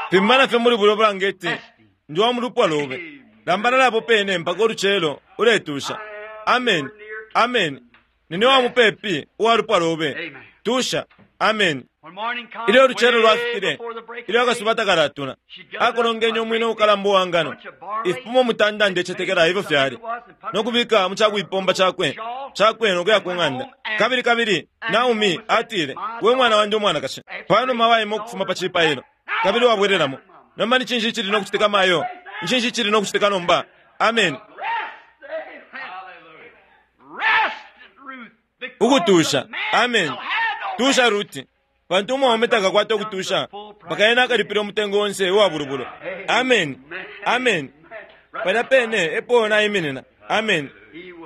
Speaker 1: fimbana fye muli bulyo bulangeti, ndi wa mulupwa lobe. Lambalala apo pene mpaka ulucelo uletusha. Amen, amen. Nine wa mupepi uwa lupwa lobe. Tusha. Amen. Ilyo ulucelo lwafikile, ilyo akasuba takalatula, akolongenye umwine ukalamba uwa ngano, ifipumo mutanda ndecetekela ifyo fyali, nokubika mu cakuipomba cakwe cakwe nokuya ku ng'anda. Kabili kabili Naomi atile, we mwana wandi umwanakashi, panuma waima ukufuma pa cipailo kabili wabwelelamo. Nomba ni cinshi icili nokucitika mayo? Ni cinshi icili nokucitika nomba? Amen. Ukutusha. Amen. Tusha Ruti, pantu umwaume takakwata ukutusha mpaka ena akalipila umutengo onse uwa bulubulo. Amen. Amen. Palya pene epo naiminina. Amen.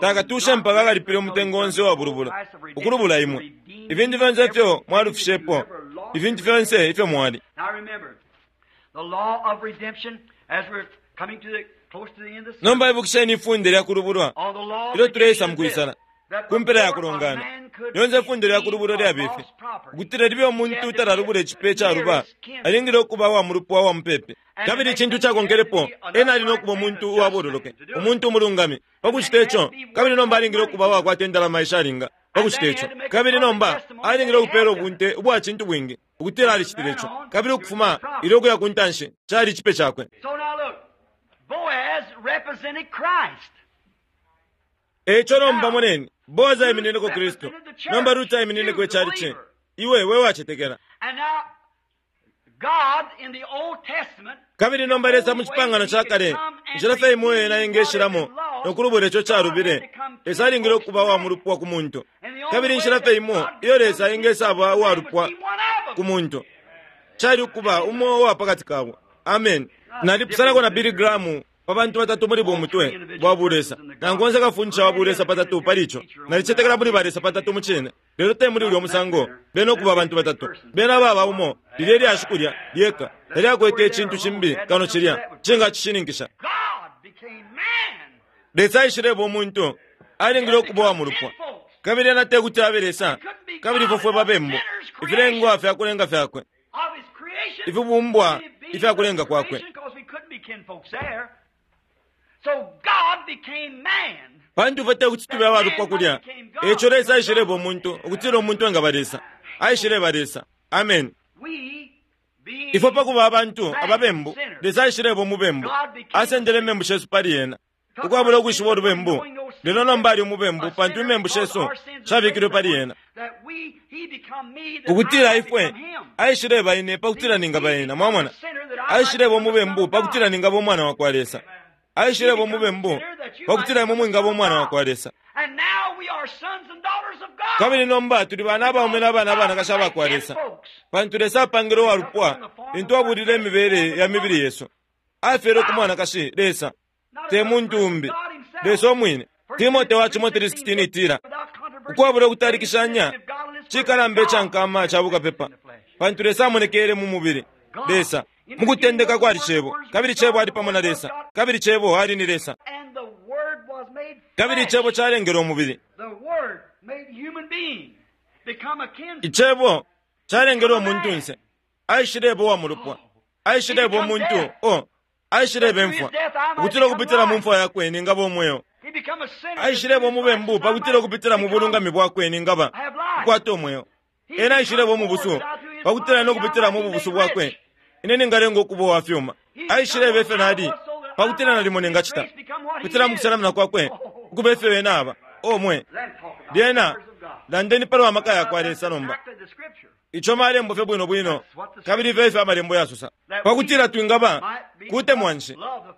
Speaker 1: Takatushe mpaka akalipila umutengo onse uwa bulubulo, ukulubula imwe. Ifintu fyonse ifyo mwalufishepo, ifintu fyonse ifyo mwali. Nomba ibukisheni ifunde lya kulubulwa ilyo tuleisa mukuisala. Kumpela yakulongana lyonse ifunde lya kulubula lyabifi ukutila libe umuntu talalubula icipe caluba alingile ukuba wa mulupwa wa mupepe kabili icintu cakonkelepo ena ali nokuba umuntu uwabololoke umuntu umulungami pakucita ico kabili nomba alingile ukuba uwakwata indalama ishalinga pakucita ico kabili nomba alingile ukupela ubunte ubwa cintu bwingi ukutila alicitile ico kabili ukufuma ilyo ukuya ku ntanshi cali icipe cakwe
Speaker 2: So now look, Boaz represented Christ.
Speaker 1: eco nomba moneni boazi aiminineko kristu nomba ruti aiminineko icalici iwe we wacetekela
Speaker 2: And now, God in the Old Testament
Speaker 1: kabili nomba lesa mu cipangano ca kale inshila fye imo ena ingeshilamo nokulubula ico calubile lesa alingile ukuba wa mulupwa ku muntu kabili inshila fye imo iyo lesa ingesaba uwalupwa ku muntu cali ukuba umo uwa pakati kabo amen nalipusanako na billy graham pa bantu batatu muli bumutwe bwa bulesa nangu onse kafundisha wa bulesa patatu pali ico nalicetekela muli balesa patatu mucine lelo te muli ulya musango bena ukuba abantu batatu bena baba umo lilye lyashi kulya lyeka talyakwete icintu cimbi kano cilya cingacishininkisha
Speaker 2: God became man.
Speaker 1: lesa aishileba umuntu alingile ukuba wa mulupwa kabili ena te kuti abe lesa kabili ifwe fwe babembu ifilengwa fyakulenga fyakwe
Speaker 2: Of his creation,
Speaker 1: ifibumbwa
Speaker 2: he being
Speaker 1: ifyakulenga
Speaker 2: the
Speaker 1: kwakwe
Speaker 2: creation, 'cause we couldn't be kinfolks there. So God became man.
Speaker 1: pantu ifwe te kuti tube abalupwa kulya eco lesa aishileba umuntu ukutila umuntu engaba lesa aishileba lesa amen
Speaker 2: We being
Speaker 1: ifwe pakuba abantu ababembu lesa aishileba umubembu asendele imembu shesu pali ena ukwabula ukwishiba ulubembu lelo nomba ali umubembu pantu imembu shesu shabikilwe pali ena
Speaker 2: that we he become me that
Speaker 1: ukutila
Speaker 2: I
Speaker 1: ifwe
Speaker 2: become him.
Speaker 1: aishileba ine pakutila ningaba ena mwamona aishileba umubembu pakutila ningaba umwana wa kwa lesa aishileba umubembu pakutila imwe mwingaba umwana wa kwa lesa
Speaker 2: And now we are sons and daughters of God.
Speaker 1: kabili nomba tuli bana abaume n'abana abanakashi aba kwa lesa pantu lesa apangile uwalupwa lintu abulile imibele ya mibili yesu afyele ku mwanakashi lesa te muntu umbi lesa omwine timote wa chimo three sixteen itila ukwabula ukutalikishanya cikalamba icankama ca bukapepa pantu lesa amonekele mu mubili lesa mukutendeka kwali cebo kabili cebo ali pamo na lesa kabili cebo ali ni lesa
Speaker 2: And the Word was made
Speaker 1: kabili
Speaker 2: flesh.
Speaker 1: icebo calengele umubili
Speaker 2: The Word made human being. Become a kinsman.
Speaker 1: icebo calengele umuntunse aishileba uwa mulupwa aishileba umuntu o aishileba imfwa ukutila ukupitila mu mfwa yakwe ningaba umweo
Speaker 2: He become a sinner.
Speaker 1: aishileba umubembu pakutila ukupitila mu bulungami bwakwe ningaba kukwata umweo ena aishileba umubusu pakutila nokupitila mu bubusu bwakwe ine ningalenga ukuba uwa fyuma aishileba ifyo nali pakutila nalimo ningacita kupitila mu kusalamina kwakwe ukuba ifyo ena aba omwe
Speaker 2: Then talk about
Speaker 1: lyena
Speaker 2: the powers of God.
Speaker 1: landeni pali wa maka yakwa lesa nomba
Speaker 2: Exactly the scripture.
Speaker 1: ico malembo fye bwino bwino kabili ifyo ifyo amalembo yasosa pakutila twingaba kutemwa nshi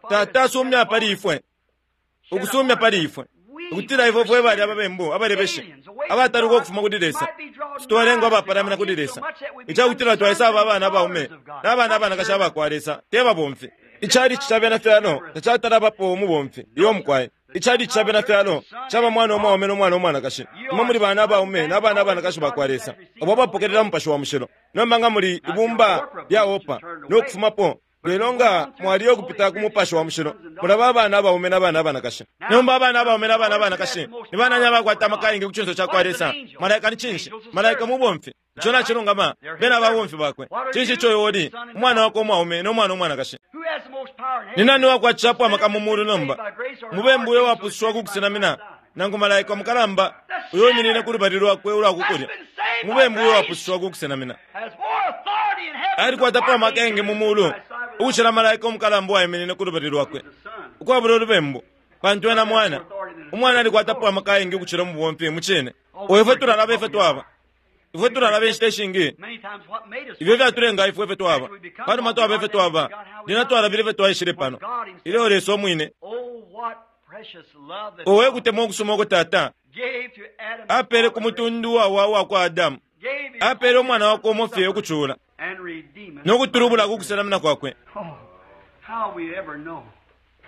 Speaker 1: tata asumya pali ifwe ukusumya pali ifwe ukutila ifwe fwe bali ababembu abalebeshi abataluka ukufuma kuli lesa titwalenga abapalamina kuli lesa icakutila twaisaba abana abaume n'abana abanakashi abakwa lesa te babomfi icalici ca bena fyalo tacatalabapo umubomfi iyo mukwaye icalici ca bena fyalo caba mwana umwaume n'omwana umwanakashi imwe muli bana abaume n'abana abanakashi bakwa lesa abo abapokelela mupashi wa mushilo nomba nga muli ibumba lya opa n'okufumapo lelo nga mwaliyo okupita ku mupashi wa mushilo mulaba abana abaume n'abana abanakashi nomba abana abaume n'abana abanakashi ni banani abakwata amaka ku cinso ca kwa lesa malaika ni cinshi malaika mubomfi ico nacilungama bena ababomfi bakwe cinshi ico iwe uli umwana wakwe umwaume n'omwana umwanakashi
Speaker 2: Who has the most power in
Speaker 1: ni
Speaker 2: heaven?
Speaker 1: nani wakwacishapo amaka mu mulu nomba mubembu uyo wapusushiwa ku kusenamina nangu malaika mukalamba uyo uminine ku lubali lwakwe ulwakukulya mubembu uyo wapusushiwa ku kusenamina
Speaker 2: Has more authority in heaven
Speaker 1: alikwatapo amaka engi mu mulu ukucila malaika umukalamba uwaiminine ku lubali lwakwe ukwabula ulubembu pantu ena mwana umwana alikwatapo amaka ayengi ukucila umubomfi mucine oyo ifwe tulalaba ifwe twaba ifwe tulalaba inshita ishingi
Speaker 2: Many times what made us
Speaker 1: ifyo fyatulenga ifwe ifwe twaba panuma twaba ifwe twaba lina twalabile ifwe twaishile pano ilyo lesa omwine
Speaker 2: Oh, what precious love that
Speaker 1: owe kutemwa okusuma oko tata
Speaker 2: gave to Adam
Speaker 1: apele ku mutundu wawa wa kwa adamu
Speaker 2: gave his
Speaker 1: apele umwana wakwe umofye ukucula
Speaker 2: and redeem us.
Speaker 1: nokutulubula ku kuselamina kwakwe
Speaker 2: Oh, how we ever know.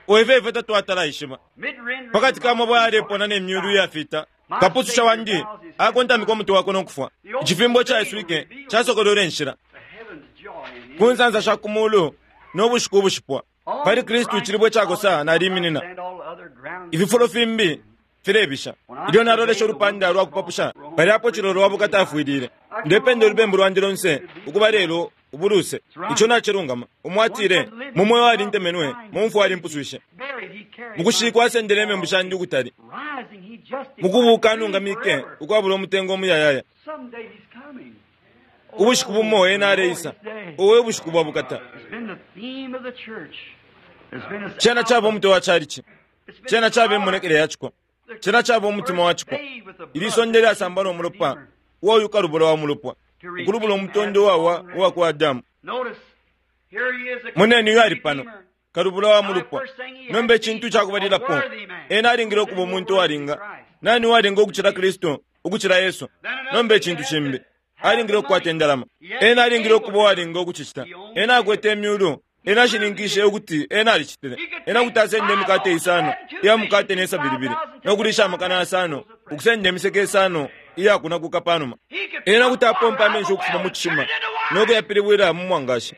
Speaker 1: oife ifwe tatwatala ishima
Speaker 2: Mid-rendering
Speaker 1: pakati ka mabwe alepona ne myulu iyafita kapususha wandi akontamika umutwe wakwe nokufwa icifimbo caiswike casokolwele inshila
Speaker 2: the heavens joy in him.
Speaker 1: ku nsansa sha ku mulu n'obushiku obushipwa pali kristu icilibwe cakosa naliminina
Speaker 2: And all other ground
Speaker 1: ififulo fimbi Filebisha. Ilyo nalolesha ulupanda lwa kupapusha palyapo chilolo wa bukata afwilile. Ndependa ulubembu lwandi lonse ukuba lelo ubuluse. Ico nacilungama. Umwatile mu moyo alintemenwe, mu mfwa alimpuswishe. Mukushikwa asendele imembu shandi ukutali. Mukubuka anungamike ukwabula umutengo omuyayaya. Ubushiku bumo ena aleisa. Owe bushiku bwa bukata. Chena chaba omutwe wa chalichi. Chena chaba emonekele yachiko. Chena chaba omutima wachiko. Ilisonde lyasamba n'omulopa uwa ukalubula wa mulupwa. Ukulubula omutondo wawa uwa kwa Adamu. Muneni uyo ali pano. Kalubula wa mulupwa. Nomba ekintu kyakubalilapo. Ena alingile okuba omuntu owalinga. Nani uwalinga okuchila Kristo, ukuchila Yesu. Nomba ekintu kimbi. Alingile okukwata endalama. Ena alingile okuba owalinga okuchikita. Ena akwete emyulu. Ena ashininkishe ukuti ena alichitile. Ena kuti asende emikate isano iya mukate n'esabili nokulisha amakana asano ukusenda emiseke isano iyakunakuka panuma. Ena kuti apompa amenshi ukufuma mu kishima nokuyapilibwila mu mwangashi.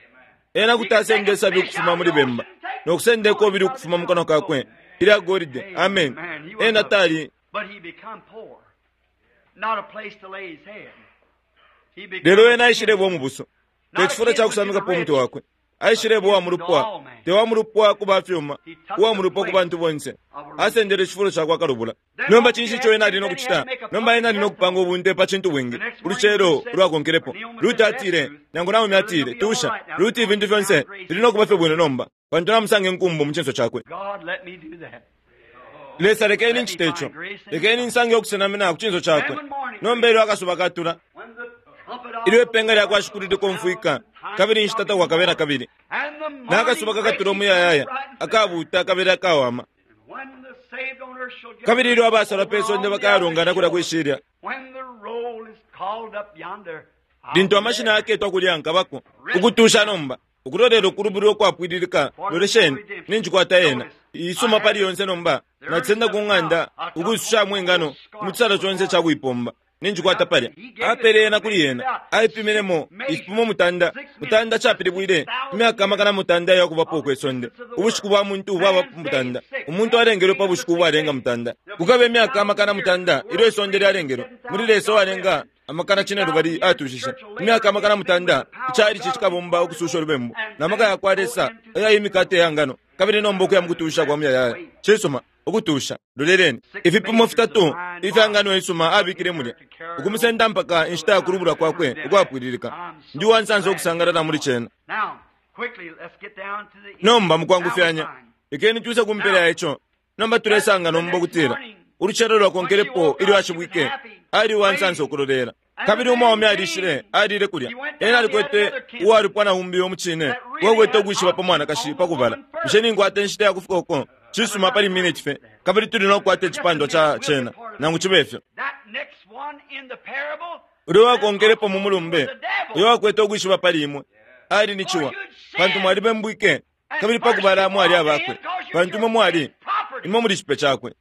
Speaker 1: Ena kuti asende esabi ukufuma muli bemba nokusenda ekobili ukufuma mu kanwa kakwe ilya golide. Amen. Ena tali lelo ena aishilebwa omubuso techifulo kyakusamikapo omutwe wakwe. Aishilebwa uwa mulupwa, te wa mulupwa ku bafyuma, uwa mulupwa ku bantu bonse. Asendele icifulo cakwa kalubula. Nomba cinshi ico ena ali nokucita? Nomba ena ali nokupanga ubunte pa cintu bwingi ulucelo ulwakonkelepo. Ruti atile, nangu Naomi atile, tusha Ruti, ifintu fyonse fili nokuba fye bwino nomba, pantu namusanga enkumbu mu cinso cakwe. Lesa, lekeni ncite ico. Lekeni nsange okusenamina ku cinso cakwe. Nomba ilyo akasuba katula, ilyo ipenga lyakwa Shikulu likomfwika, kabili inshita takwakabe na kabili. Nakasuba kakatula omuyayaya, akabuuta kabili akawama. Kabili ilyo abasalwa pe sonde bakayalongana kulya kwishilya, lintu amashina yaketwa kulya nkabako ukutusha nomba ukulolela ukulubulwa ukwapwililika. Lolesheni, ninjikwata yena isuma pali yonse nomba. Nacisenda ku ng'anda ukuisushamu engano mu chisalo conse cakuipomba. Ninjikwata palya. Apele yena kuli yena. Aipiminemo ifipimo mutanda. Mutanda chapilibwile imyaka amakana mutanda yakubapo kwe sonde. Ubushiku bwa muntu bwaba mutanda. Umuntu alengelwe pa bushiku bwalenga mutanda. Kukabe imyaka amakana mutanda ilyo isonde lyalengelwe. Muli Lesa walenga amakana cinelubali atushishe. Imyaka amakana mutanda ichali chikabomba ukususha olubembu. Na maka yakwa Lesa ayayimikate yangano. Kabili nomba okuya mukutusha kwa muyayaya. Chisuma ukutusha loleleni ifipimo fitatu ifyangano isuma abikile mulya ukumusenda mpaka inshita yakulubula kwakwe ukwapwililika. Ndi wansansa okusangalala muli chena. Nomba mukwangufyanya ikeni twise kumpela yacho. Nomba tulesanga nomba okutila uluchelo lwakonkelepo ilyo ashibwike ali wansansa okulolela. Kabili umwaume alishile alile kulya. Ena alikwete uwalupwa na umbi omuchine wakwete okwishiba pa mwanakashi pakubala. Bushe ninkwata inshita yakufika uko? Chisuma pali minute fe. Kabili tuli nokukwata icipandwa cha chena nangu chibe ifyo. Ulyo wakonkelepo mu mulumbe uyo wakwete okwishiba pali imwe ali ni chiwa, pantu mwalibembwike kabili pakubala mwali abakwe, pantu imwe mwali imwe muli chipe chakwe.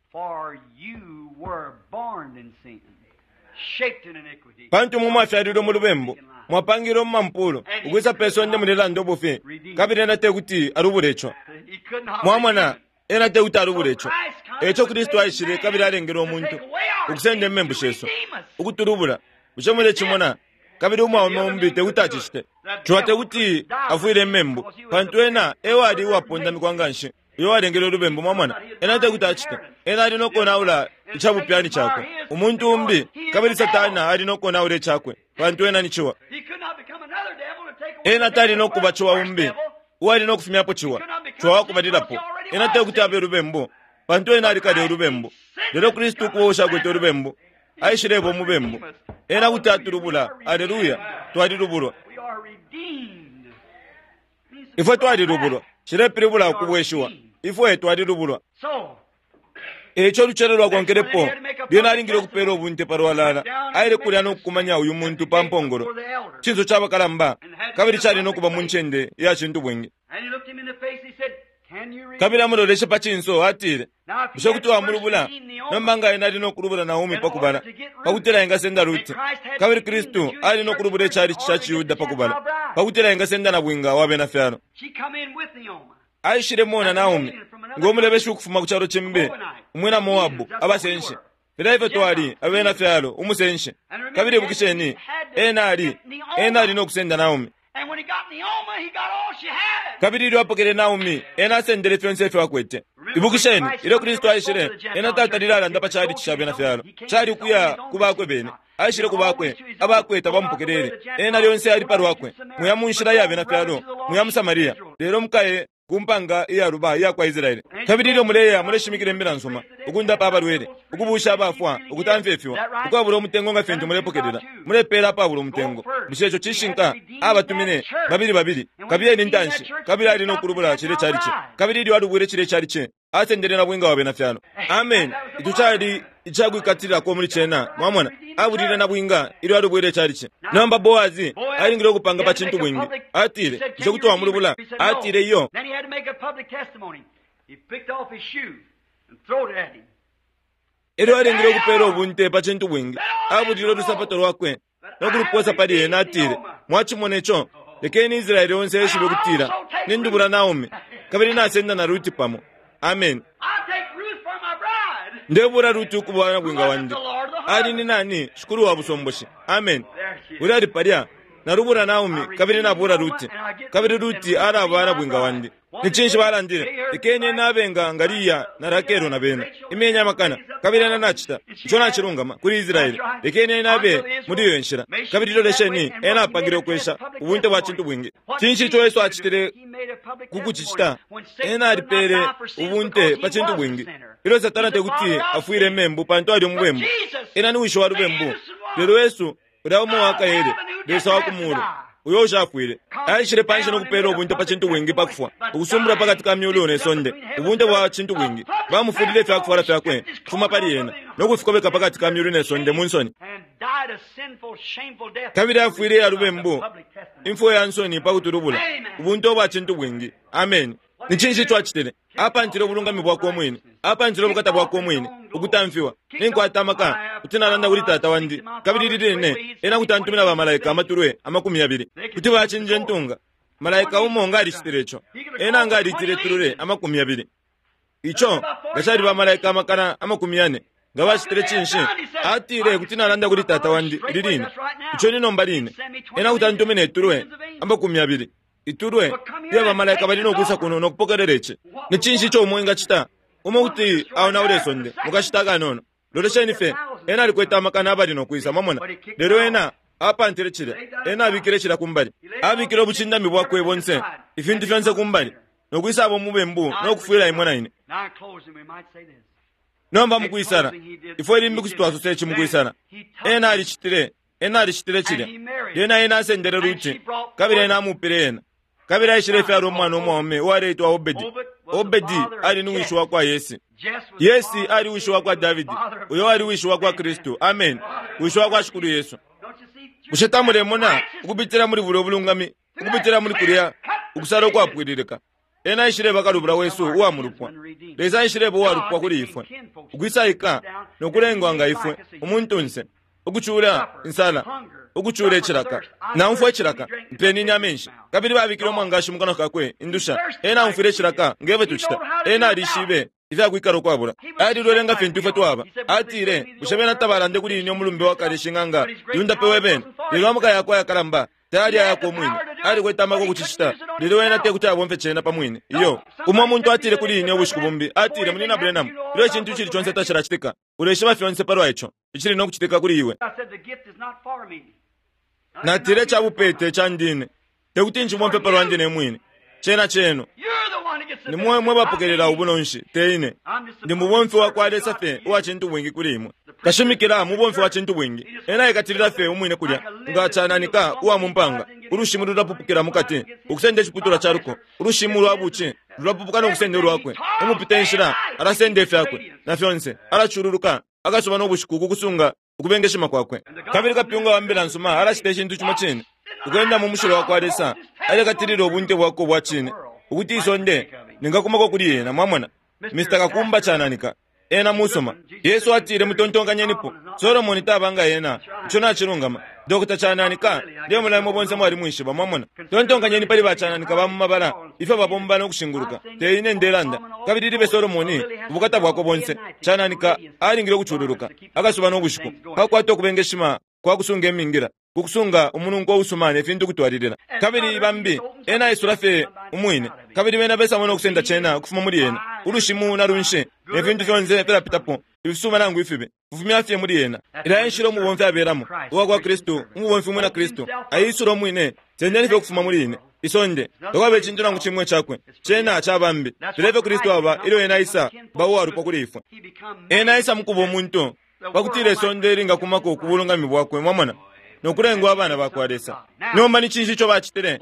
Speaker 1: Pantu imwe mwafyalilwe mu lubembu, mwapangilwe mu mampulo ukwisa pe sonde mulelanda obufi, kabili ena tekuti alubule ico. Mwamona, ena tekuti alubule ico. Eco Kristu aishile kabili alengele omuntu ukusenda imembu shesu ukutulubula. Bushe mulecimona? Kabili umwaume umbi tekuti acicite. Chiwa tekuti afwile imembu, pantu ena ewali uwapondamikwa nganshi uyo walengele olubembu. Mwamona, ena tekuti acite. Ena ali nokonaula icabupyani chakwe umuntu umbi, kabili Satana ali nokonaula icakwe, pantu ena ni chiwa. Ena tali nokuba chiwa umbi uwali nokufumyapo chiwa chiwa wakubalilapo. Ena tekuti abe olubembu, pantu ena alikale olubembu. Lelo Kristu ukuba ushakwete olubembu aishilebwa omubembu. Ena kuti atulubula. Aleluya, twalilubulwa. Ifwe twalilubulwa. Cilepilibula ukubweshiwa. Ifwe twalilubulwa. Eco oluchelo lwakonkelepo lyena alingile okupela obunte palwalala. Aile kulya nokukumanya uyu muntu pa mpongolo cinso cabakalamba, kabili cali nokuba mu ncende iya cintu bwingi. Kabili amuloleshe pa cinso atile, bushe kuti wamulubula? Nomba nga ena ali nokulubula Naomi pakubala pakutila engasenda Ruti, kabili Kristu ali nokulubula icalichi ca Ciyuda pakubala pakutila engasenda na bwinga wa bena fyalo. Aishile mona Naomi ngomulebeshi ukufuma ku chalo chimbi, Umwina Moabu, abasenshi. Filya ifyo twali, abena fyalo, umusenshi. Kabili ibukisheni, ena ali, ena ali nokusenda Naomi. Kabili ilyo apokele Naomi, ena asendele fyonse ifyo akwete. Ibukisheni, ilyo Kristu aishile, ena tatalile alanda pa chalichi cha bena fyalo. Chali ukuya ku bakwe bene. Aishile ku bakwe, abakwe tabamupokelele. Ena lyonse ali palwakwe. Muya mu nshila ya bena fyalo, muya mu Samaria. Lelo mukaye ku mpanga iyaluba iya kwa Israeli. Kabili ilyo muleya muleshimikila imbila nsuma, ukundapa abalwele, ukubusha abafwa, ukutamfya ifiwa, ukwabula umutengo nga fintu mulepokelela, mulepela apabula umutengo. Bushe ico cishinka? Abatumine babili babili, kabiyeni intanshi, kabili ali nokulubula chile chalichi. Kabili ilyo alubwile chile chalichi, asendele na bwinga wa bena fyalo. Amen. Ico cali icakwikatililako muli cena, mwamona, abulile na bwinga ilyo alubwile chalichi. Nomba Boazi alingile ukupanga pa cintu bwingi. Atile, bushe kuti wamulubula? Atile iyo. Elyo alingile ukupela ubunte pa cintu bwingi. Abulile ulusapato lwakwe nokuluposa pali ena. Atile, mwachimona ico? Lekeni Israeli onse eshibe ukutila nindubula Naomi, kabili nasenda na Ruti pamo. Amen. Ndebula Ruti ukuba na bwinga wandi. Ali ni nani? Shikulu wa busomboshi. Amen. Uli ali palya. Nalubula Naomi, kabili nabula Ruti. Kabili Ruti alaba na bwinga wandi. Ni cinshi balandile? Lekeni nabenga Ngaliya na Rakelo na bena. Imyenya amakana. Kabili ena nacita. Ico nacilungama kuli Israeli. Lekeni nabe muli iyo nshila. Kabili lolesheni, ena apangile ukwesha ubunte bwa cintu bwingi. Cinshi ico Yesu acitile kukucicita? Ena alipele ubunte pa cintu bwingi. Ilyo Satana tekuti afwile membu pantu ali umubembu. Ena ni wisho wa lubembu. Lelo Yesu ulya umo wakaele, Lesa wa kumulu, uyo ushafwile. Aishile panshi nokupela ubunte pa cintu bwingi pa kufwa, ukusumbula pakati ka myulu ne sonde, ubunte bwa cintu bwingi. Bamufulile ifyakufwala fyakwe kufuma pali ena, nokufikobeka pakati ka myulu ne sonde mu nsoni. Kabili afwile ya lubembu, imfwa ya nsoni pa kutulubula, ubunte bwa cintu bwingi. Amen. Ni cinshi ico acitile? Apantile ubulungami bwakwe umwine, apantile ubukata bwakwe umwine, ukutamfiwa. Ninkwata amaka kuti nalanda kuli tata wandi, kabili liline ena kuti antumina bamalaika amatulwe amakumi yabili kuti bacinje ntunga. Malaika umo nga alicitile ico, ena nga alitile tulule amakumi yabili. Ico nga cali bamalaika amakana amakumi yane nga bacitile cinshi? Atile kuti nalanda kuli tata wandi liline, ico ni nomba line, ena kuti antumina itulwe amakumi yabili. Itulwe iya bamalaika bali nokwisa kuno nokupokelela ici. Ni cinshi ico umo engacita? Umo kuti aonaula isonde mukashita akanono. Lolesheni fye, ena alikwete amakana abali nokwisa, mwamona. Lelo ena apantile cilya, ena abikile cilya kumbali, abikile ubucindami bwakwe bonse, ifintu fyonse kumbali, nokwisa abo mubembu nokufwila imwe na ine. Nomba mukwisala, ifwe limbi kuti twasosa ici mukwisala. Ena alicitile, ena alicitile cilya. Lyena ena asendele Ruti, kabili ena amupile ena. Kabili aishile ifyalo umwana umwaume uwaleitwa Obedi. Obedi ali ni wishi wa kwa Yesi. Yesi ali wishi wa kwa Davidi, uyo ali wishi wa kwa Kristu. Amen. Wishi wa kwa Shikulu Yesu. Bushe tamulemona ukupitila muli bulyo bulungami, ukupitila muli kulya ukusala ukwapwililika? Ena aishile bakalubula wesu uwa mulupwa. Lesa aishile uwalupwa kuli ifwe, ukwisaika nokulengwa nga ifwe umuntunse, ukucula insala, ukucula icilaka. Naumfwa icilaka, mpenini amenshi. Kabili babikile umwangashi mu kanwa kakwe indusha. Ena aumfwile icilaka ngefyo tucita. Ena alishibe ifyakwikala ukwabula. Alilwele nga fintu ifwe twaba. Atile, bushe bena tabalande kuli ine umulumbe wa kale shing'anga yundapewe bene? Lelo amaka yakwe ayakalamba tayali ayakwe umwine. Alikwete amaka ukucicita, lelo ena tekuti abomfye cena pa mwine. Iyo. Umo muntu atile kuli ine ubushiku bumbi, atile, Munina Branham, ilyo icintu icili conse tacilacitika, uleshiba fyonse palwa ico icili nokucitika kuli iwe. Natile cabupete candine, tekuti nchibomfye palwa ndine mwine. Cena cenu. Ni mwe mwe bapokelela ubunonshi, te ine. Ndi mubomfi wa kwa Lesa fye uwa cintu bwingi kuli imwe. Kashimikila mubomfi wa cintu bwingi. Ena ekatilila fye umwine kulya, nga cananika uwa mumpanga. Ulushimu lulapupukila mukati, ukusenda iciputulwa ca luko. Ulushimu lwa buci lulapupuka nokusenda ulwakwe. Umupita inshila alasenda ifyakwe na fyonse, alaculuruka akasuba nobushiku kukusunga ukubengeshima kwakwe. Kabili kapyunga wa mbila nsuma alacita icintu cimo cine, ukwenda mu mushilo wa kwa Lesa, alekatilila ubunte bwakwe bwa cine, ukuti isonde ningakumako kuli yena. Mwamona, Mister Kakumba cananika, Ena musuma. Yesu atile mutontonkanyenipo. Solomoni tabanga ena. Ico nacilungama. Dokota Chananika, ndemulaimo bonse mwali mwishiba, mwamona. Tontonkanyeni pali ba Chananika ba mu mabala, ifyo babomba no kushinguluka. Te ine ndelanda. Kabili libe Solomoni, ubukata bwako bonse. Chananika alingile ukucululuka. Akasuba no bushiku. Pakwata okubengeshima kwa kusunga emingira. Kukusunga umununko usumane fintu kutwalilila. Kabili bambi, ena isula fye umwine. Kabili bena besa mwana okusenda chena ukufuma muli ena. Ulushimu na lunshe, ne fintu fyonse filapitapo. Ifisuma nangu ifibe. Kufumya fye muli ena. Ila enshila umubomfi aberamo. Uwa kwa Kristu, umubomfi umwina Kristu. Aisula umwine, sendeni fye ukufuma muli ine. Isonde, tokwabe chintu nangu chimwe chakwe. Chena achabambi. Filefye Kristu aba, ilyo ena isa, bawo alupo kuli ifwe. Ena isa mukuba omuntu. Pakutira isonde linga kumako kubulungami bwakwe, mwamona. Nokulengwa abana bakwa Lesa. Nomba ni cinshi ico bacitile?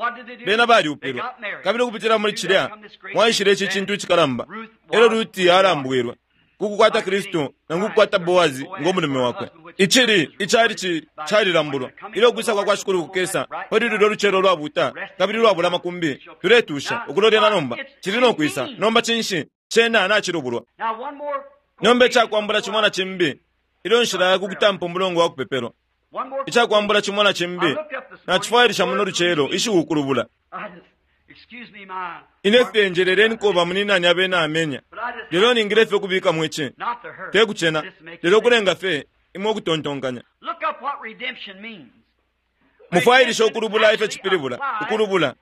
Speaker 1: Bena baliupilwa. Kabili ukupitila muli cilya, mwaishile ici cintu icikalamba. Elyo Ruti alambwilwe kukukwata Kristu nangu kukwata Boazi ng'omulume wakwe. Icili icali ci calilambulwa. Ilyo kwisa kwa kwa Shikulu kukesa, pali lulyo lucelo lwabuta, kabili lwabula makumbi, tuletusha ukulolera nomba. Cili no kwisa. Nomba cinshi? Cena nacilubulwa. Nomba icakwambula cimo na cimbi, ilyo nshila ya kukutampa umulongo wa kupepelwa. Icakwambula cimo na cimbi, nacifwailisha muno lucelo ishiukulubula. Ine fye njeleleni koba muninani abena amenya. Lelo ningile fye okubika mwici. Te kucena, lelo kulenga fye imwe okutontonkanya. Mufwailisha okulubula ifyo cipilibula, ukulubula.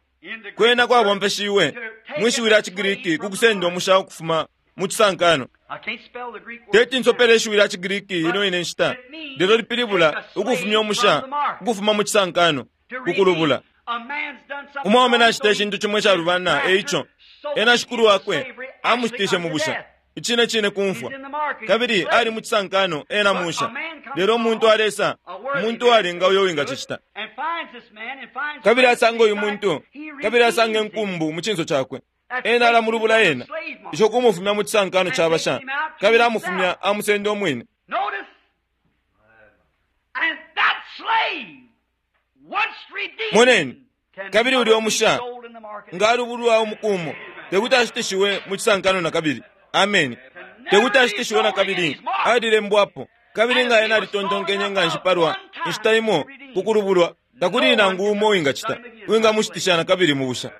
Speaker 1: Kwena kwabombeshiwe mwishiwi lya Chigiriki kukusenda omusha okufuma mu chisankano. Teti nsopele ishiwi lya Chigiriki ino ine nshita, lelo lipilibula ukufumya omusha ukufuma mu chisankano, kukulubula. Umwaume nacita icintu chimwe icalubana, eico ena shikulu wakwe amushitishe mu busha, icine cine kumfwa. Kabili ali mu chisankano ena musha. Lelo umuntu alesa, umuntu uwalinga uyo wingacicita. Kabili asanga uyu muntu, kabili asanga enkumbu mu cinso cakwe. Ena alamulubula ena, ico kumufumya mu chisankano ca basha, kabili amufumya amusenda omwine. Moneni, kabili uli omusha, nga alubulwa umukumo, tekuti ashitishiwe mu chisankano na kabili. Ameni. Tekuti ashitishiwe na kabili, alilembwapo. Kabili nga ena alitontonkenye nga nshipalwa, inshita imo, kukulubulwa, takuli nangu umo wingacita, wingamushitisha na kabili mu busha.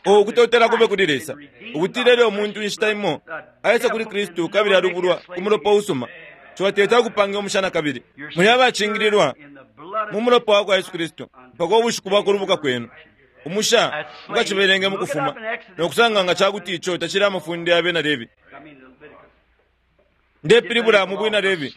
Speaker 1: O kutotela kube kuli Lesa, ukutila ilyo umuntu inshita imo, aisa kuli Kristu kabili alubulwa ku mulopa usuma. Ciwateta ukupanga omusha na kabili. Muli abacingililwa mu mulopa wa kwa Yesu Kristu, mpaka ubushiku bwa kulubuka kwenu. Umusha mukacibelenge mukufuma, nokusanga nga cakuti ico tacili amafunde abena Levi. Ndepilibula mu bwina Levi.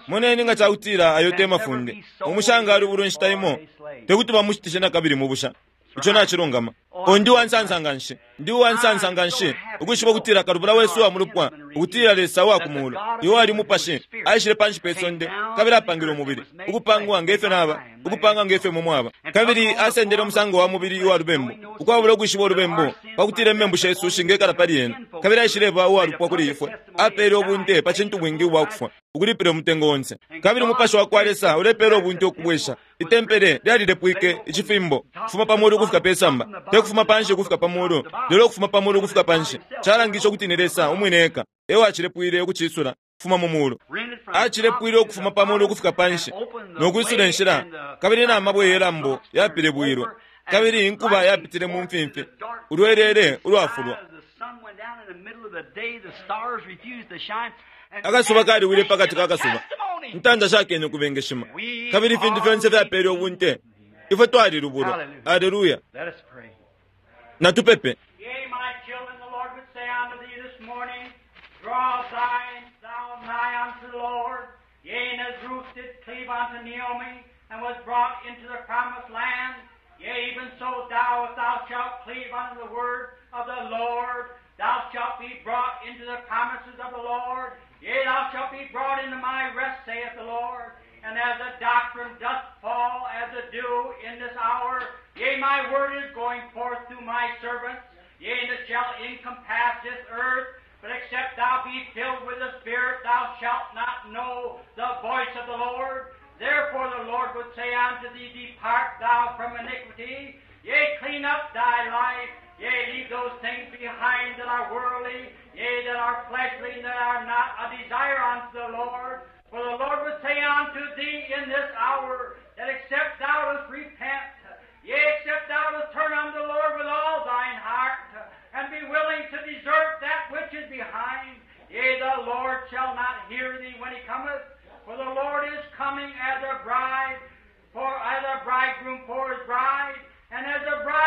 Speaker 1: Moneni nga cakutila ayo te mafunde. Umusha nga alubulwa inshita imo, tekuti bamushitishe na kabili mu busha. Ico nacilungama. O ndi uwansansa nga nshi, ndi uwansansa nga nshi, ukwishiba ukutila kalubula wesu wa mulupwa, ukutila Lesa wa kumulu, iwo ali mupashi, aishile panshi pe sonde, kabili apangile umubili, ukupangwa ngefyo naba, ukupanga ngefyo mwe mwaba. Kabili asendele umusango wa mubili uwa lubembu, ukwabula ukwishiba ulubembu, pakutila imembu shesu shingekala pali ena. Kabili aishileba uwalupwa kuli ifwe, apele ubunte pa cintu bwingi ubwakufwa, ukulipila umutengo onse. Kabili umupashi wa kwa Lesa ulepela ubunte ukubwesha. Itempele lyalilepwike icifimbo, kufuma pa mulu ukufika pe samba, te kufuma panshi ukufika pa mulu, lelo ukufuma pa mulu ukufika panshi. Calangisha ukuti ni Lesa umwine eka ewo acilepwile ukucisula kufuma mu mulu. Acilepwile ukufuma pa mulu ukufika panshi, nokwisula inshila, kabili na mabwe yelambo yapilibwilwe, kabili inkuba yapitile mu mfimfi, ulwelele ulwafulwa. Akasuba kaliwile pakati ka kasuba, ntanda shakene kubengeshima, kabili ifintu fyonse fyapele ubunte. Ifwe twalilubulwa. Haleluya. Natupepe.
Speaker 2: Yea, my children, the Lord would say unto thee this morning, draw thine thou nigh unto the Lord. Yea, and as Ruth did cleave unto Naomi, and was brought into the promised land, yea, even so thou, if thou shalt cleave unto the word of the Lord, thou shalt be brought into the promises of the Lord. Yea, thou shalt be brought into my rest, saith the Lord. And as the doctrine doth fall as the dew in this hour, yea, my word is going forth through my servants. Yea, and it shall encompass this earth. But except thou be filled with the Spirit, thou shalt not know the voice of the Lord. Therefore the Lord would say unto thee, Depart thou from iniquity. Yea, clean up thy life. Yea, leave those things behind.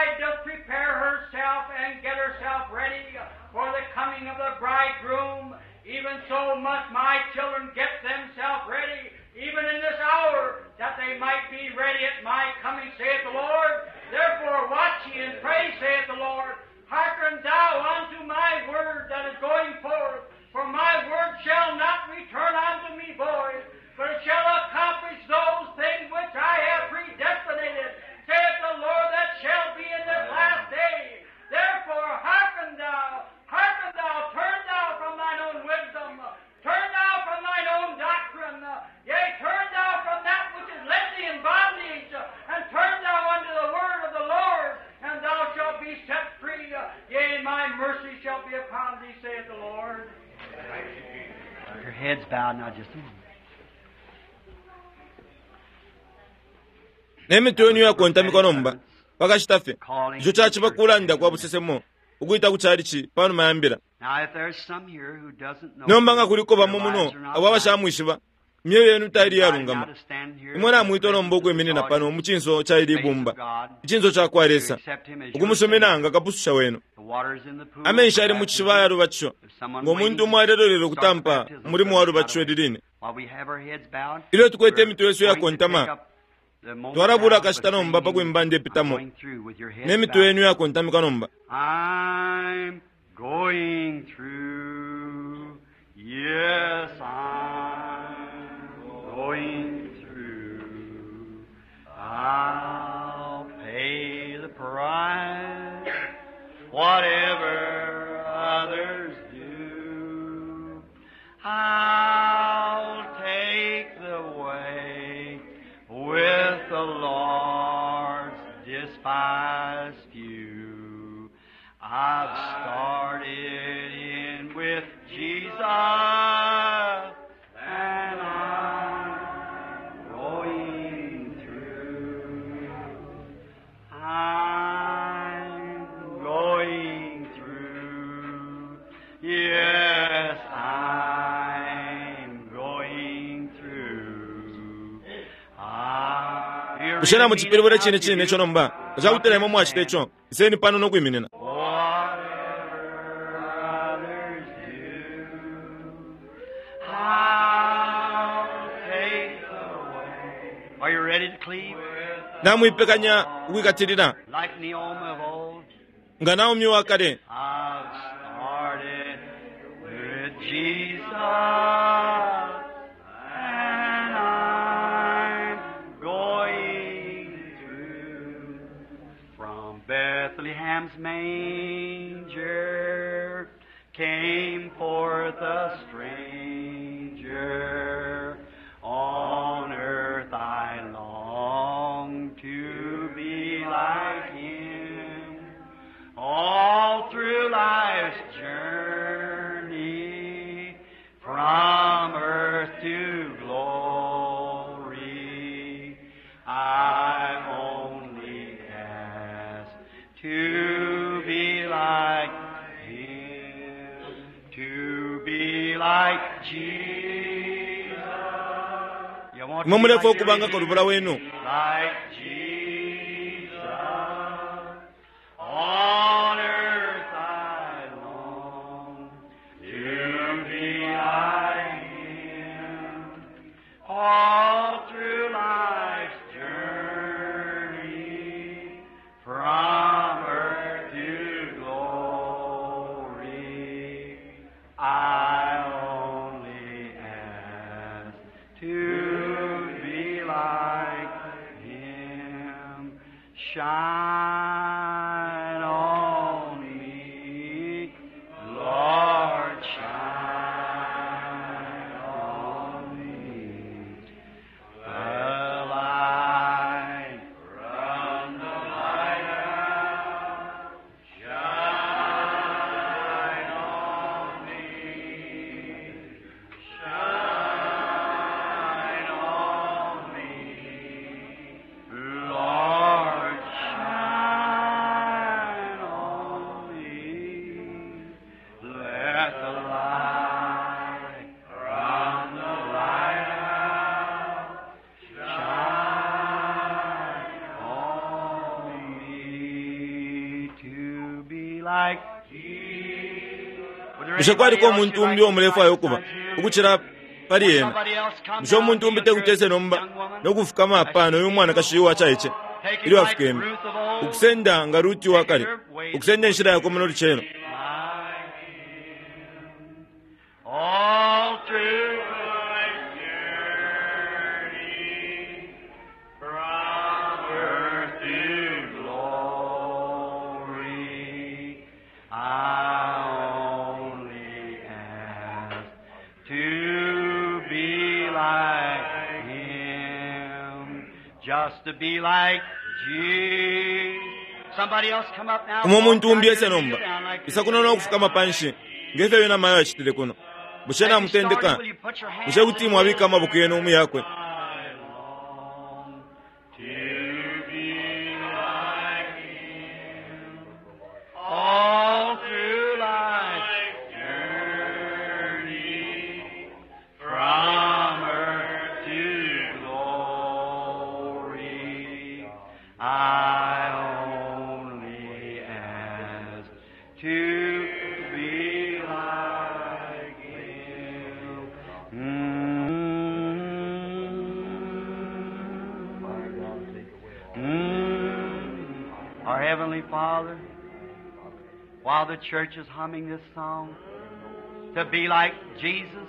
Speaker 2: bride doth prepare herself and get herself ready for the coming of the bridegroom, even so must my children get themselves ready, even in this hour, that they might be ready at my coming, saith the Lord. Therefore watch ye and pray, saith the Lord. Hearken thou unto my word that is going forth, for my word shall not return unto me void, but it shall accomplish those things which I have predestinated, saith the Lord, that shall be in this last day. Therefore hearken thou, hearken thou, turn thou from thine own wisdom, turn thou from thine own doctrine, yea, turn thou from that which has led thee in bondage, and turn thou unto the word of the Lord, and thou shalt be set free. Yea, my mercy shall be upon thee, saith the Lord.
Speaker 3: Your heads bowed now just a moment.
Speaker 1: Ne mitwe yenu yakontamikwa nomba pakashita fye ico caciba kulanda kwa busesemo ukwita ku chalichi panuma ya mbila.
Speaker 3: Now, if there's some here who doesn't know,
Speaker 1: Nomba nga kuliko bamo
Speaker 3: their
Speaker 1: muno
Speaker 3: lives are not
Speaker 1: abo
Speaker 3: right,
Speaker 1: abashamwishiba imyoyo yenu taili
Speaker 3: invited now
Speaker 1: yalungama
Speaker 3: to stand here
Speaker 1: imwe namwitwa nomba ukwiminina pano mu cinso ca ili
Speaker 3: face of
Speaker 1: ibumba
Speaker 3: God,
Speaker 1: icinso ca kwa
Speaker 3: to
Speaker 1: Lesa
Speaker 3: accept Him as your
Speaker 1: ukumusumina
Speaker 3: Savior.
Speaker 1: nga kapususha wenu.
Speaker 3: The water's in the pool
Speaker 1: Amenshi
Speaker 3: for
Speaker 1: ali mu
Speaker 3: baptism.
Speaker 1: cishiba yalubatisho
Speaker 3: There's someone
Speaker 1: ngo muntu
Speaker 3: waiting
Speaker 1: umo alelolelo
Speaker 3: to start the
Speaker 1: ukutampa
Speaker 3: baptism
Speaker 1: umulimu wa
Speaker 3: service right
Speaker 1: lubatisho
Speaker 3: away.
Speaker 1: liline.
Speaker 3: While we have our heads bowed,
Speaker 1: Ilyo tukwete
Speaker 3: we're
Speaker 1: imitwe yesu
Speaker 3: going to
Speaker 1: yakontama
Speaker 3: take up the moment
Speaker 1: twalabula
Speaker 3: now with
Speaker 1: akashita nomba pa
Speaker 3: singing,
Speaker 1: kwimba
Speaker 3: I'm
Speaker 1: ndepitamo
Speaker 3: going through with your heads
Speaker 1: ne mitwe
Speaker 3: bowed.
Speaker 1: yenu yakontamika nomba.
Speaker 3: I'm going through. Yes, I'm going through. I'll pay the price, whatever others do. I'll take the way with the Lord's despised few. I've started in with Jesus, and I'm going through. I'm going through. Yes, I'm going through. Ah, you
Speaker 1: Bushe
Speaker 3: really mean
Speaker 1: namucipilibula
Speaker 3: it now?
Speaker 1: cine
Speaker 3: You
Speaker 1: cine
Speaker 3: do?
Speaker 1: ico nomba cakutila imwe mwacita ico iseni pano nokwiminina.
Speaker 3: Whatever others do, I'll take the way. Are you ready to cleave?
Speaker 1: Namwipekanya ukwikatilila
Speaker 3: Like Naomi of old,
Speaker 1: nga Naomi wa kale
Speaker 3: I've started with Jesus, and I'm going through. From Bethlehem's manger came forth a stranger. On earth I long to be like him. All through life's journey, from earth to glory, I only ask to be like him, to be like Jesus. You want to
Speaker 1: imwe
Speaker 3: be
Speaker 1: mulefwa
Speaker 3: like
Speaker 1: ukubanga kalubula wenu.
Speaker 3: like Jesus. On earth I long to be like Him. All through life's journey, from earth to glory, I only ask to be like Him. like Jesus. Would there
Speaker 1: Bushe
Speaker 3: anybody
Speaker 1: kwaliko
Speaker 3: else
Speaker 1: umuntu
Speaker 3: you'd
Speaker 1: umbi
Speaker 3: like to
Speaker 1: omulefwayo
Speaker 3: be
Speaker 1: ukuba
Speaker 3: like besides
Speaker 1: ukuchila pali
Speaker 3: him?
Speaker 1: ena?
Speaker 3: Somebody else come
Speaker 1: Bushe
Speaker 3: down
Speaker 1: umuntu umbi
Speaker 3: here,
Speaker 1: tekutese nomba
Speaker 3: young woman.
Speaker 1: nokufukama pano uyu mwanakashi uwachaiche
Speaker 3: Take it
Speaker 1: ilyo
Speaker 3: like
Speaker 1: afikeme
Speaker 3: Ruth of old.
Speaker 1: ukusenda nga Ruti wakale ukusenda enshila yakwe muno lucelo.
Speaker 3: Like him. All through life's journey, from earth to glory, I only ask to be like him, just to be like Jesus. Somebody else come up now.
Speaker 1: Umo muntu
Speaker 3: Walk
Speaker 1: umbi
Speaker 3: down
Speaker 1: ese
Speaker 3: here,
Speaker 1: nomba
Speaker 3: kneel down like
Speaker 1: isa
Speaker 3: this.
Speaker 1: kuno nokufukama panshi ngefyo yena mayo achitile kuno. Bushe
Speaker 3: As you
Speaker 1: namutendeka?
Speaker 3: started, will you put your hands
Speaker 1: Bushe kuti
Speaker 3: in
Speaker 1: mwabika
Speaker 3: his?
Speaker 1: amaboko yenu mu yakwe?
Speaker 3: I long to be like him all through life's journey, from earth to glory. I only ask to be like him. Mm. Mm. Our Heavenly Father, while the church is humming this song, to be like Jesus,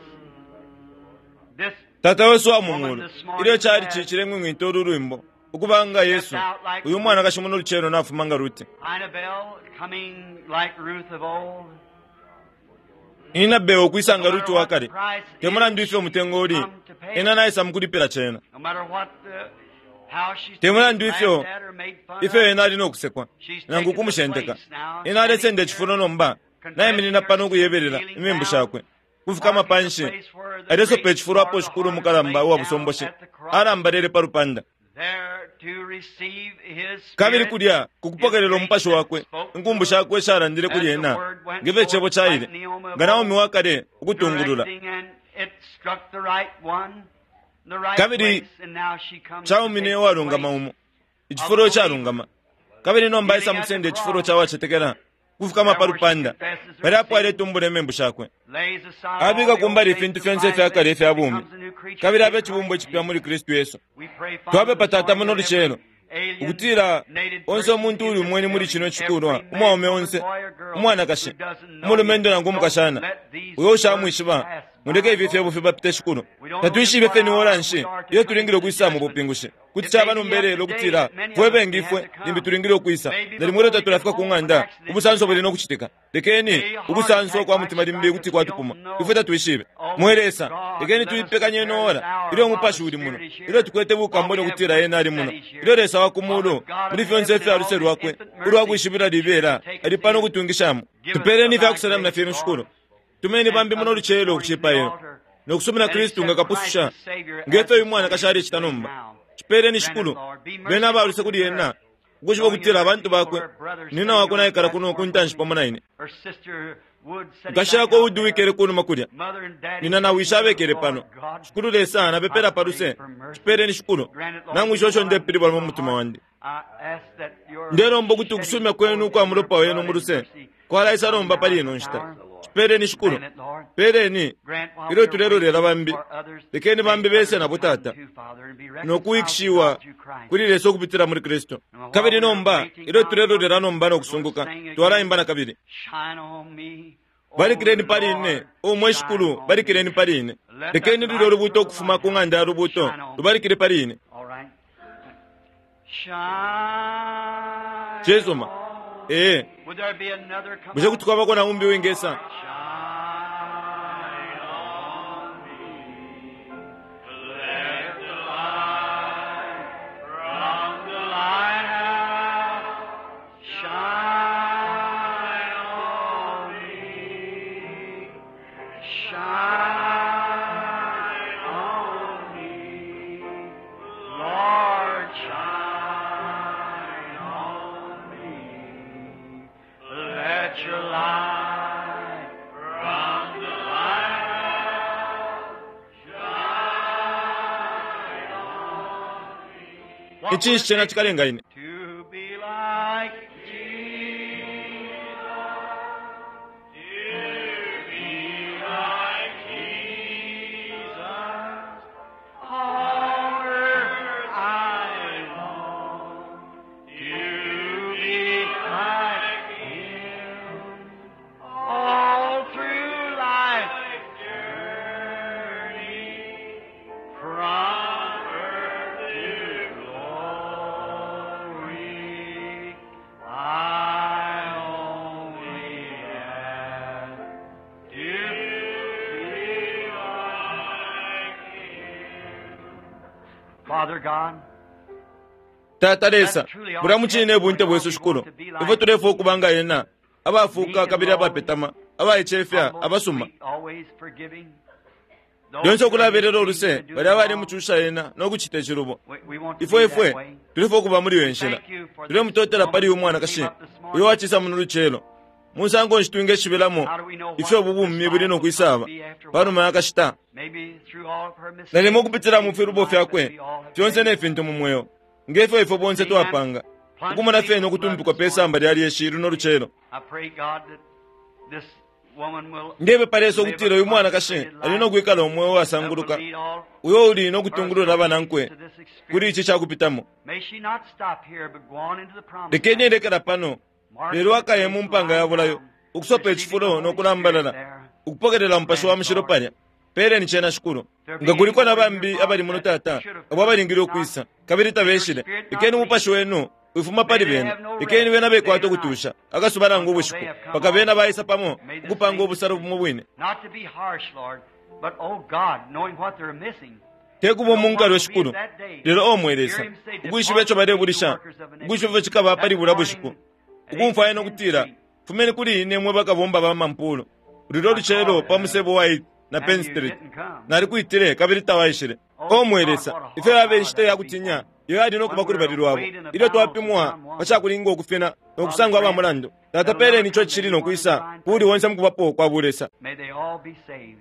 Speaker 3: this
Speaker 1: Tata wesu wa
Speaker 3: woman
Speaker 1: mumulu
Speaker 3: this morning
Speaker 1: ilyo chali
Speaker 3: has
Speaker 1: chichilengwe ngwita ulu lwimbo ukubanga
Speaker 3: stepped
Speaker 1: Yesu
Speaker 3: out like
Speaker 1: uyu mwanakashi muno lucelo nafuma nga Ruti.
Speaker 3: Annabelle coming like Ruth of old.
Speaker 1: Ina bewo okwisa
Speaker 3: No
Speaker 1: nga
Speaker 3: matter
Speaker 1: Ruti
Speaker 3: what the
Speaker 1: wakale
Speaker 3: price is,
Speaker 1: temulandu ife
Speaker 3: she's
Speaker 1: omutengo uli
Speaker 3: come to pay
Speaker 1: ena
Speaker 3: it.
Speaker 1: naisa mukulipira chena.
Speaker 3: No matter what the, how she's
Speaker 1: Temulandu
Speaker 3: laughed
Speaker 1: ifyo
Speaker 3: at or made fun
Speaker 1: ifyo
Speaker 3: of,
Speaker 1: ena ali nokusekwa
Speaker 3: she's
Speaker 1: nangu
Speaker 3: taken the
Speaker 1: kumushendeka
Speaker 3: place now,
Speaker 1: ena
Speaker 3: standing
Speaker 1: alesenda
Speaker 3: here,
Speaker 1: echifulo nomba
Speaker 3: confessing
Speaker 1: nayiminina
Speaker 3: her
Speaker 1: pano
Speaker 3: sins,
Speaker 1: okuyeberera
Speaker 3: kneeling
Speaker 1: imembu
Speaker 3: down,
Speaker 1: shakwe kufukama
Speaker 3: marking the
Speaker 1: panshi
Speaker 3: place where the
Speaker 1: alesopa
Speaker 3: great
Speaker 1: echifulo apo
Speaker 3: Lord of
Speaker 1: shikulu
Speaker 3: the harvest
Speaker 1: mukalamba
Speaker 3: laid
Speaker 1: uwa
Speaker 3: down
Speaker 1: busomboshe
Speaker 3: at the cross,
Speaker 1: alambalele pa lupanda.
Speaker 3: there to receive his
Speaker 1: Kabili
Speaker 3: spirit,
Speaker 1: kulya
Speaker 3: his
Speaker 1: kukupokelela
Speaker 3: grace
Speaker 1: umupashi
Speaker 3: that
Speaker 1: wakwe
Speaker 3: spoke to
Speaker 1: inkumbu
Speaker 3: her
Speaker 1: shakwe shalandile kuli
Speaker 3: as the
Speaker 1: ena
Speaker 3: word went
Speaker 1: ngefyo icebo
Speaker 3: forth like
Speaker 1: chaile
Speaker 3: Naomi of
Speaker 1: nga Naomi
Speaker 3: old,
Speaker 1: wakale ukutungulula.
Speaker 3: directing, and it struck the right one, the right
Speaker 1: Kabili
Speaker 3: place, and now she comes to
Speaker 1: chaumine
Speaker 3: take the
Speaker 1: uwalungama
Speaker 3: place
Speaker 1: umo
Speaker 3: of the
Speaker 1: ichifulo
Speaker 3: believer,
Speaker 1: chalungama kabili nomba
Speaker 3: kneeling
Speaker 1: isa
Speaker 3: at the
Speaker 1: mukusenda echifulo
Speaker 3: cross,
Speaker 1: chawachetekela kufukama
Speaker 3: there
Speaker 1: pa
Speaker 3: where she
Speaker 1: lupanda
Speaker 3: confesses her
Speaker 1: pali apo
Speaker 3: sins,
Speaker 1: aletumbula emembu shakwe
Speaker 3: lays aside all
Speaker 1: abika
Speaker 3: the old
Speaker 1: kumbali
Speaker 3: things
Speaker 1: ifintu
Speaker 3: of
Speaker 1: fyonse
Speaker 3: life
Speaker 1: ifyakale
Speaker 3: and
Speaker 1: ifya bumi
Speaker 3: becomes a new creature
Speaker 1: kabili
Speaker 3: in
Speaker 1: abe chibumbwa
Speaker 3: Christ
Speaker 1: echipya muli
Speaker 3: Jesus.
Speaker 1: Kristu Yesu.
Speaker 3: We pray, Father,
Speaker 1: Twapepa
Speaker 3: this
Speaker 1: Tata
Speaker 3: morning
Speaker 1: muno
Speaker 3: that
Speaker 1: lucelo
Speaker 3: every alien
Speaker 1: ukutila
Speaker 3: native
Speaker 1: onse
Speaker 3: person
Speaker 1: omuntu
Speaker 3: in
Speaker 1: uli
Speaker 3: this
Speaker 1: umweni muli
Speaker 3: building,
Speaker 1: chino
Speaker 3: every
Speaker 1: chikulwa
Speaker 3: man,
Speaker 1: umwaume
Speaker 3: woman,
Speaker 1: onse
Speaker 3: boy, or girl
Speaker 1: umwanakashi
Speaker 3: who doesn't know you,
Speaker 1: umulumendo nangu
Speaker 3: don't
Speaker 1: umukashana
Speaker 3: let these
Speaker 1: uyo
Speaker 3: words
Speaker 1: ushamwishiba
Speaker 3: pass
Speaker 1: muleke
Speaker 3: by,
Speaker 1: ifi fyebo
Speaker 3: Lord.
Speaker 1: fibapite shikulu.
Speaker 3: We don't know just
Speaker 1: Tatwishibe
Speaker 3: what
Speaker 1: fye ni
Speaker 3: hour
Speaker 1: ora
Speaker 3: we
Speaker 1: nshi
Speaker 3: are to
Speaker 1: iyo
Speaker 3: come
Speaker 1: tulingile
Speaker 3: into the
Speaker 1: ukwisa mu
Speaker 3: judgment.
Speaker 1: bupingushi kuti
Speaker 3: It may
Speaker 1: chaba
Speaker 3: be yet
Speaker 1: nomberelo
Speaker 3: today
Speaker 1: ukutila
Speaker 3: that many
Speaker 1: fwe
Speaker 3: of us
Speaker 1: bengi
Speaker 3: may have
Speaker 1: ifwe
Speaker 3: to
Speaker 1: limbi
Speaker 3: come.
Speaker 1: tulingile ukwisa
Speaker 3: Maybe
Speaker 1: nalimwe
Speaker 3: before we get
Speaker 1: tatulafika ku
Speaker 3: home, an
Speaker 1: ng'anda
Speaker 3: accident may
Speaker 1: ubusanso buli
Speaker 3: happen.
Speaker 1: nokuchitika lekeni
Speaker 3: A heart
Speaker 1: ubusanso
Speaker 3: attack
Speaker 1: kwa
Speaker 3: might
Speaker 1: mutima limbi
Speaker 3: strike
Speaker 1: kuti
Speaker 3: us. We don't
Speaker 1: kwatupuma
Speaker 3: know.
Speaker 1: ifwe tatwishibe
Speaker 3: Oh
Speaker 1: mwe Lesa
Speaker 3: God,
Speaker 1: lekeni
Speaker 3: let us
Speaker 1: tuipekanye
Speaker 3: prepare this
Speaker 1: noora
Speaker 3: hour
Speaker 1: ilyo
Speaker 3: while the
Speaker 1: umupashi uli muno
Speaker 3: Spirit is
Speaker 1: ilyo
Speaker 3: here,
Speaker 1: tukwete
Speaker 3: while
Speaker 1: bukambone
Speaker 3: we have
Speaker 1: ukutila
Speaker 3: witness
Speaker 1: ena ali
Speaker 3: that
Speaker 1: muno
Speaker 3: He's
Speaker 1: ilyo
Speaker 3: here,
Speaker 1: Lesa wa
Speaker 3: while the
Speaker 1: kumulu
Speaker 3: God of
Speaker 1: muli fyonse
Speaker 3: heaven and
Speaker 1: ifya
Speaker 3: all
Speaker 1: luse
Speaker 3: His
Speaker 1: lwakwe
Speaker 3: infinite
Speaker 1: ulwa
Speaker 3: mercy
Speaker 1: kwishibila libela
Speaker 3: should take
Speaker 1: ali
Speaker 3: us
Speaker 1: pano
Speaker 3: in.
Speaker 1: kutungishamo
Speaker 3: Give us
Speaker 1: tupeleni
Speaker 3: of
Speaker 1: ifya
Speaker 3: thy
Speaker 1: kusalamina
Speaker 3: grace,
Speaker 1: fyenu
Speaker 3: Lord.
Speaker 1: shikulu tumeni
Speaker 3: Send
Speaker 1: bambi muno
Speaker 3: others this
Speaker 1: lucelo
Speaker 3: morning to the
Speaker 1: kuchipailo
Speaker 3: altar
Speaker 1: nokusumina
Speaker 3: and
Speaker 1: Kristu nga
Speaker 3: accept Christ
Speaker 1: kapususha
Speaker 3: as Savior as
Speaker 1: ngefyo
Speaker 3: this
Speaker 1: uyu
Speaker 3: woman
Speaker 1: mwanakashi
Speaker 3: is
Speaker 1: alecita
Speaker 3: doing
Speaker 1: nomba
Speaker 3: now.
Speaker 1: chipeleni
Speaker 3: Grant it,
Speaker 1: shikulu
Speaker 3: Lord. Be
Speaker 1: bena
Speaker 3: merciful
Speaker 1: abaluse
Speaker 3: to
Speaker 1: kuli
Speaker 3: her,
Speaker 1: ena ukushiba
Speaker 3: knowing
Speaker 1: ukutila
Speaker 3: the
Speaker 1: abantu
Speaker 3: mercy for
Speaker 1: bakwe
Speaker 3: her brother
Speaker 1: nina
Speaker 3: sitting
Speaker 1: wakwe
Speaker 3: on the
Speaker 1: naikala kuno
Speaker 3: platform
Speaker 1: kuntanshi
Speaker 3: listening,
Speaker 1: pamo na ine
Speaker 3: her sister Wood sitting back
Speaker 1: nkashako
Speaker 3: out
Speaker 1: udi
Speaker 3: there,
Speaker 1: wikele kunuma kulya
Speaker 3: mother and daddy
Speaker 1: nina na
Speaker 3: sitting
Speaker 1: wisha
Speaker 3: there.
Speaker 1: abekele
Speaker 3: Lord
Speaker 1: pano
Speaker 3: God,
Speaker 1: shikulu Lesa
Speaker 3: I
Speaker 1: napepela
Speaker 3: pray
Speaker 1: paluse
Speaker 3: for mercy.
Speaker 1: chipeleni shikulu
Speaker 3: Grant it, Lord,
Speaker 1: nangu
Speaker 3: you know
Speaker 1: ishosho
Speaker 3: what I'm
Speaker 1: ndepilibwa
Speaker 3: in
Speaker 1: mu
Speaker 3: my
Speaker 1: mutima
Speaker 3: heart.
Speaker 1: wandi
Speaker 3: I ask that your
Speaker 1: ndelomba ukuti
Speaker 3: shedding
Speaker 1: ukusumya kwenu
Speaker 3: forth
Speaker 1: ukwa
Speaker 3: of your
Speaker 1: mulopa wenu
Speaker 3: blood
Speaker 1: mu
Speaker 3: and
Speaker 1: luse
Speaker 3: mercy
Speaker 1: kwalaisa
Speaker 3: will come
Speaker 1: nomba
Speaker 3: now
Speaker 1: pali
Speaker 3: at
Speaker 1: ino
Speaker 3: this
Speaker 1: nshita
Speaker 3: hour.
Speaker 1: chipeleni shikulu
Speaker 3: Grant it, Lord.
Speaker 1: peleni
Speaker 3: Grant while
Speaker 1: ilyo
Speaker 3: we are
Speaker 1: tulelolela
Speaker 3: waiting
Speaker 1: bambi
Speaker 3: for others,
Speaker 1: lekeni
Speaker 3: may
Speaker 1: bambi bese
Speaker 3: others
Speaker 1: nabo
Speaker 3: come
Speaker 1: tata
Speaker 3: too, Father, and be reconciled to
Speaker 1: nokuwikishiwa
Speaker 3: God through Christ.
Speaker 1: kuli Lesa ukupitila muli Kristu.
Speaker 3: And while
Speaker 1: Kabili
Speaker 3: we are
Speaker 1: nomba
Speaker 3: waiting
Speaker 1: ilyo
Speaker 3: now,
Speaker 1: tulelolela nomba
Speaker 3: we're going to
Speaker 1: nokusunguka
Speaker 3: sing again.
Speaker 1: twalaimba na kabili.
Speaker 3: Shine on me, O
Speaker 1: Balikileni pali ine
Speaker 3: Lord,
Speaker 1: omwe
Speaker 3: shine
Speaker 1: shikulu
Speaker 3: on
Speaker 1: balikileni
Speaker 3: me.
Speaker 1: pali ine
Speaker 3: Let that
Speaker 1: lekeni lulyo
Speaker 3: light from
Speaker 1: lubuto
Speaker 3: the
Speaker 1: ukufuma ku
Speaker 3: lighthouse
Speaker 1: ng'anda ya lubuto
Speaker 3: shine on me.
Speaker 1: lubalikile pali ine.
Speaker 3: All right. Shine
Speaker 1: Chesoma
Speaker 3: on
Speaker 1: ee
Speaker 3: me. Would there be another come
Speaker 1: bushe
Speaker 3: out?
Speaker 1: kuti kwabako na umbi wingesa
Speaker 3: Shine on me. Let the light from the lighthouse shine on me. Shine on me. Lord, shine on me. Let your light from the lighthouse shine on me. What will
Speaker 1: Icinshi
Speaker 3: it
Speaker 1: chena
Speaker 3: take
Speaker 1: chikalenga ine
Speaker 3: to be like Jesus? Father God,
Speaker 1: Tata Lesa, bulya mucine ebunte bwesu shikulu ifwe tulefwa okuba nga yena abafuuka kabili abapetama abaicefya abasuma
Speaker 3: always forgiving.
Speaker 1: lyonse okulabelela oluse bali abalemucusha yena n'okucita ekilubo
Speaker 3: We, we want to
Speaker 1: ifwe
Speaker 3: be
Speaker 1: ifwe
Speaker 3: that way.
Speaker 1: tulefwa okuba muli iyo nshila tulemutotela pali uyu mwanakashi uyo wacisa muno lucelo musango nshi twingeshibelamo ifyo obu bumi buli nokwisaba panuma yakashita
Speaker 3: Maybe through all of her mistakes,
Speaker 1: nalimo okupitila mu filubo fyakwe
Speaker 3: we all have
Speaker 1: fyonse
Speaker 3: made.
Speaker 1: ne fintu mu mweo ngefyo ifwe bonse twapanga ukumona fene okutumpikwa pe samba lya lyeshi luno lucelo
Speaker 3: I pray, God, that this woman will
Speaker 1: ndepepa Lesa okutila uyu
Speaker 3: live a
Speaker 1: mwanakashi
Speaker 3: consecrated
Speaker 1: ali
Speaker 3: life
Speaker 1: nokwikala omweo
Speaker 3: that will
Speaker 1: wasanguluka
Speaker 3: lead all
Speaker 1: uyo uli nokutungulula abanankwe
Speaker 3: to this experience.
Speaker 1: kuli ichi kyakupitamo
Speaker 3: May she not stop here, but go on into the promised
Speaker 1: lekeni
Speaker 3: land.
Speaker 1: elekela pano lelo akaye mu mpanga ya bulayo ukusopa echifulo nokulambalala ukupokelela mupasha wa mushilo palya peleni chena shikulu nga kuliko na bambi abali muno tata abo abalingile okwisa kabili tabeshile lekeni umupashi wenu wifuma pali bena lekeni bena bekwata okutusha akasuba nangu ubushiku paka bena baisa pamo ukupanga obusalo bumo bwine
Speaker 3: Not to be harsh, Lord, but oh God, knowing what they're missing.
Speaker 1: tekuba omunkalwe shikulu lelo omwelesa ukwishiba echo balebulisha ukwishiba ifyo chikaba pali bula bushiku ukumfwaya nokutila fumeni kuli ine mwe bakabomba ba mampulo lulyo lucelo pa musebo wa eighth na Penn
Speaker 3: And you
Speaker 1: Street
Speaker 3: didn't come.
Speaker 1: nalikuitile kabili tawaishile omwelesa ifyo yaba enshita yakutinya iyo yali nokuba kuli bali lwabo ilyo twapimwa pacakulinga okufina nokusangwa aba mulandu tata peleni icho chili nokwisa kuli wonse mukubapo kwa bulesa
Speaker 3: May they all be saved.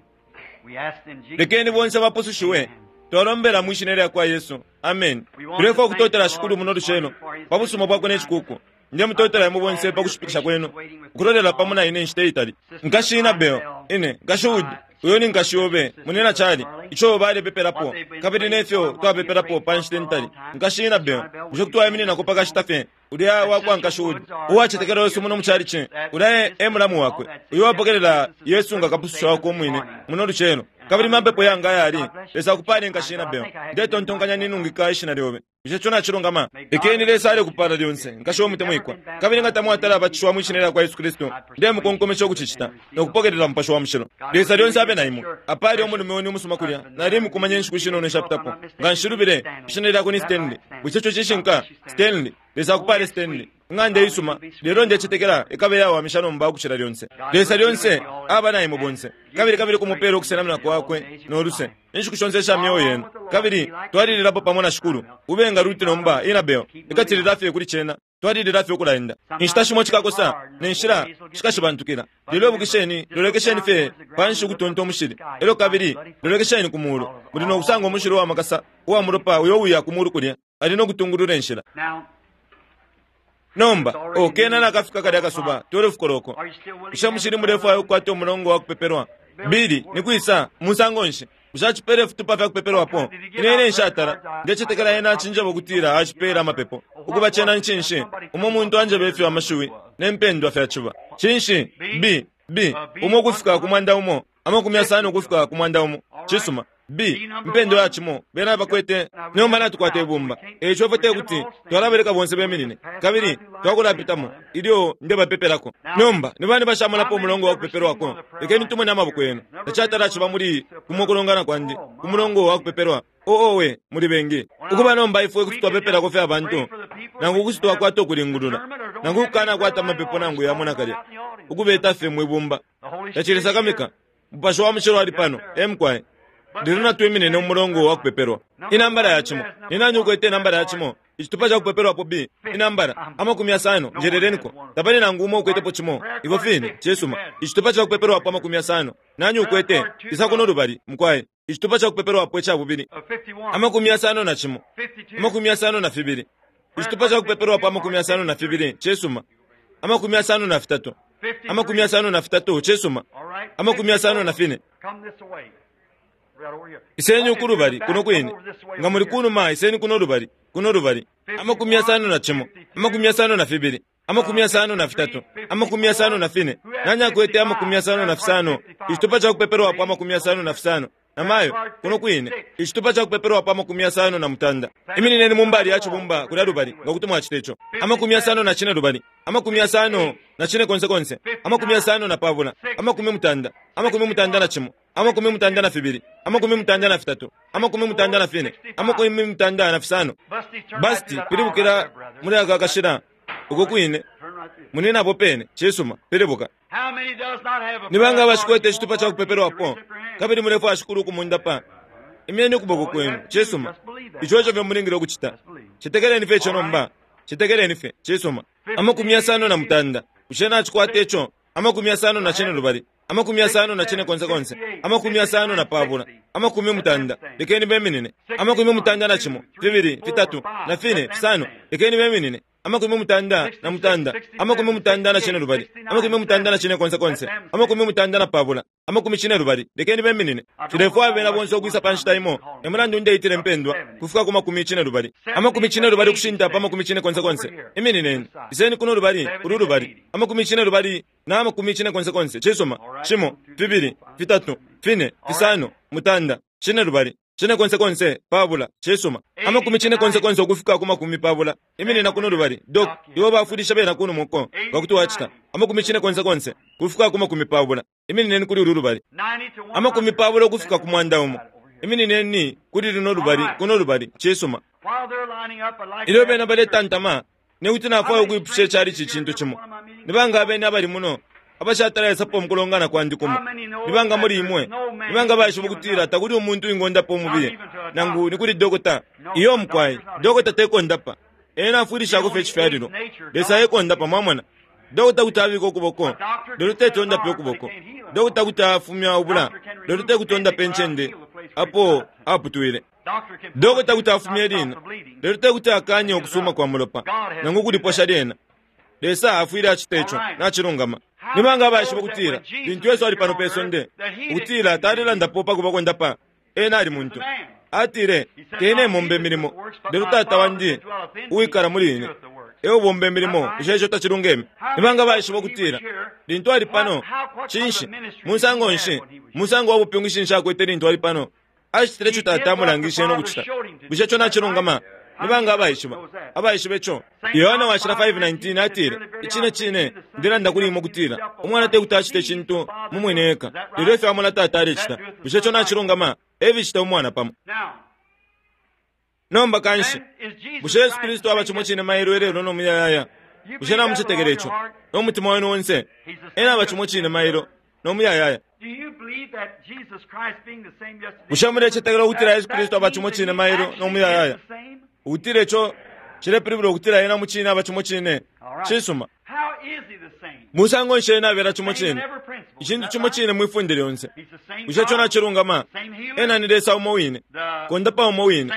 Speaker 3: We ask in Jesus'
Speaker 1: lekeni bonse bapusushiwe twalombela mwishina lya kwa Yesu amen tulefwa okutotela shikulu muno lucelo pa busuma bwakwe n'echikuku nde mutotela imwe bonse pa kushipikisha kwenu ukulolela pamo na ine nshita itali nkashi Inabel ine nkashi Wood uyo ni nkashi yobe munena chali icho balepepelapo kabili nefyo twapepelapo pa nshita ntali nkashi Inabel bushe kuti wayimininako pakashita fye ulya wakwa nkashi Wood uwachetekela Yesu muno muchalichi ulya e mulamu wakwe uyo wapokelela Yesu nga kapususha wako omwine muno lucelo kabili mapepo yanga ayali Lesa akupale nkashi Inabel ndetontonkanya ninungika ishina lyobe bushe cho nachilungama lekeni Lesa alekupala lyonse nkashi omutemwikwa kabili nga tamwatala abatishiwa mwishina lya kwa Yesu Kristu ndemukonkomesha okuchichita nokupokelela mupasha wa mushilo Lesa lyonse abe na imwe apali omulume wenu umusuma kulya nali mukumanya enshiku shinono eshapitapo nga nshilubile ishina lyako ni Stanley bushe cho chishinka Stanley Lesa akupale Stanley ing'anda isuma lelo ndechetekela ikabe yawamisha nomba okuchila lyonse Lesa lyonse aba na imwe bonse kabili kabili kumupela okusenamina kwakwe noluse enshiku shonse esha myoyo yenu kabili twalililapo pamo na shikulu ubenga luti nomba Inabel ikatilila fye kuli chena twalilila fye okulaenda inshita shimo chikakosa nenshila shikashibantukila lelo ibukisheni lolekesheni fye panshi ukutonta omushili elyo kabili lolekesheni ku mulu muli nokusanga omushili owamakasa uwa mulopa uyo uya ku mulu kulya ali nokutungulula enshila
Speaker 3: Now,
Speaker 1: nomba okena nakafika kalya akasuba twelve koloko
Speaker 3: are you still willing
Speaker 1: bushe mushili mulefwayo okukwata omulongo wa kupepelwa bili nikwisa musango nshi bushe achipela efitupa fya kupepelwapo ine ine nshatala ndechetekela ena achinjeba okutila achipela amapepo ukuba chena nchinshi umo muntu anjeba efyo amashiwi nempendwa fyachiba chinshi b b umo okufika ku mwanda umo amakumi asano okufika ku mwanda umo chisuma b mpendo yachimo bena bakwete nomba natukwata ibumba echo ifwe tekuti twalabereka bonse beminine kabili twakulapitamo ilyo ndebapepelako nomba ni bani bashamulapo omulongo wa kupepelwako lekeni tumone amaboko yenu tachatala chiba muli kumukulongana kwandi ku mulongo wa kupepelwa oowe muli bengi ukuba nomba ifwe kuti twapepelako fye abantu nangu kuti twakwata okulingulula nangu kukana kwata amapepo nangu yamo nakalya ukubeta fye mwibumba
Speaker 3: The Holy
Speaker 1: tachilisakamika mupasha wa mushilo ali pano emukwaye lero natwiminine omulongo wa kupepelwa inambala ya chimo ninani ukwete inambala ya chimo ichitupa cha kupepelwapo b inambala amakumi asano njeleleniko tapali nangu umo ukwetepo chimo ivo fine chisuma ichitupa cha kupepelwapo amakumi asano nanyi ukwete isa kuno lubali mukwaye ichitupa cha kupepelwapo echabubili
Speaker 3: Uh, fifty-one,
Speaker 1: amakumi asano na chimo
Speaker 3: fifty-two,
Speaker 1: amakumi asano na fibili ichitupa cha kupepelwapo amakumi asano na fibili chisuma amakumi asano na fitatu
Speaker 3: fifty-three.
Speaker 1: amakumi asano na fitatu chisuma
Speaker 3: All right.
Speaker 1: amakumi asano na fine
Speaker 3: Come this way. Right over here.
Speaker 1: iseni ukulubali kuno kwine nga muli kunuma iseni kuno lubali kuno lubali amakumi asano na chimo amakumi asano na fibili amakumi asano na fitatu amakumi asano na fine nani akwete amakumi asano na fisano ichitupa cha kupepelwapo amakumi asano na fisano namayo kuno kwine ichitupa cha kupepelwapo amakumi asano na mutanda iminineni mumbali ya chibumba kulya lubali nga kuti mwachita icho amakumi asano na chine lubali amakumi asano na chine konse konse amakumi asano na pabula amakumi mutanda amakumi mutanda na chimo Amakumi mutanda na fibili, amakumi mutanda na fitatu, amakumi mutanda na fine, amakumi mutanda na fisano. Basti pilibukila muli aka kashila uko kwine munina apo pene. Cisuma, pilibuka. Ni banga abashikwete icitupa ca kupepelwapo kabili mulefwaya Shikulu ukumundapa? Imyeni ukuboko kwenu. Cisuma, ico eco fye mulingile ukucita. Citekeleni fye ico nomba, citekeleni fye. Cisuma. Amakumi yasano na mutanda, bushe nacikwata ico? Amakumi yasano na cine lubali, amakumi yasano na cine konse konse, amakumi yasano na pabula, amakumi mutanda, lekeni beminine. Amakumi mutanda na cimo, fibili, fitatu na fine, fisano, lekeni beminine. Amakumi mutanda na mutanda, amakumi mutanda na cine lubali, amakumi mutanda na cine konse konse, amakumi mutanda na pabula, amakumi cine lubali, lekeni beminine. Tulefwaya bena bonse ukwisa pa nshita imo. Emulandu ndeitile mpendwa kufika ku makumi cine lubali, amakumi cine lubali kushinta pa makumi cine konse konse. Iminineni, iseni kuno lubali, ulu lubali, amakumi cine lubali na amakumi cine konse konse. Cisuma, cimo, fibili, fitatu, fine, fisano, mutanda, cine lubali, cine konse konse, pabula. Cisuma. Amakumi cine konse konse ukufika ku makumi pabula. Iminina kuno lubali, dok, iwo bafundisha bena kuno muko ngakuti wacita. Amakumi cine konse konse kufika ku makumi pabula. Iminineni kuli ulu lubali. Amakumi pabula ukufika ku mwanda umo. Iminineni kuli luno lubali, kuno lubali. Cisuma. Ilyo bena baletantama, nekuti nafwaya ukwipusha icali ci cintu cimo. Nibanga abene abali muno abashatala mukulongana kwandi kumo? Nibanga muli imwe nibanga baishiba ukutila takuli umuntu wingondapo umubili, nangu nikuli dokota? Iyo mukwai, dokota tekondapa, ena afwilishako fye icifyalilo. Lesa ekondapa, mwamona. Dokota kuti abika ukuboko, lelo tetondape ukuboko. Dokota kuti afumya ubula, lelo tekutondape incende apo aputwile. Dokota kuti afumya lino, lelo tekuti akanye ukusuma kwa mulopa nangu kuliposha lyena. Lesa afwile acita ico, nacilungama. Nibanga abaishiba ukutila lintu Yesu ali pano pe sonde, ukutila talelandapo pa kuba kondapa, ena ali muntu. Atile, tene mombe milimo, lelo Tata wandi uwikala muli ine eubomba imilimo. Bushe ico tacilungeme? Nibanga baishiba ukutila lintu ali pano, cinshi musango nshi, musango wa bupingushi nshi akwete lintu ali pano? Acitile ico Tata amulangishe no kucita. Bushe ico nacilungama? Nibanga abaishiba abaishiba ico? Yohana washila five nineteen atile, icine cine ndelanda kuli imwe ukutila umwana tekuti acite icintu mu mwine eka, lelo ifyo amona Tata alecita. Bushe ico nacilungama? Evicita umwana pamo. Nomba kanshi, bushe Yesu Kristu aba cimo cine mailo ilelo no muyayaya? Bushe namucetekela ico no mutima wenu onse? Ena aba cimo cine mailo no muyayaya. Bushe mulecetekela ukutila Yesu Kristu aba cimo cine mailo no muyayaya? Ukutila ico cilepilibula ukutila ena mucine aba cimo cine. Cisuma. Musango nshi ena abela cimo cine? Icintu cimo cine mwifunde lyonse. Bushe ico nacilungama? Ena ni Lesa umo wine, kondapa umo wine,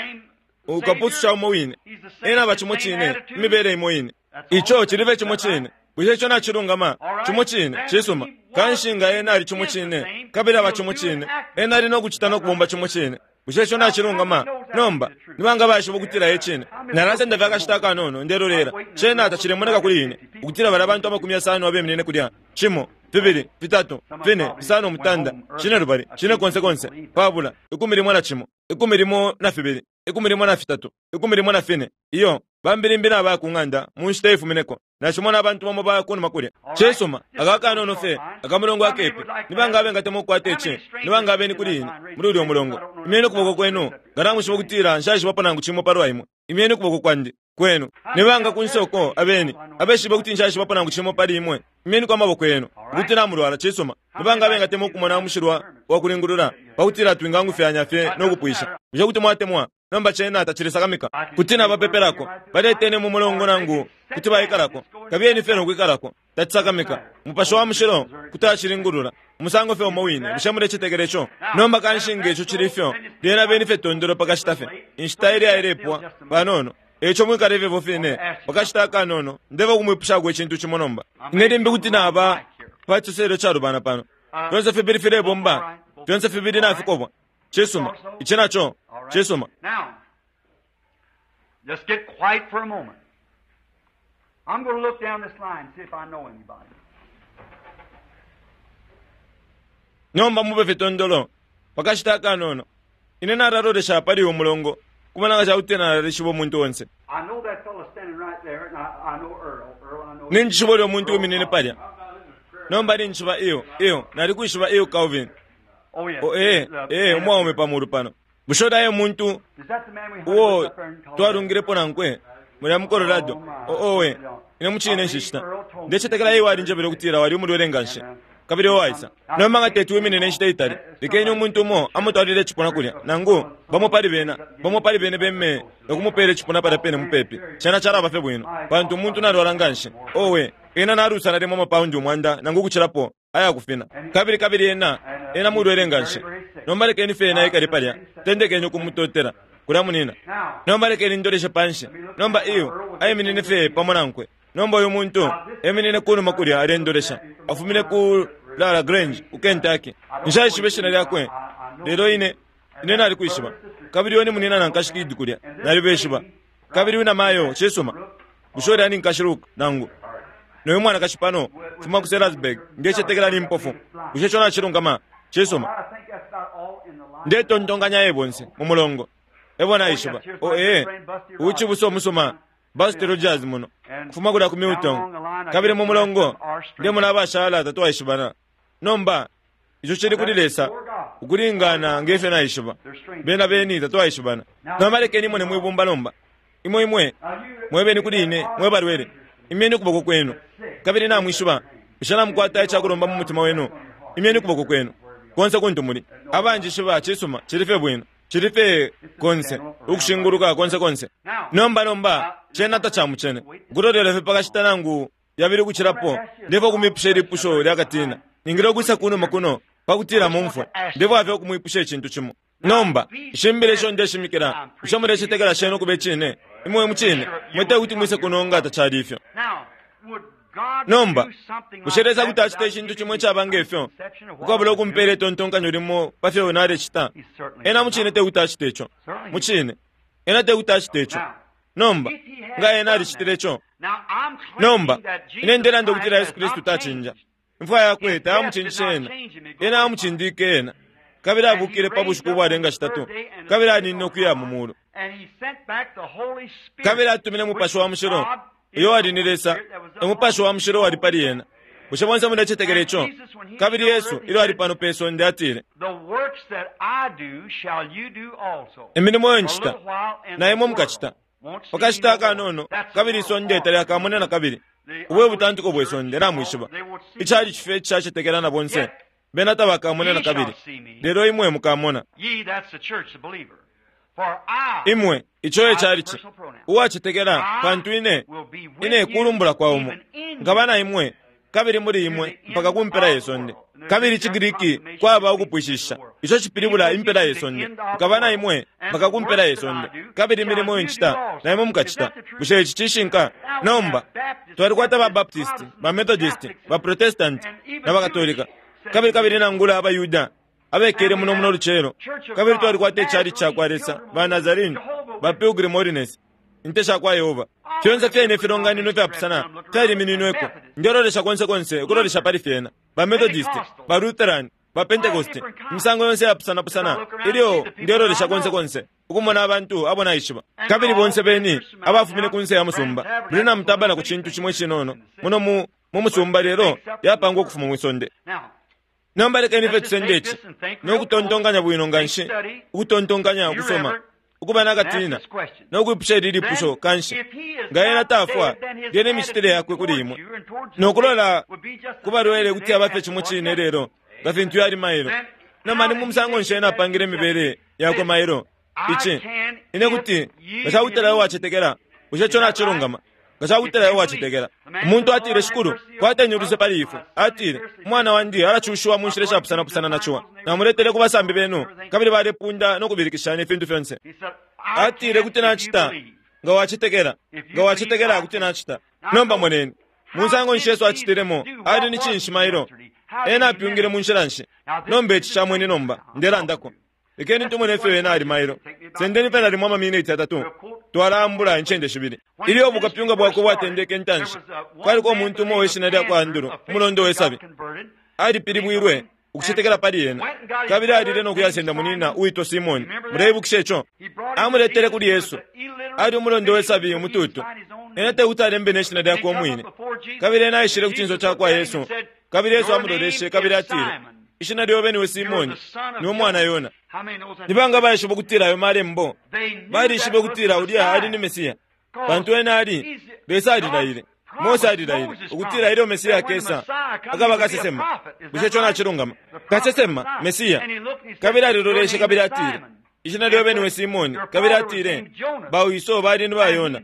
Speaker 1: ukapususha umo wine. Ena aba cimo cine, imibele imo ine. Ico cilibe cimo cine. Bushe ico nacilungama? Cimo cine. Cisuma. Kanshi nga ena ali cimo cine, kabili aba cimo cine, ena ali no kucita no kubomba cimo cine. Bushe ico nacilungama? Nomba nibanga baishiba ukutila ecine? Nalasenda fye akashita akanono ndelolela. Cena tacilemoneka kuli ine ukutila bali abantu amakumi yasano abeminine kulya. Cimo, fibili, fitatu, fine, fisano, mutanda, cine lubali, cine konse konse, pabula, ikumi limo na cimo, ikumi limo na fibili, ikumi limo na fitatu, ikumi limo na fine. Iyo bambilimbi nabaya ku ng'anda mu nshita ifumineko. Nashimona abantu bamo baya kunuma kulya. Cisuma, aka kanono fye akamulongo akepe. Nibanga abengatemwa ukukwata ici? Nibanga abeni kuli ine muli ulya mulongo? Imyeni ukuboko kwenu nga namushiba ukutila nshaishibapo nangu cimo palwa imwe. Imyeni ukuboko kwandi kwenu. Nibanga ku nsoko abeni abeshiba ukuti nshaishibapo nangu cimo pali imwe? Imyeni kwa maboko yenu ukuti namulwala. Cisuma, nibanga abengatemwa ukumona umushilwa wa kulingulula pakutila twingangufyanya fye no kupwisha? Bushe kuti mwatemwa? Nomba cena tacilesakamika kuti nabapepelako baletene mu mulongo nangu kuti baikalako, kabiyeni fye nokwikalako. Tacisakamika. Mupashi wa mushilo kuti acilingulula umusango fye umo wine. Bushe mulecetekela ico? Nomba kanshi nga ico cili fyo, lyena beni fye tondolo pakashita fye inshita ilya ilepwa panono. Eco mwikale ifyefo fine pakashita akanono. Ndeva ukumwipushako icintu cimo nomba. Ine limbi kuti naba pa ciselo calubana pano. Fyonse fibili filebomba, fyonse fibili nafikobwa. Cisuma, ici naco cisuma.
Speaker 3: Just get quiet for a moment. I'm going to look down this line and see if I know anybody.
Speaker 1: Nomba mube fitondolo pakashita akanono. Ine nalalolesha pali umulongo kubona nga cakuti nalalishiba umuntu onse.
Speaker 3: I know that fellow standing right there, and I, I know Earl. Earl, I know.
Speaker 1: Ninjishiba ulya muntu uminine palya. Nomba ninjishiba iyo iyo nalikwishiba iyo Calvin. O ee, ee, umwaume pamulu pano. Bushe ulaye umuntu uo twalungilepo nankwe mulya mu Colorado? O owe, ine mucine nshishita. Ndecetekela iwe walinjebele ukutila wali umulwele nganshi. Kabili owaisa. Nomba nga teti wiminine inshita itali. Lekeni umuntu umo amutwalile icipuna kulya. Nangu, bamo pali bena, bamo pali bene beme, nokumupela icipuna palya pene mupepi. Cena calaba fye bwino. Pantu umuntu nalwala nganshi. Owe, ena nalusa nalimo amapaundi umwanda nangu ukucilapo ayakufina. Kabili kabili ena, ena mulwele nganshi. Nomba lekeni fye ena ekale palya. Tendekeni ukumutotela. Kulya munina. Nomba lekeni ndoleshe panshi. Nomba iyo, aiminine fye pamo nankwe. Nomba uyu muntu, eminine kunuma kulya alendolesha. Afumine ku Lara Grange, ku Kentucky. Nshaishibe ishina lyakwe. Lelo ine, ine nalikwishiba. Kabili uyo ni munina nankashi Kid kulya. Nalibeshiba. Kabili uyu namayo, cisuma. Bushe ulya ni nkashi Luke, nangu. Noyu mwanakashi pano, fuma ku Sellersburg, ndecetekela ni mpofu. Bushe ico nacilungama? Cisuma. Ndetontonkanya ye bonse, mu mulongo. Ebo naishiba. O ee, ucibusa umusuma, Buster Rogers muno. Kufuma kulya ku Milton. Kabili mu mulongo, ndemona abashala tatwaishibana. Nomba, ico cili kuli Lesa, ukulingana ngefyo naishiba. Bena beni tatwaishibana. Nomba lekeni imwe mwibumba nomba. Imwe imwe, mwebeni kuli ine, mwe balwele. Imyeni ukuboko kwenu. Kabili namwishiba, bushe namukwata icakulomba mu mutima wenu. Imyeni ukuboko kwenu. Konse kuntu muli. Abanjishiba cisuma, cili fye bwino. Cili fye konse, ukushinguluka konse konse. Nomba nomba, cena tacamucene. Ukulolela fye pakashita nangu yabili ukucilapo, ndefo kumwipusha ilipusho lyakatina. Ningile ukwisa kunuma kuno, pakutila mumfwe. Ndefo afye ukumwipusha icintu cimo. Nomba, ishimbile isho ndeshimikila, bushe mulecetekela shena ukuba icine? Imwe mucine, mwete kuti mwise kuno nga tacali ifyo. Nomba, bushe Lesa kuti acita icintu cimo icaba ngefyo, ukwabula ukumpela itontonkanyo limo pa fyo nalecita? Ena mucine tekuti acite ico. Mucine, ena tekuti acite ico. Nomba, nga ena alicitile ico. Nomba, ine ndelanda ukutila Yesu Kristu tacinja. Imfwa yakwe tayamucinjishe ena. Ena amucindike ena. Kabili abukile pa bushiku ubwalenga shitatu. Kabili aninine ukuya mu mulu. Kabili atumine Mupashi wa Mushilo, uyo wali ni Lesa, Umupashi wa Mushilo wali pali ena. Bushe bonse mulecetekela ico? Kabili Yesu, ilyo ali pano pe sonde, atile, imilimo iyo ncita, na imwe mukacita. Pakashita akanono, kabili isonde talyakamone na kabili. Ubwe butantuko bwe sonde, namwishiba. Icali cife icacetekela na bonse, bena tabakamone na kabili. Lelo imwe mukamona. Imwe, ico ecali ci. Uwacetekela, pantu ine, ine kulumbula kwa umo. Nkaba na imwe, kabili muli imwe, mpaka ku mpela ye sonde. Kabili ciGriki kwaba ukupwishisha. Ico cipilibula impela ye sonde. Nkaba na imwe, mpaka ku mpela ye sonde. Kabili imilimo iyo ncita, na imwe mukacita. Bushe ici cishinka? Nomba, twalikwata ba Baptist, ba Methodist, ba Protestant, na ba Katolika. Kabili kabili nangula abaYuda, abekele muno muno lucelo. Kabili twalikwata icali cakwa Lesa, ba Nazarene, ba Pilgrim Holiness, inte shakwa Yehova. Fyonse fyene ifilonganino fyapusana fyalimininweko. Ndelolesha konse konse ukulolesha pali fyena. Ba Methodist, ba Lutheran, ba Pentecost, imisango yonse yapusana-pusana. Ilyo ndelolesha konse konse ukumona abantu abo naishiba. Kabili bonse beni abafumine kunse ya musumba. Branham tabana ku cintu cimo icinono muno mu mu musumba lelo yapangwa ukufuma mwisonde. Nomba lekeni fye tusende ici nokutontonkanya bwino nganshi, ukutontonkanya ukusoma, ukuba nakatina, nokwipusha ili lipusho kanshi. Nga ena tafwa, lyene imicitile yakwe kuli imwe. Nokulola kubalwele kuti abafe cimo cine lelo, nga fintu yali mailo. Nomba ni mu musango nshi ena apangile imibele yakwe mailo? Ici, ine kuti, nga cakutila iwe wacetekela, bushe ico nacilungama? Nga cakutila iwe wacetekela. Umuntu atile, Shikulu, kwateni uluse pali ifwe. Atile, umwana wandi alacushiwa mu nshila ishapusana-pusana na ciwa. Namuletele ku basambi benu, kabili balepunda no kubilikishanya ifintu fyonse. Atile, kuti nacita, nga wacetekela. Nga wacetekela, kuti nacita. Nomba moneni, musango nshi Yesu acitilemo, ali ni cinshi mailo? Ena apyungile mu nshila nshi? Nomba ici camwene nomba, ndelandako. Lekeni tumone ifyo ena ali mailo. Sendeni fye nalimo amaminiti atatu. Twalambula incende shibili. Ilyo bukapyunga bwakwe bwatendeke intanshi, kwaliko umuntu umo weshina lyakwa Andrew, umulondo we sabi. Alipilibwilwe ukucetekela pali ena. Kabili alile no kuyasenda munina uitwa Simoni. Muleibukisha ico? Amuletele kuli Yesu. Ali umulondo we sabi umututu. Ena tekuti alembe neshina lyakwe umwine. Kabili ena aishile ku cinso cakwa Yesu. Kabili Yesu amuloleshe kabili atile, Ishina lyobe niwe Simoni, niwe mwana Yona. Nibanga baishiba ukutila ayo malembo, balishibe ukutila ulya ali ni Mesiya. Pantu ena ali, Lesa alilaile, Mose alilaile ukutila ilyo Mesiya akesa akaba kasesema. Bushe ico nacilungama? Kasesema Mesiya. Kabili aliloleshe kabili atile, ishina lyobe niwe Simoni. Kabili atile, bawiso bali ni ba Yona.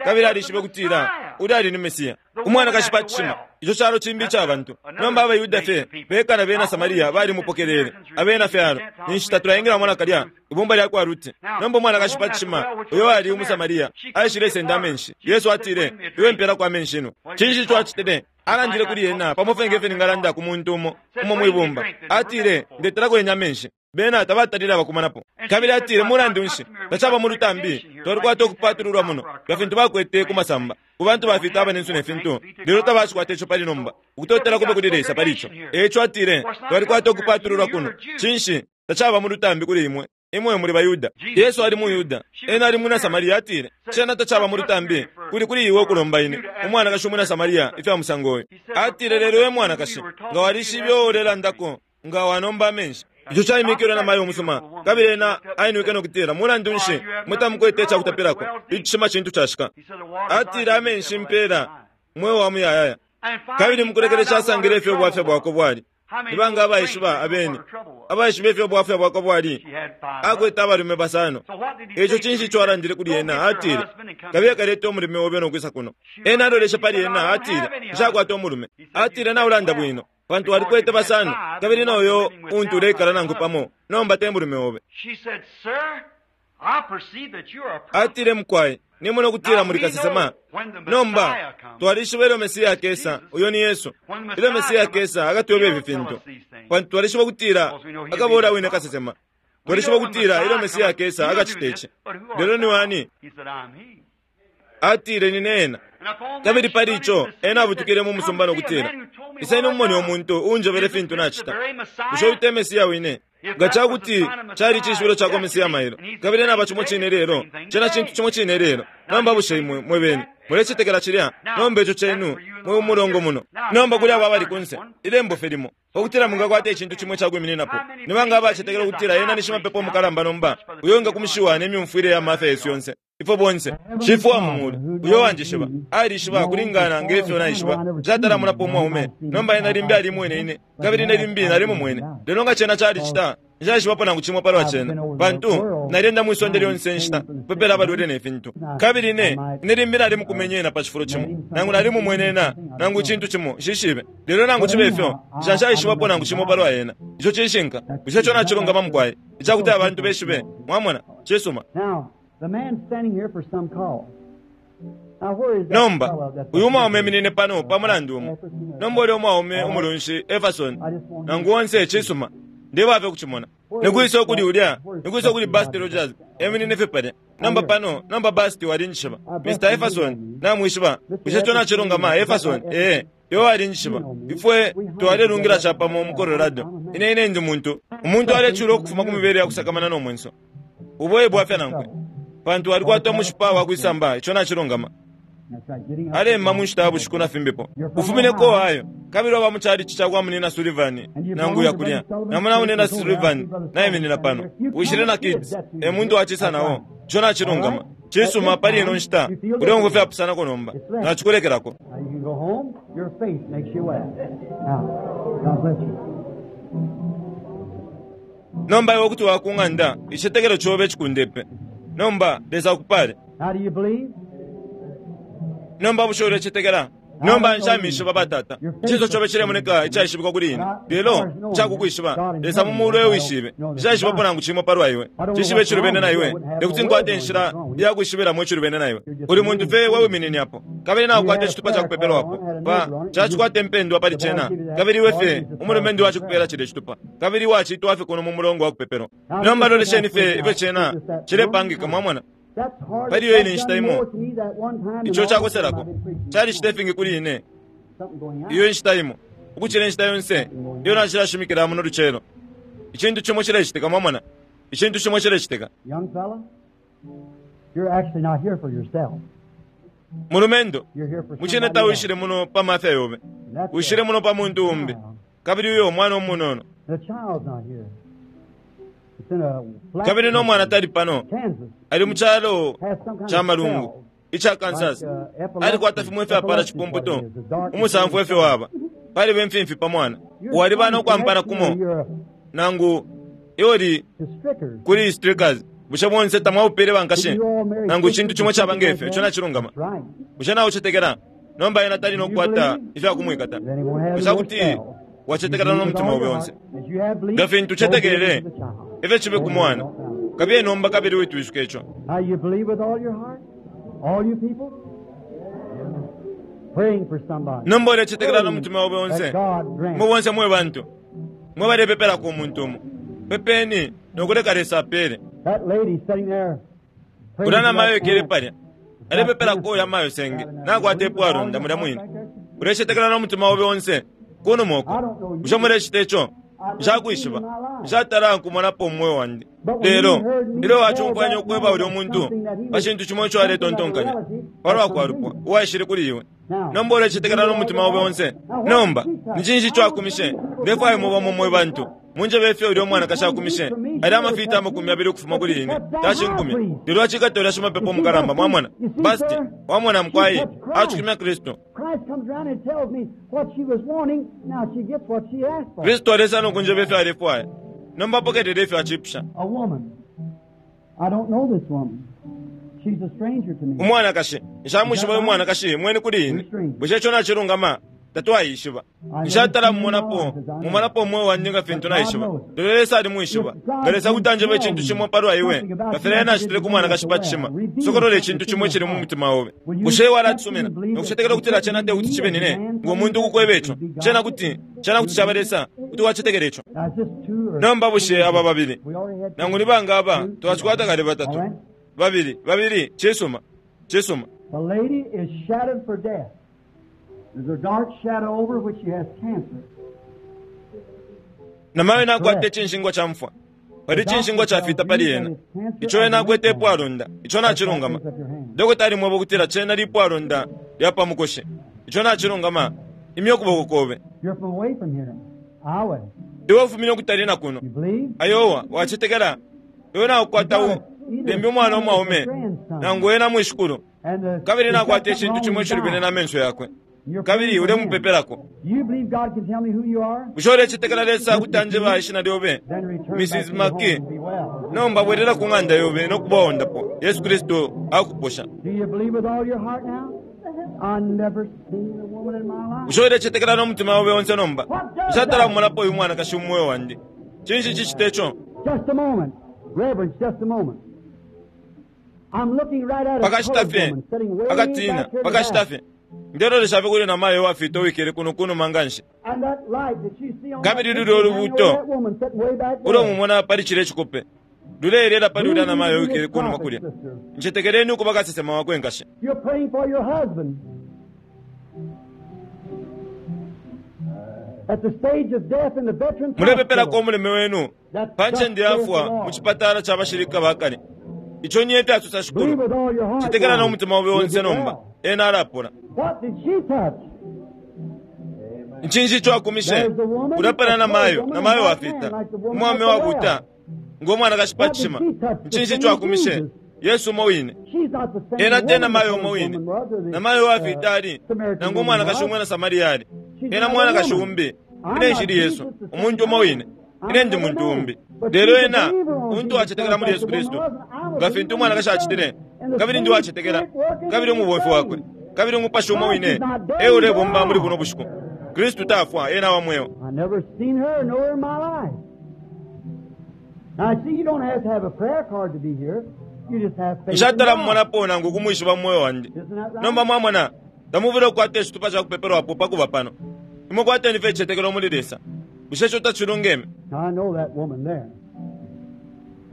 Speaker 1: Kabili alishibe ukutila ulya ali ni Mesiya. Umwanakashi pa cishima, ico calo cimbi ica bantu. Nomba abaYuda fye beka na bena Samaria balimupokelele, abena fyalo. Ninshi tatulaingilamo nakalya ibumba lya kwa Ruti. Nomba umwanakashi pa cishima, uyo ali umuSamaria, aishile senda amenshi. Yesu atile, iwe mpelako amenshi ino. Cinshi ico acitile? Alandile kuli ena pamo fye ngefyo ningalanda ku muntu umo umo mwibumba. Atile, ndetelako yenya amenshi. Bena tabatalile abakumanapo. Kabili atile, mulandu nshi tacaba mu lutambi, twalikwata ukupatululwa muno nga fintu bakwete ku masamba ku bantu bafita abanensu ne fintu, lelo tabacikwata ico pali nomba. Ukutotela kube kuli Lesa pali ico. Eco atile, twalikwata ukupatululwa kuno. Cinshi tacaba mu lutambi kuli imwe, imwe muli baYuda? Yesu ali mu Yuda, ena ali mwina Samaria. Atile, cena tacaba mu lutambi kuli kuli iwe ukulomba ine umwanakashi umwina Samaria ifya musango uyu. Atile, lelo we mwanakashi, nga walishibe ulelandako, nga wanomba amenshi. Ico caimikilwe na mayo umusuma. Kabili ena ainwike no kutila, mulandu nshi mutamukwete icakutapilako? Icishima cintu cashika. Atile, amenshi mpela mweo wa muyayaya. Kabili mukulekelesha asangile ifyo ubwafya bwako bwali. Nibanga abaishiba abene abaishiba ifyo ubwafya bwako bwali? Akwete abalume basano. Ico cinshi ico alandile kuli ena? Atile, kabiye kaleta umulume obe no kwisa kuno. Ena aloleshe pali ena, atile, nshakwata umulume. Atile, naulanda bwino, pantu walikwete basano, kabili noyo untu uleikala nangu pamo nomba te mulume obe. Atile, mukwai, nimona ukutila muli kasesema. Nomba twalishiba ilyo Mesiya akesa, uyo ni Yesu, ilyo Mesiya akesa akatweba ifi fintu, pantu twalishiba ukutila akabora wine kasesema. Twalishiba ukutila ilyo Mesiya akesa akacita ici. Lelo ni wani? Atile, nine ena. Kabili pali ico ena abutukile mu musumba no kutila, iseni umumone umuntu uunjebele fintu nacita. Bushe uyu te Mesiya wine? Nga cakuti cali cishibilo cakwa Mesiya mailo, kabili ena aba cimo cine lelo, cena cintu cimo cine lelo. Nomba bushe imwe mwe bene mulecetekela cilya? Nomba ico cenu mwe umulongo muno. Nomba kuli abo abali kunse, ilembo fye limo ukutila mungakwata icintu cimwe cakwimininapo. Nibanga abacetekela ukutila ena ni shimapepo umukalamba nomba, uyo nga kumishiwa ne myumfwile ya mafya yesu yonse, ifwe bonse? Shifu wa mumulu uyo wanjishiba alishiba kulingana ngefyo naishiba. Nshatalamulapo umwaume. Nomba ena limbi alimwene ine, kabili ine limbi nalimumwene. Lelo nga cena calicita, nshaishibapo nangu cimo palwa cena, pantu nalyenda mwisonde lyonse nshita kupepela abalwele ne fintu. Kabili ine ine limbi nalimukumenye ena pa cifulo cimo, nangu nalimumwene ena, nangu cintu cimo, nshishibe. Lelo nangu cibe ifyo, nshaishibapo nangu cimo palwa ena. Ico cishinka. Bushe ico nacilungama, mukwai, icakuti abantu beshibe? Mwamona? Cisuma. Nomba uyu mwaume eminine pano pa mulandu umo. Nomba ulya umwaume umulunshi Everson nangu onse, cisuma, ndebafye kucimona. Nikwisa ukuli ulya? Nikwisa ukuli Basti Rogers eminine fye palya? Nomba pano. Nomba Basti walinjishiba. Mister Everson namwishiba. Bushe ico nacilungama, Everson? Ee, iwe walinjishiba. Ifwe twalelungila capamo mu Colorado. Ine ine ndi muntu umuntu alecula ukufuma ku mibele ya kusakamana no mwenso. Ubo ebwafya nankwe, pantu alikwata umushipa wakwisamba. Ico nacilungama. Alemma mu nshita ya bushiku na fimbipo. Ufumineko Ohio, kabili waba mu chalichi ca kwa Munina Sullivan nangu yakulya. Namona Munina Sullivan naiminina pano. Wishile na kids, e muntu wacisa nawo. Ico nacilungama. Cisuma, pali ino nshita uleumfwa ifyapusanako nomba. Nacikulekelako.
Speaker 4: Now you can go home. Your faith makes you well. Now, God bless you.
Speaker 1: Nomba iwe kuti wakung'anda, icicetekelo cobe cikundepe. Nomba Lesa akupale.
Speaker 4: Now do you believe?
Speaker 1: Nomba bushe ulecetekela? Nomba nshamishiba batata. Icinso cobe cilemoneka icaishibikwa kuli ine, lelo cakukwishiba Lesa mu mulu ewishibe. Nshaishibapo nangu cimo palwa iwe. Cishibe icilubene na iwe, tekuti nkwate inshila yakwishibiramo icilubene na iwe. Uli muntu fye wewiminine apo, kabili nakukwata icitupa cakupepelwapo pa cacikwata impendwa pali cena, kabili iwe fye umulume wacikupela cilya icitupa, kabili wacitwa fye kuno mu mulongo wa kupepelwa. Nomba lolesheni fye ifyo cena cilepangika. Mwamona?
Speaker 4: That's hard.
Speaker 1: Pali iyo ine inshita imo,
Speaker 4: More to me that one time
Speaker 1: ico
Speaker 4: than all the
Speaker 1: cakoselako
Speaker 4: time I've been preaching.
Speaker 1: calicita ifingi kuli ine
Speaker 4: Something going out.
Speaker 1: iyo inshita imo ukucila inshita yonse iyo nacilashimikila muno lucelo. Icintu cimo cilecitika. Mwamona? Icintu cimo cilecitika.
Speaker 4: Young fella, you're actually not here for yourself.
Speaker 1: Mulumendo,
Speaker 4: You're here for
Speaker 1: mucine
Speaker 4: somebody else.
Speaker 1: tawishile muno pa mafya yobe,
Speaker 4: And that's
Speaker 1: wishile
Speaker 4: it.
Speaker 1: muno pa muntu umbi, kabili uyo mwana umunono.
Speaker 4: The child's not here. It's in a flat
Speaker 1: Kabili no mwana tali pano,
Speaker 4: Kansas.
Speaker 1: ali mu chalo
Speaker 4: Has some kind
Speaker 1: cha
Speaker 4: of
Speaker 1: malungu
Speaker 4: spell.
Speaker 1: icha Kansas.
Speaker 4: Like, uh, epilepsy.
Speaker 1: Alikwata fimwe fyapala
Speaker 4: Epilepsy is what
Speaker 1: chipumputo,
Speaker 4: it is, the dark
Speaker 1: umusamfu efyo waba palibe mfimfi pa mwana. Waliba nokwampana kumo
Speaker 4: You're a-
Speaker 1: nangu ioli
Speaker 4: to Strickers.
Speaker 1: kuli Strickers. Bushe bonse tamwaupele bankashe
Speaker 4: Did you all marry
Speaker 1: nangu chintu chimwe
Speaker 4: sisters
Speaker 1: chaba
Speaker 4: and something
Speaker 1: ngefyo
Speaker 4: like
Speaker 1: icho
Speaker 4: that?
Speaker 1: nachilungama.
Speaker 4: That's right.
Speaker 1: Bushe nawe uchetekera nomba ena tali nokukwata ifyakumwikata.
Speaker 4: Then he won't have
Speaker 1: Bushe
Speaker 4: no more
Speaker 1: kuti
Speaker 4: spells.
Speaker 1: wachetekera
Speaker 4: You
Speaker 1: no
Speaker 4: believe with
Speaker 1: mutima
Speaker 4: all
Speaker 1: obe
Speaker 4: your
Speaker 1: onse.
Speaker 4: heart. As you have believed,
Speaker 1: Nga fintu
Speaker 4: so be it
Speaker 1: uchetekerere
Speaker 4: unto the child.
Speaker 1: ifyo chibe ku mwana kabiye nomba kabili witwishuka icho.
Speaker 4: Now you believe with all your heart? All you people? Praying for somebody.
Speaker 1: Nomba ulechetekera no mutima obe onse.
Speaker 4: That God grant.
Speaker 1: Mwe bonse mwe bantu mwe balepepelako umuntu umo pepeni nokuleka Lesa apele.
Speaker 4: That lady sitting there. praying
Speaker 1: Ulya
Speaker 4: for
Speaker 1: namayo
Speaker 4: that
Speaker 1: ikele
Speaker 4: aunt.
Speaker 1: palya alepepelako ulya mayo senge nakwata epwalonda mulya mwine. Ulecetekela no mutima obe onse kunuma uko. Bushe mulecita ico? Nshakwishiba, nshatala nkumonapo umwoyo wandi. Lelo ilyo wachumfwanya ukweba ulya umuntu pa chintu chimo icho aletontonkanya palwa kwalupwa uwaishile kuli iwe. Nomba ulecetekela no mutima obe onse. Nomba ni cinshi ico akumishe? Ndefwaya mubamo mwe bantu munjebe ifyo ulya umwanakashi akumishe. Ali amafita amakumi abili ukufuma kuli ine tashinkumya, lelo acikata ulya shimapepo mukalamba. Mwamona basti wamona mukwayi acukumya Kristu.
Speaker 4: Christ comes around and tells me what she was wanting. Now she gets what she asked for.
Speaker 1: Kristu alesa nokunjeba ifyo alefwaya. Nomba apokelele ifyo achipusha.
Speaker 4: A woman. I don't know this woman. She's a stranger to me.
Speaker 1: Umwanakashi nshamwishiba uyu mwanakashi mweni kuli ine. Bushe ico nachilungama? Tatwayishiba. Nshatala mumonapo mumonapo umwe wandi nga fintu naishiba, lelo Lesa alimwishiba. Nga Lesa kuti anjeba ichintu chimo palwa iwe nga filya ena achitile ku mwanakashi pa chishima, sokolola ichintu chimo ichili mu mutima obe. Bushe iwe alacisumina nokuchetekela kutila chena te kuti chibe nine ngo muntu ukukweba icho chena kuti chena kuti chaba Lesa kuti wachetekela icho?
Speaker 4: Now, is this two or
Speaker 1: Nomba bushe aba babili
Speaker 4: we already had
Speaker 1: nangu ni banga aba twachikwata kale batatu
Speaker 4: All right.
Speaker 1: babili babili chisuma chisuma.
Speaker 4: The lady is shadowed for death. There's a dark shadow over which she has cancer.
Speaker 1: Namayo nakwata ichinshingwa cha mfwa pali ichinshingwa chafita pali ena icho ena akwete epwalonda icho nachilungama. Dokota alimweba ukutila chena lipwalonda lya pamukoshi icho nachilungama. Imya ukuboko kobe.
Speaker 4: You're from away from here. Iowa.
Speaker 1: Iwe ufumine ukutali na kuno
Speaker 4: You believe?
Speaker 1: ayowa wachetekela iwe nakukwata u lembi umwana umwaume nangu ena mwishikulu
Speaker 4: And the,
Speaker 1: kabili nakwata
Speaker 4: there's
Speaker 1: ichintu
Speaker 4: something
Speaker 1: chimwe
Speaker 4: wrong with
Speaker 1: chilubene
Speaker 4: your
Speaker 1: na menso yakwe
Speaker 4: You're
Speaker 1: kabili
Speaker 4: praying for him.
Speaker 1: ulemupepelako.
Speaker 4: You believe God can tell me who you are?
Speaker 1: Bushe ulechetekela Lesa kuti anjeba ishina lyobe?
Speaker 4: Then return back
Speaker 1: Missus
Speaker 4: to your home
Speaker 1: Maki,
Speaker 4: and be well.
Speaker 1: nomba bwerera ku ng'anda yobe nokubaondapo. Yesu Kristu akuposha.
Speaker 4: Do you believe with all your heart now? I never seen a woman in my life.
Speaker 1: Bushe ulechetekela n'omutima obe onse nomba? Nshatala mumonapo uyu mwanakashi mumwoyo wandi. Cinshi chichita icho?
Speaker 4: Just a moment. Reverend, just a moment. I'm looking right at a
Speaker 1: Pakashita
Speaker 4: colored
Speaker 1: fye
Speaker 4: woman sitting way
Speaker 1: akatina
Speaker 4: back here in the
Speaker 1: pakashita
Speaker 4: back.
Speaker 1: fye ndelolesha fye kuli namayo wafita uwikele kuno kunuma nganshi.
Speaker 4: And that light that you see on that
Speaker 1: Kabili
Speaker 4: picture,
Speaker 1: lulyo
Speaker 4: I know
Speaker 1: lubuto
Speaker 4: that woman sitting way back
Speaker 1: ulo
Speaker 4: there.
Speaker 1: mumona pali chile chikope luleelela pali ulya namayo
Speaker 4: Believe
Speaker 1: uwikele
Speaker 4: this
Speaker 1: kunuma
Speaker 4: prophet,
Speaker 1: kulya.
Speaker 4: sister.
Speaker 1: Nchetekeleni ukuba kasesema wakwe nkashe.
Speaker 4: You're praying for your husband. At the stage of death in the veterans
Speaker 1: Mulepepelako
Speaker 4: hospital.
Speaker 1: omuleme wenu
Speaker 4: That's
Speaker 1: pa
Speaker 4: thus
Speaker 1: ncende
Speaker 4: saith the
Speaker 1: yafwa
Speaker 4: Lord.
Speaker 1: mu chipatala cha bashilika bakale. Icho niye fyasusa
Speaker 4: Believe
Speaker 1: shikulu.
Speaker 4: with all your heart.
Speaker 1: Chetekela
Speaker 4: now.
Speaker 1: n'omutima obe
Speaker 4: You'll
Speaker 1: onse
Speaker 4: get
Speaker 1: nomba
Speaker 4: well.
Speaker 1: ena alapula.
Speaker 4: What did she touch?
Speaker 1: Nchinshi icho akumishe?
Speaker 4: There's the woman,
Speaker 1: Ulapala
Speaker 4: a
Speaker 1: namayo
Speaker 4: colored woman,
Speaker 1: namayo
Speaker 4: and black
Speaker 1: wafita
Speaker 4: man, like the woman
Speaker 1: umwame
Speaker 4: at the
Speaker 1: wabuta
Speaker 4: well.
Speaker 1: ng'omwanakashi pa
Speaker 4: What did
Speaker 1: chishima.
Speaker 4: she touch? The
Speaker 1: Nchinshi
Speaker 4: same
Speaker 1: icho akumishe?
Speaker 4: Jesus.
Speaker 1: Yesu umo wine.
Speaker 4: She's not the same
Speaker 1: Ena te
Speaker 4: woman
Speaker 1: namayo
Speaker 4: the
Speaker 1: umo
Speaker 4: colored
Speaker 1: wine.
Speaker 4: woman was, or the,
Speaker 1: Namayo wafita
Speaker 4: uh,
Speaker 1: ali
Speaker 4: Samaritan
Speaker 1: nangu
Speaker 4: woman
Speaker 1: umwanakashi
Speaker 4: was.
Speaker 1: umwena Samaria ali
Speaker 4: She's
Speaker 1: ena
Speaker 4: another
Speaker 1: mwanakashi
Speaker 4: woman.
Speaker 1: umbi.
Speaker 4: I'm
Speaker 1: Ine
Speaker 4: not
Speaker 1: nshili Yesu
Speaker 4: Jesus, the same
Speaker 1: umuntu umo
Speaker 4: man.
Speaker 1: wine.
Speaker 4: I'm
Speaker 1: Ine ndi
Speaker 4: another
Speaker 1: muntu
Speaker 4: man.
Speaker 1: umbi.
Speaker 4: But
Speaker 1: Lelo
Speaker 4: she's a
Speaker 1: ena
Speaker 4: believer on
Speaker 1: umuntu
Speaker 4: Jesus
Speaker 1: wachetekela
Speaker 4: Christ
Speaker 1: muli
Speaker 4: like
Speaker 1: Yesu
Speaker 4: the woman
Speaker 1: Kristu
Speaker 4: was, and I was
Speaker 1: nga
Speaker 4: a
Speaker 1: fintu
Speaker 4: believer in
Speaker 1: umwanakashi
Speaker 4: his
Speaker 1: achitile
Speaker 4: son. And the
Speaker 1: kabili ndi
Speaker 4: same
Speaker 1: wachetekela
Speaker 4: spirit working
Speaker 1: kabili
Speaker 4: in his
Speaker 1: umubomfi wakwe
Speaker 4: veins.
Speaker 1: kabili umupashi umo
Speaker 4: Christ
Speaker 1: wine
Speaker 4: is not dead,
Speaker 1: e
Speaker 4: he's
Speaker 1: ulebomba muli
Speaker 4: alive.
Speaker 1: buno bushiku. Kristu tafwa ena wa mweo.
Speaker 4: I never seen her nor her in my life. Now, see, you don't have to have a prayer card to be here. You just have faith in
Speaker 1: Nshatala
Speaker 4: God.
Speaker 1: mumonapo nangu kumwishiba mumwoyo wandi.
Speaker 4: Isn't that right?
Speaker 1: Nomba mwamona tamuvile okukwata ecitupa ca kupepelwapo pakuba pano. Imwe kwateni fye icicetekelo muli Lesa. Bushe ico tacilungeme?
Speaker 4: Now, I know that woman there.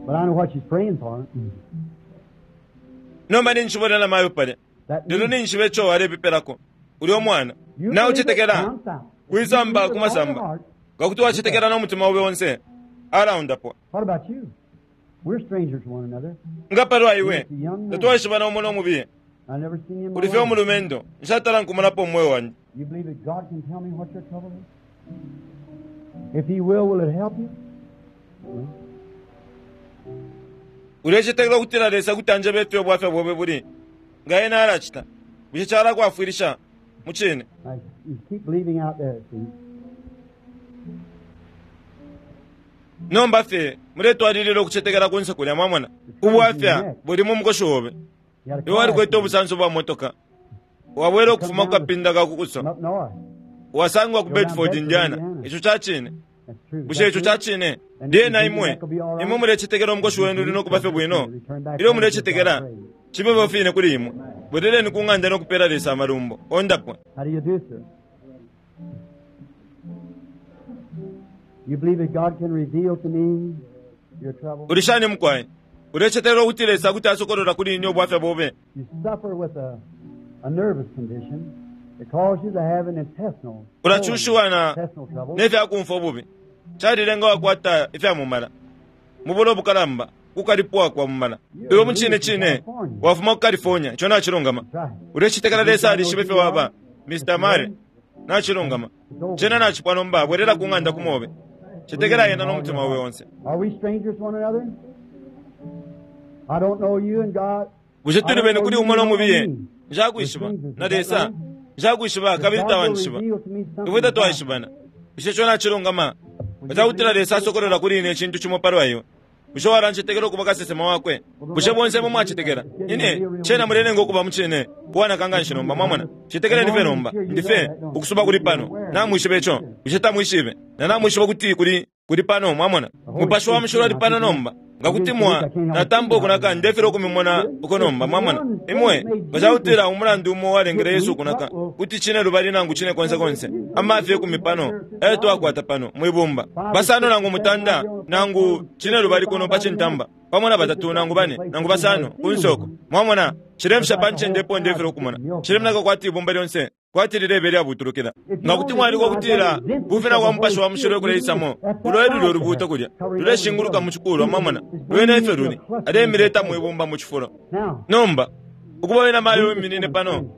Speaker 4: But I know what she's praying for.
Speaker 1: Nomba ninshibona namayo palya
Speaker 4: That
Speaker 1: lelo
Speaker 4: means
Speaker 1: ninshiba ico walepepelako ulya omwana.
Speaker 4: you
Speaker 1: Nawe
Speaker 4: believe it
Speaker 1: ucetekela
Speaker 4: down south. If you
Speaker 1: kwisamba
Speaker 4: believe with all your
Speaker 1: kumasamba
Speaker 4: heart,
Speaker 1: ngakuti wacetekela n'omutima ube onse alaundapwa.
Speaker 4: what about you? We're strangers to one another.
Speaker 1: Nga palwa iwe
Speaker 4: He's a young man.
Speaker 1: tatwaishibana umo n'omubiye.
Speaker 4: I've never seen him in my
Speaker 1: Uli fye
Speaker 4: life.
Speaker 1: omulumendo nshatala nkumonapo omwoyo wandi.
Speaker 4: You believe that God can tell me what your trouble is? If He will, will it help you?
Speaker 1: Ulecetekela ukutila Lesa kuti anjebe ifyo ubwafya bobe buli nga ena alacita bushe calakwafwilisha mucine.
Speaker 4: Now, you keep believing out there, see.
Speaker 1: Nomba fye muletwalilila ukucetekela kunse kulya mwamona ubwafya buli mu mukoshi obe.
Speaker 4: You had a
Speaker 1: Iwe
Speaker 4: car
Speaker 1: walikwete
Speaker 4: accident
Speaker 1: obusanso bwa motoka wabwera okufuma ku kapinda ka kukuso
Speaker 4: from up north.
Speaker 1: wasangwa ku Bedford Indiana icho chachine.
Speaker 4: That's true.
Speaker 1: Bushe icho chachine lyena imwe imwe mulecetekela omukoshi wenu uli nokuba fye bwino ilyo mulecetekela chibe fine kuli imwe bwerereni ku ng'anda nokupera Lesa amalumbo ondapwa.
Speaker 4: How do you do, sir? You believe that God can reveal to me your trouble?
Speaker 1: Ulishani mukwayi ulecetekela ukuti Lesa kuti asokolola kuli ine obwafya bobe.
Speaker 4: You suffer with a, a nervous condition that causes you to have an intestinal,
Speaker 1: Ulachushiwa na
Speaker 4: intestinal trouble.
Speaker 1: nefyakumfwa obubi chalilenga wakwata ifyamumala mubula obukalamba kukalipwa kwa mumala iwe muchine chine wafuma ku California icho nachilungama.
Speaker 4: That's right.
Speaker 1: Ulecetekela Lesa alishiba ifyo waba Mister Mare nachilungama chena nachipwa nomba bwerera ku ng'anda kumobe chetekela yena n'omutima wawe wonse.
Speaker 4: Are we strangers to one another? I don't know you and God.
Speaker 1: Bushe tuli bene kuli umo n'omubiye
Speaker 4: I don't know you.
Speaker 1: njakwishiba na Lesa njakwishiba kabili
Speaker 4: If God will
Speaker 1: tawanishiba
Speaker 4: reveal to me something
Speaker 1: ifwe
Speaker 4: about
Speaker 1: tatwaishibana bushe icho nachilungama utakutila Lesa asokolola kuli ine chintu chimo palwa iwe bushe walanchetekela okuba kasesema wakwe bushe bonse mwe mwachetekela ine chena mulenenga okuba muchine kuwanakanga nshinomba mwamona chetekeleni fe nomba ndife ukusuba kuli pano namwishiba icho bushe tamwishibe na namwishiba kuti kuli kuli pano mwamona mupashi wa mushilo ali pano nomba ngakuti mwa natamba okunaka ndefera okumimona uko nomba mwamona imwe ngachakutila umulandu umo walengele Yesu okunaka kuti chine lubali nangu chine konse konse amafi ekumi pano eyo twakwata pano mwibumba basano nangu mutanda nangu chine lubali kuno pachintamba pamwe na batatu nangu bane nangu basano kunsoko mwamona chilemsha panchende epo ndefera okumona chilemnaka kwati ibumba lyonse kwati lilebe lyabutulukila ngakuti mwaliko kutila kufina kwa mupashi wa mushilo ekuleisamo ulo eluli olubuto kulya luleshinguluka muchikulwa mwamona lwene ife luli alemileta mwibumba muchifulo.
Speaker 4: Now,
Speaker 1: Nomba ukuba wena mayo wiminine pano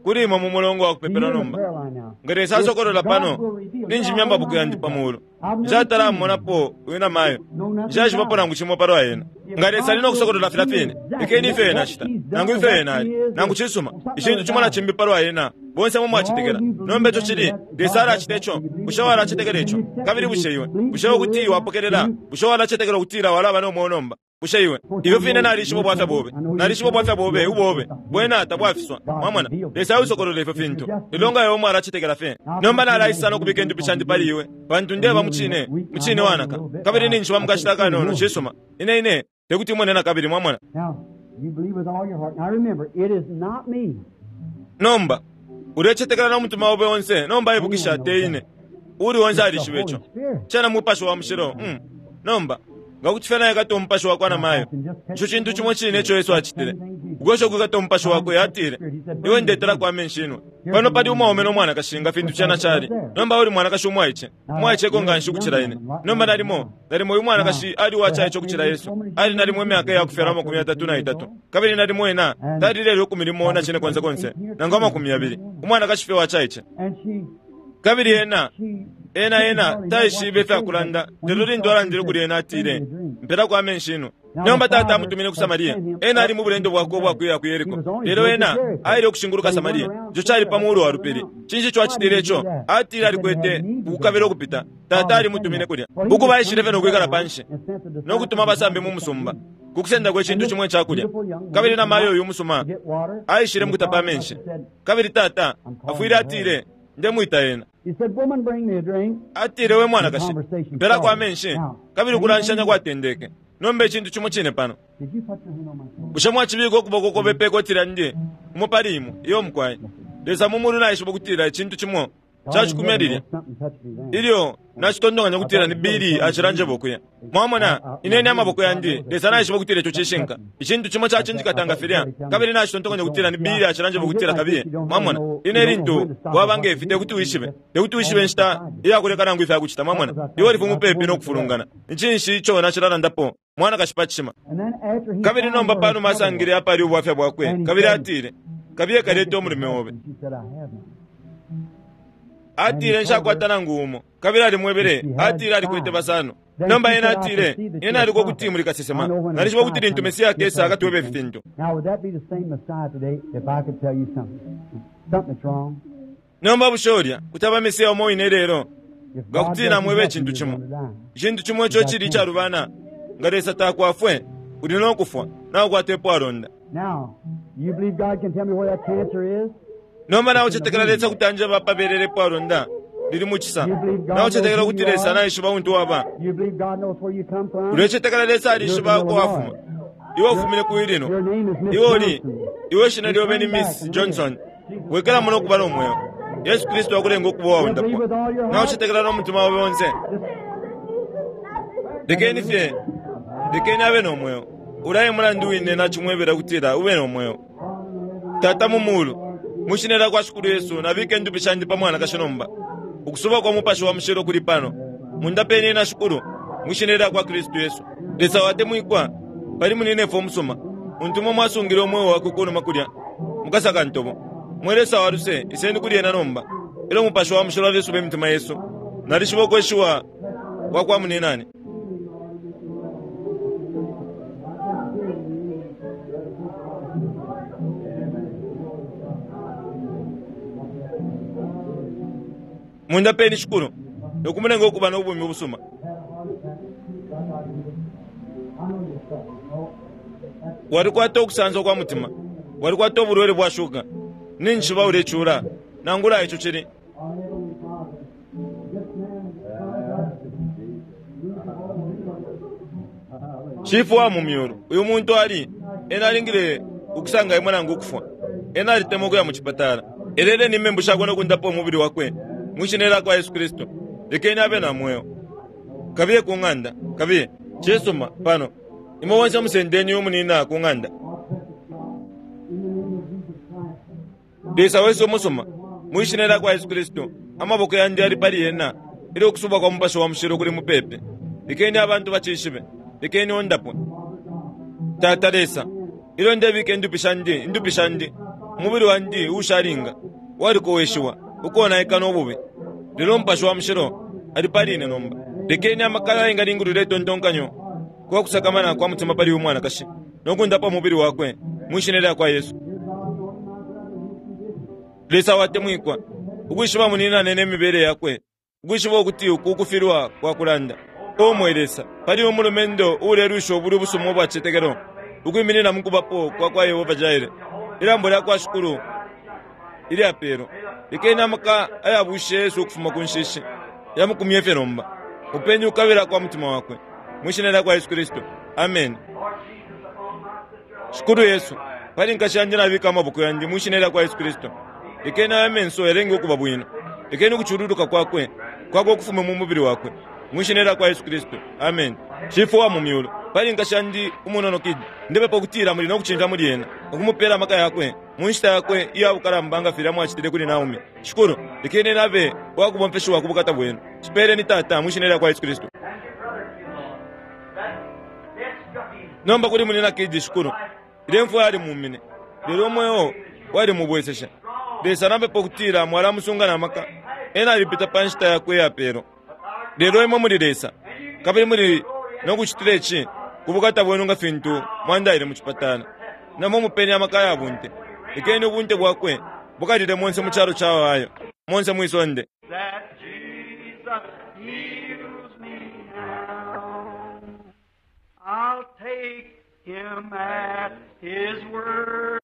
Speaker 1: kuli imwe mu mulongo wa kupepela
Speaker 4: you're in the
Speaker 1: nomba
Speaker 4: prayer line now.
Speaker 1: nga Lesa asokolola
Speaker 4: If
Speaker 1: pano
Speaker 4: God will reveal-
Speaker 1: ninjimya amaboko yandi pamuulu
Speaker 4: I've never
Speaker 1: nshatalammonapo wina mayo nshaxivapo nangu chimwe palwa yena nga Lesa ali nokusokolola fila fine ikeni ife yena acita nangu ife yena ali nangu chisuma ichintu chimwe na chimbi palwa yena bonse mwe mwachitekela nomba icho chili Lesa alachita icho bushe walachitekela icho kabili bushe iwe bushe ukuti iwe wapokelela bushe walachitekela ukutila walaba nomwoyo nomba bushe iwe ifyo fine nalishiba obwafya bobe nalishiba obwafya bobe ubobe bwena tabwafiswa mwamona Lesa ausokolola ifyo fintu lelo nga iwe mwalachitekela fe nomba nalaisa nokubika endupi shandi pali iwe pantu ndeba muchine muchine wanaka kabili ninjiba mukashita kanono chisuma ine ine tekuti imwene na kabili mwamona.
Speaker 4: Now, you believe with all your heart. Now remember, it is not me.
Speaker 1: Nomba ulechetekela n'omutima wobe wonse nomba ibukisha te ine uli wonse alishiba icho chena mupashi wa mushilo mm. Nomba ngakuti fena yakati omupashi wakwe na mayo icho chintu chimwe chine icho Yesu achitile ukwesha okwikata omupashi wakwe atile iwe ndetera kwa amenshi inwe pano pali umwaume n'omwanakashi nga fintu chena chali nomba uli mwanakashi umwaiche umwaicheko nga nshi kuchila ine nomba nalimo nalimo uyu mwanakashi ali wachaiche okuchila Yesu ali nalimo emyaka eyakufyalwa amakumi atatu na itatu kabili nalimo ena tali lelo ikumi limo na chine konse konse nangu amakumi yabili umwanakashi fye wachaiche
Speaker 4: And she,
Speaker 1: kabili ena
Speaker 4: she,
Speaker 1: ena ena taishibe ifyakulanda lelo lintu alandile kuli ena atile mpera kwa amenshi ino nomba tata amutumine ku Samariya ena ali mu bulendo bwakwe obwakuyira ku Yeriko lelo ena aile okushinguluka Samariya icho chali pamuulu wa lupili chinshi icho achitile icho atile alikwete ukukabila okupita tata alimutumine kulya uku baishile fye nokwikala panshi nokutuma abasambi mu musumba kukusendako echintu chimwe chakulya kabili na mayo uyu musuma
Speaker 4: get water.
Speaker 1: aishile mukutapa amenshi kabili tata afwile atile ndemwita ena.
Speaker 4: He said, Woman, bring me a drink.
Speaker 1: Atile we mwanakashi mpera kwa amenshi kabili ukulanshanya kwatendeke nomba echintu chimwe chine pano.
Speaker 4: Did you put your hand on my shoulder?
Speaker 1: Bushe mwachibika okuboko kobe pekotila ndi umo pali imwe iyo mukwayi Lesa mumulu naishiba okutila echintu chimo chachikumya lilya
Speaker 4: Something touched me then.
Speaker 1: ilyo nachitondonganya kutila ni bili achilanjeba okuya mwamona inene amaboko yandi Lesa naishiba okutila echo chishinka ichintu chimo chachinjikatanga filya kabili nachitontonganya kutila ni bili achilanjeba okutila kabiye mwamona ine lintu wabanga ifi tekuti wishibe tekuti wishibe nshita iyakuleka nangu ife akuchita mwamona iwe lifu mupepi nokufulungana nchinshi icho nachilalandapo mwana kashipa chishima.
Speaker 4: And then after he
Speaker 1: Kabili
Speaker 4: found
Speaker 1: nomba
Speaker 4: her
Speaker 1: pano
Speaker 4: trouble,
Speaker 1: masangile apali ubwafya bwakwe kabili atile kabiye kaleta omulume obe.
Speaker 4: And she said, I have none.
Speaker 1: Atile nshakwata nangu umo. Kabili alimwebele, atile alikwete basano. Nomba ena atile, ena aliko kuti muli kasesema. Nalishiba kuti lintu Mesiya akesa akatwebe ifi fintu.
Speaker 4: Now, would that be the same Messiah today if I could tell you something? Something that's wrong?
Speaker 1: Nomba bushe ulya kuti aba Mesiya umo wine lelo,
Speaker 4: If
Speaker 1: nga
Speaker 4: God
Speaker 1: kuti
Speaker 4: doesn't
Speaker 1: namwebe
Speaker 4: help
Speaker 1: icintu
Speaker 4: you, you're
Speaker 1: chimo.
Speaker 4: gonna die.
Speaker 1: Icintu chimo icho chili icalubana, nga Lesa takwafwe, uli nokufwa, nakukwata epwalonda.
Speaker 4: Now, you believe God can tell me where that cancer is?
Speaker 1: Nomba naucetekela Lesa kuti anjeba apabelele epwalonda lili muchisa. Naucetekela kuti Lesa naishiba untu waba.
Speaker 4: You believe God knows where you come from?
Speaker 1: Ulecetekela Lesa alishiba uko wafuma. Iwe ufumine ku Illinois.
Speaker 4: Your name is Miss
Speaker 1: Iwe uli,
Speaker 4: Johnson.
Speaker 1: iwe ishina lyobe ni Miss Johnson. Wekela muno okuba n'omwoyo. Yesu Kristo akulenga okuba wawundapwa. Naucetekela n'omutima wawe wonse. Lekeni fye, lekeni abe n'omwoyo. Ulaye mulandu wine nachimwebera kutila ube n'omwoyo. Tata mumulu, mushinela kwa shukulu Yesu nabike ndupi shandi pa mwana kashinomba. Ukusuba kwa mupashi wa mushilo kuli pano. Mundapeni na shukulu, mushinela kwa Kristu Yesu. Lesa watemwikwa, pali munine fo musoma. Untumwe mwasungile omwoyo wakwe kunuma kulya. Mukasaka ntobo. Mwe Lesa wa luse, iseni kuli ena nomba. Elo mupashi wa mushilo alesuba emitima Yesu. Nalishiba okweshiwa kwa kwa muninani. Mundapeni shukulu, nokumulenga okuba n'obumi obusuma. Walikwata okusanza kwa mutima, walikwata obulwere bwa shuga, ninshiba ulechula, nangula icho chili. Chifu wa mumyulu, uyu muntu ali, ena alingile ukusanga imwe nangu ukufwa. Ena alitema okuya mu chipatala. Elele ni membu shakwe nokundapa omubiri wakwe, mwishina kwa Yesu Kristo. Lekeni abe na mwoyo. Kabiye ku ng'anda, kabiye. Chisuma, pano. Imwe wonse musendeni umunina ku ng'anda. Lesa wesu omusuma, mwishina kwa Yesu Kristo. Amaboko yandi ali pali yena, ili okusuba kwa mupashi wa mushilo kuli mupepe. Lekeni abantu bachishibe, lekeni ondapwe. Tata Lesa, ilo ndebike indupi shandi, indupi shandi. Umubiri wandi ushalinga, walikoweshiwa, ukonaika n'obubi. Lelo mupashi wa mushilo ali pali ine nomba. Lekeni amakala ayingalingulula etontonkanyo kwa kusakamana kwa mutima pali umwana kashi, nokundapa umubiri wakwe, mwishina lya kwa Yesu. Lesa watemwikwa, ukwishiba muninane n'emibere yakwe, ukwishiba okuti uku ukufilwa kwa kulanda. Omwe Lesa, pali omulumendo ulelusha obuli obusuma obwa chitekelo, ukwiminina mukubapo kwa kwa Yehova Jaire. Ilambo lya kwa shukulu ilyapelo, lekeni amaka ayabushe Yesu okufuma ku nshishi, yamukumye fye nomba. Upeni ukabila kwa mutima wakwe, mwishina lya kwa Yesu Kristo. Amen. Shukulu Yesu, pali nkashi yandi nabika amaboko yandi mwishina lya kwa Yesu Kristo. Lekeni aya menso yalenge okuba bwino. Lekeni ukuchululuka kwakwe, kwakwe okufume mu mubiri wakwe. Mwishina lya kwa Yesu Kristo. Amen. Chifu wa mumyulu, pali nkashi yandi umunono kidi. Ndepepa okutila muli nokuchinja muli ena, okumupela amaka yakwe, mu nshita yakwe iya bukalamba nga filya mwachitile kuli Naomi. Shukulu, lekeni nabe wakubompeshiwa ku bukata bwenu. Chipeleni tata mwishina lya kwa Yesu Kristo. Nomba kuli munina kidi shukulu. Ile mfwa yali mumine. Lelo omweyo wali mubwesesha. Lesa nampepa okutila mwalamusunga n'amaka. Ena alipita pa nshita yakwe yapelo. Lelo imwe muli Lesa, kabili muli nokuchitila ichi ku bukata bwenu nga fintu mwandaile mu chipatala. Namwe mupeni amaka ya bunte. Lekeni ubunte bwakwe bukalile monse mu chalo cha Ohio, monse mwisonde.
Speaker 3: That Jesus heals me now. I'll take him at his word.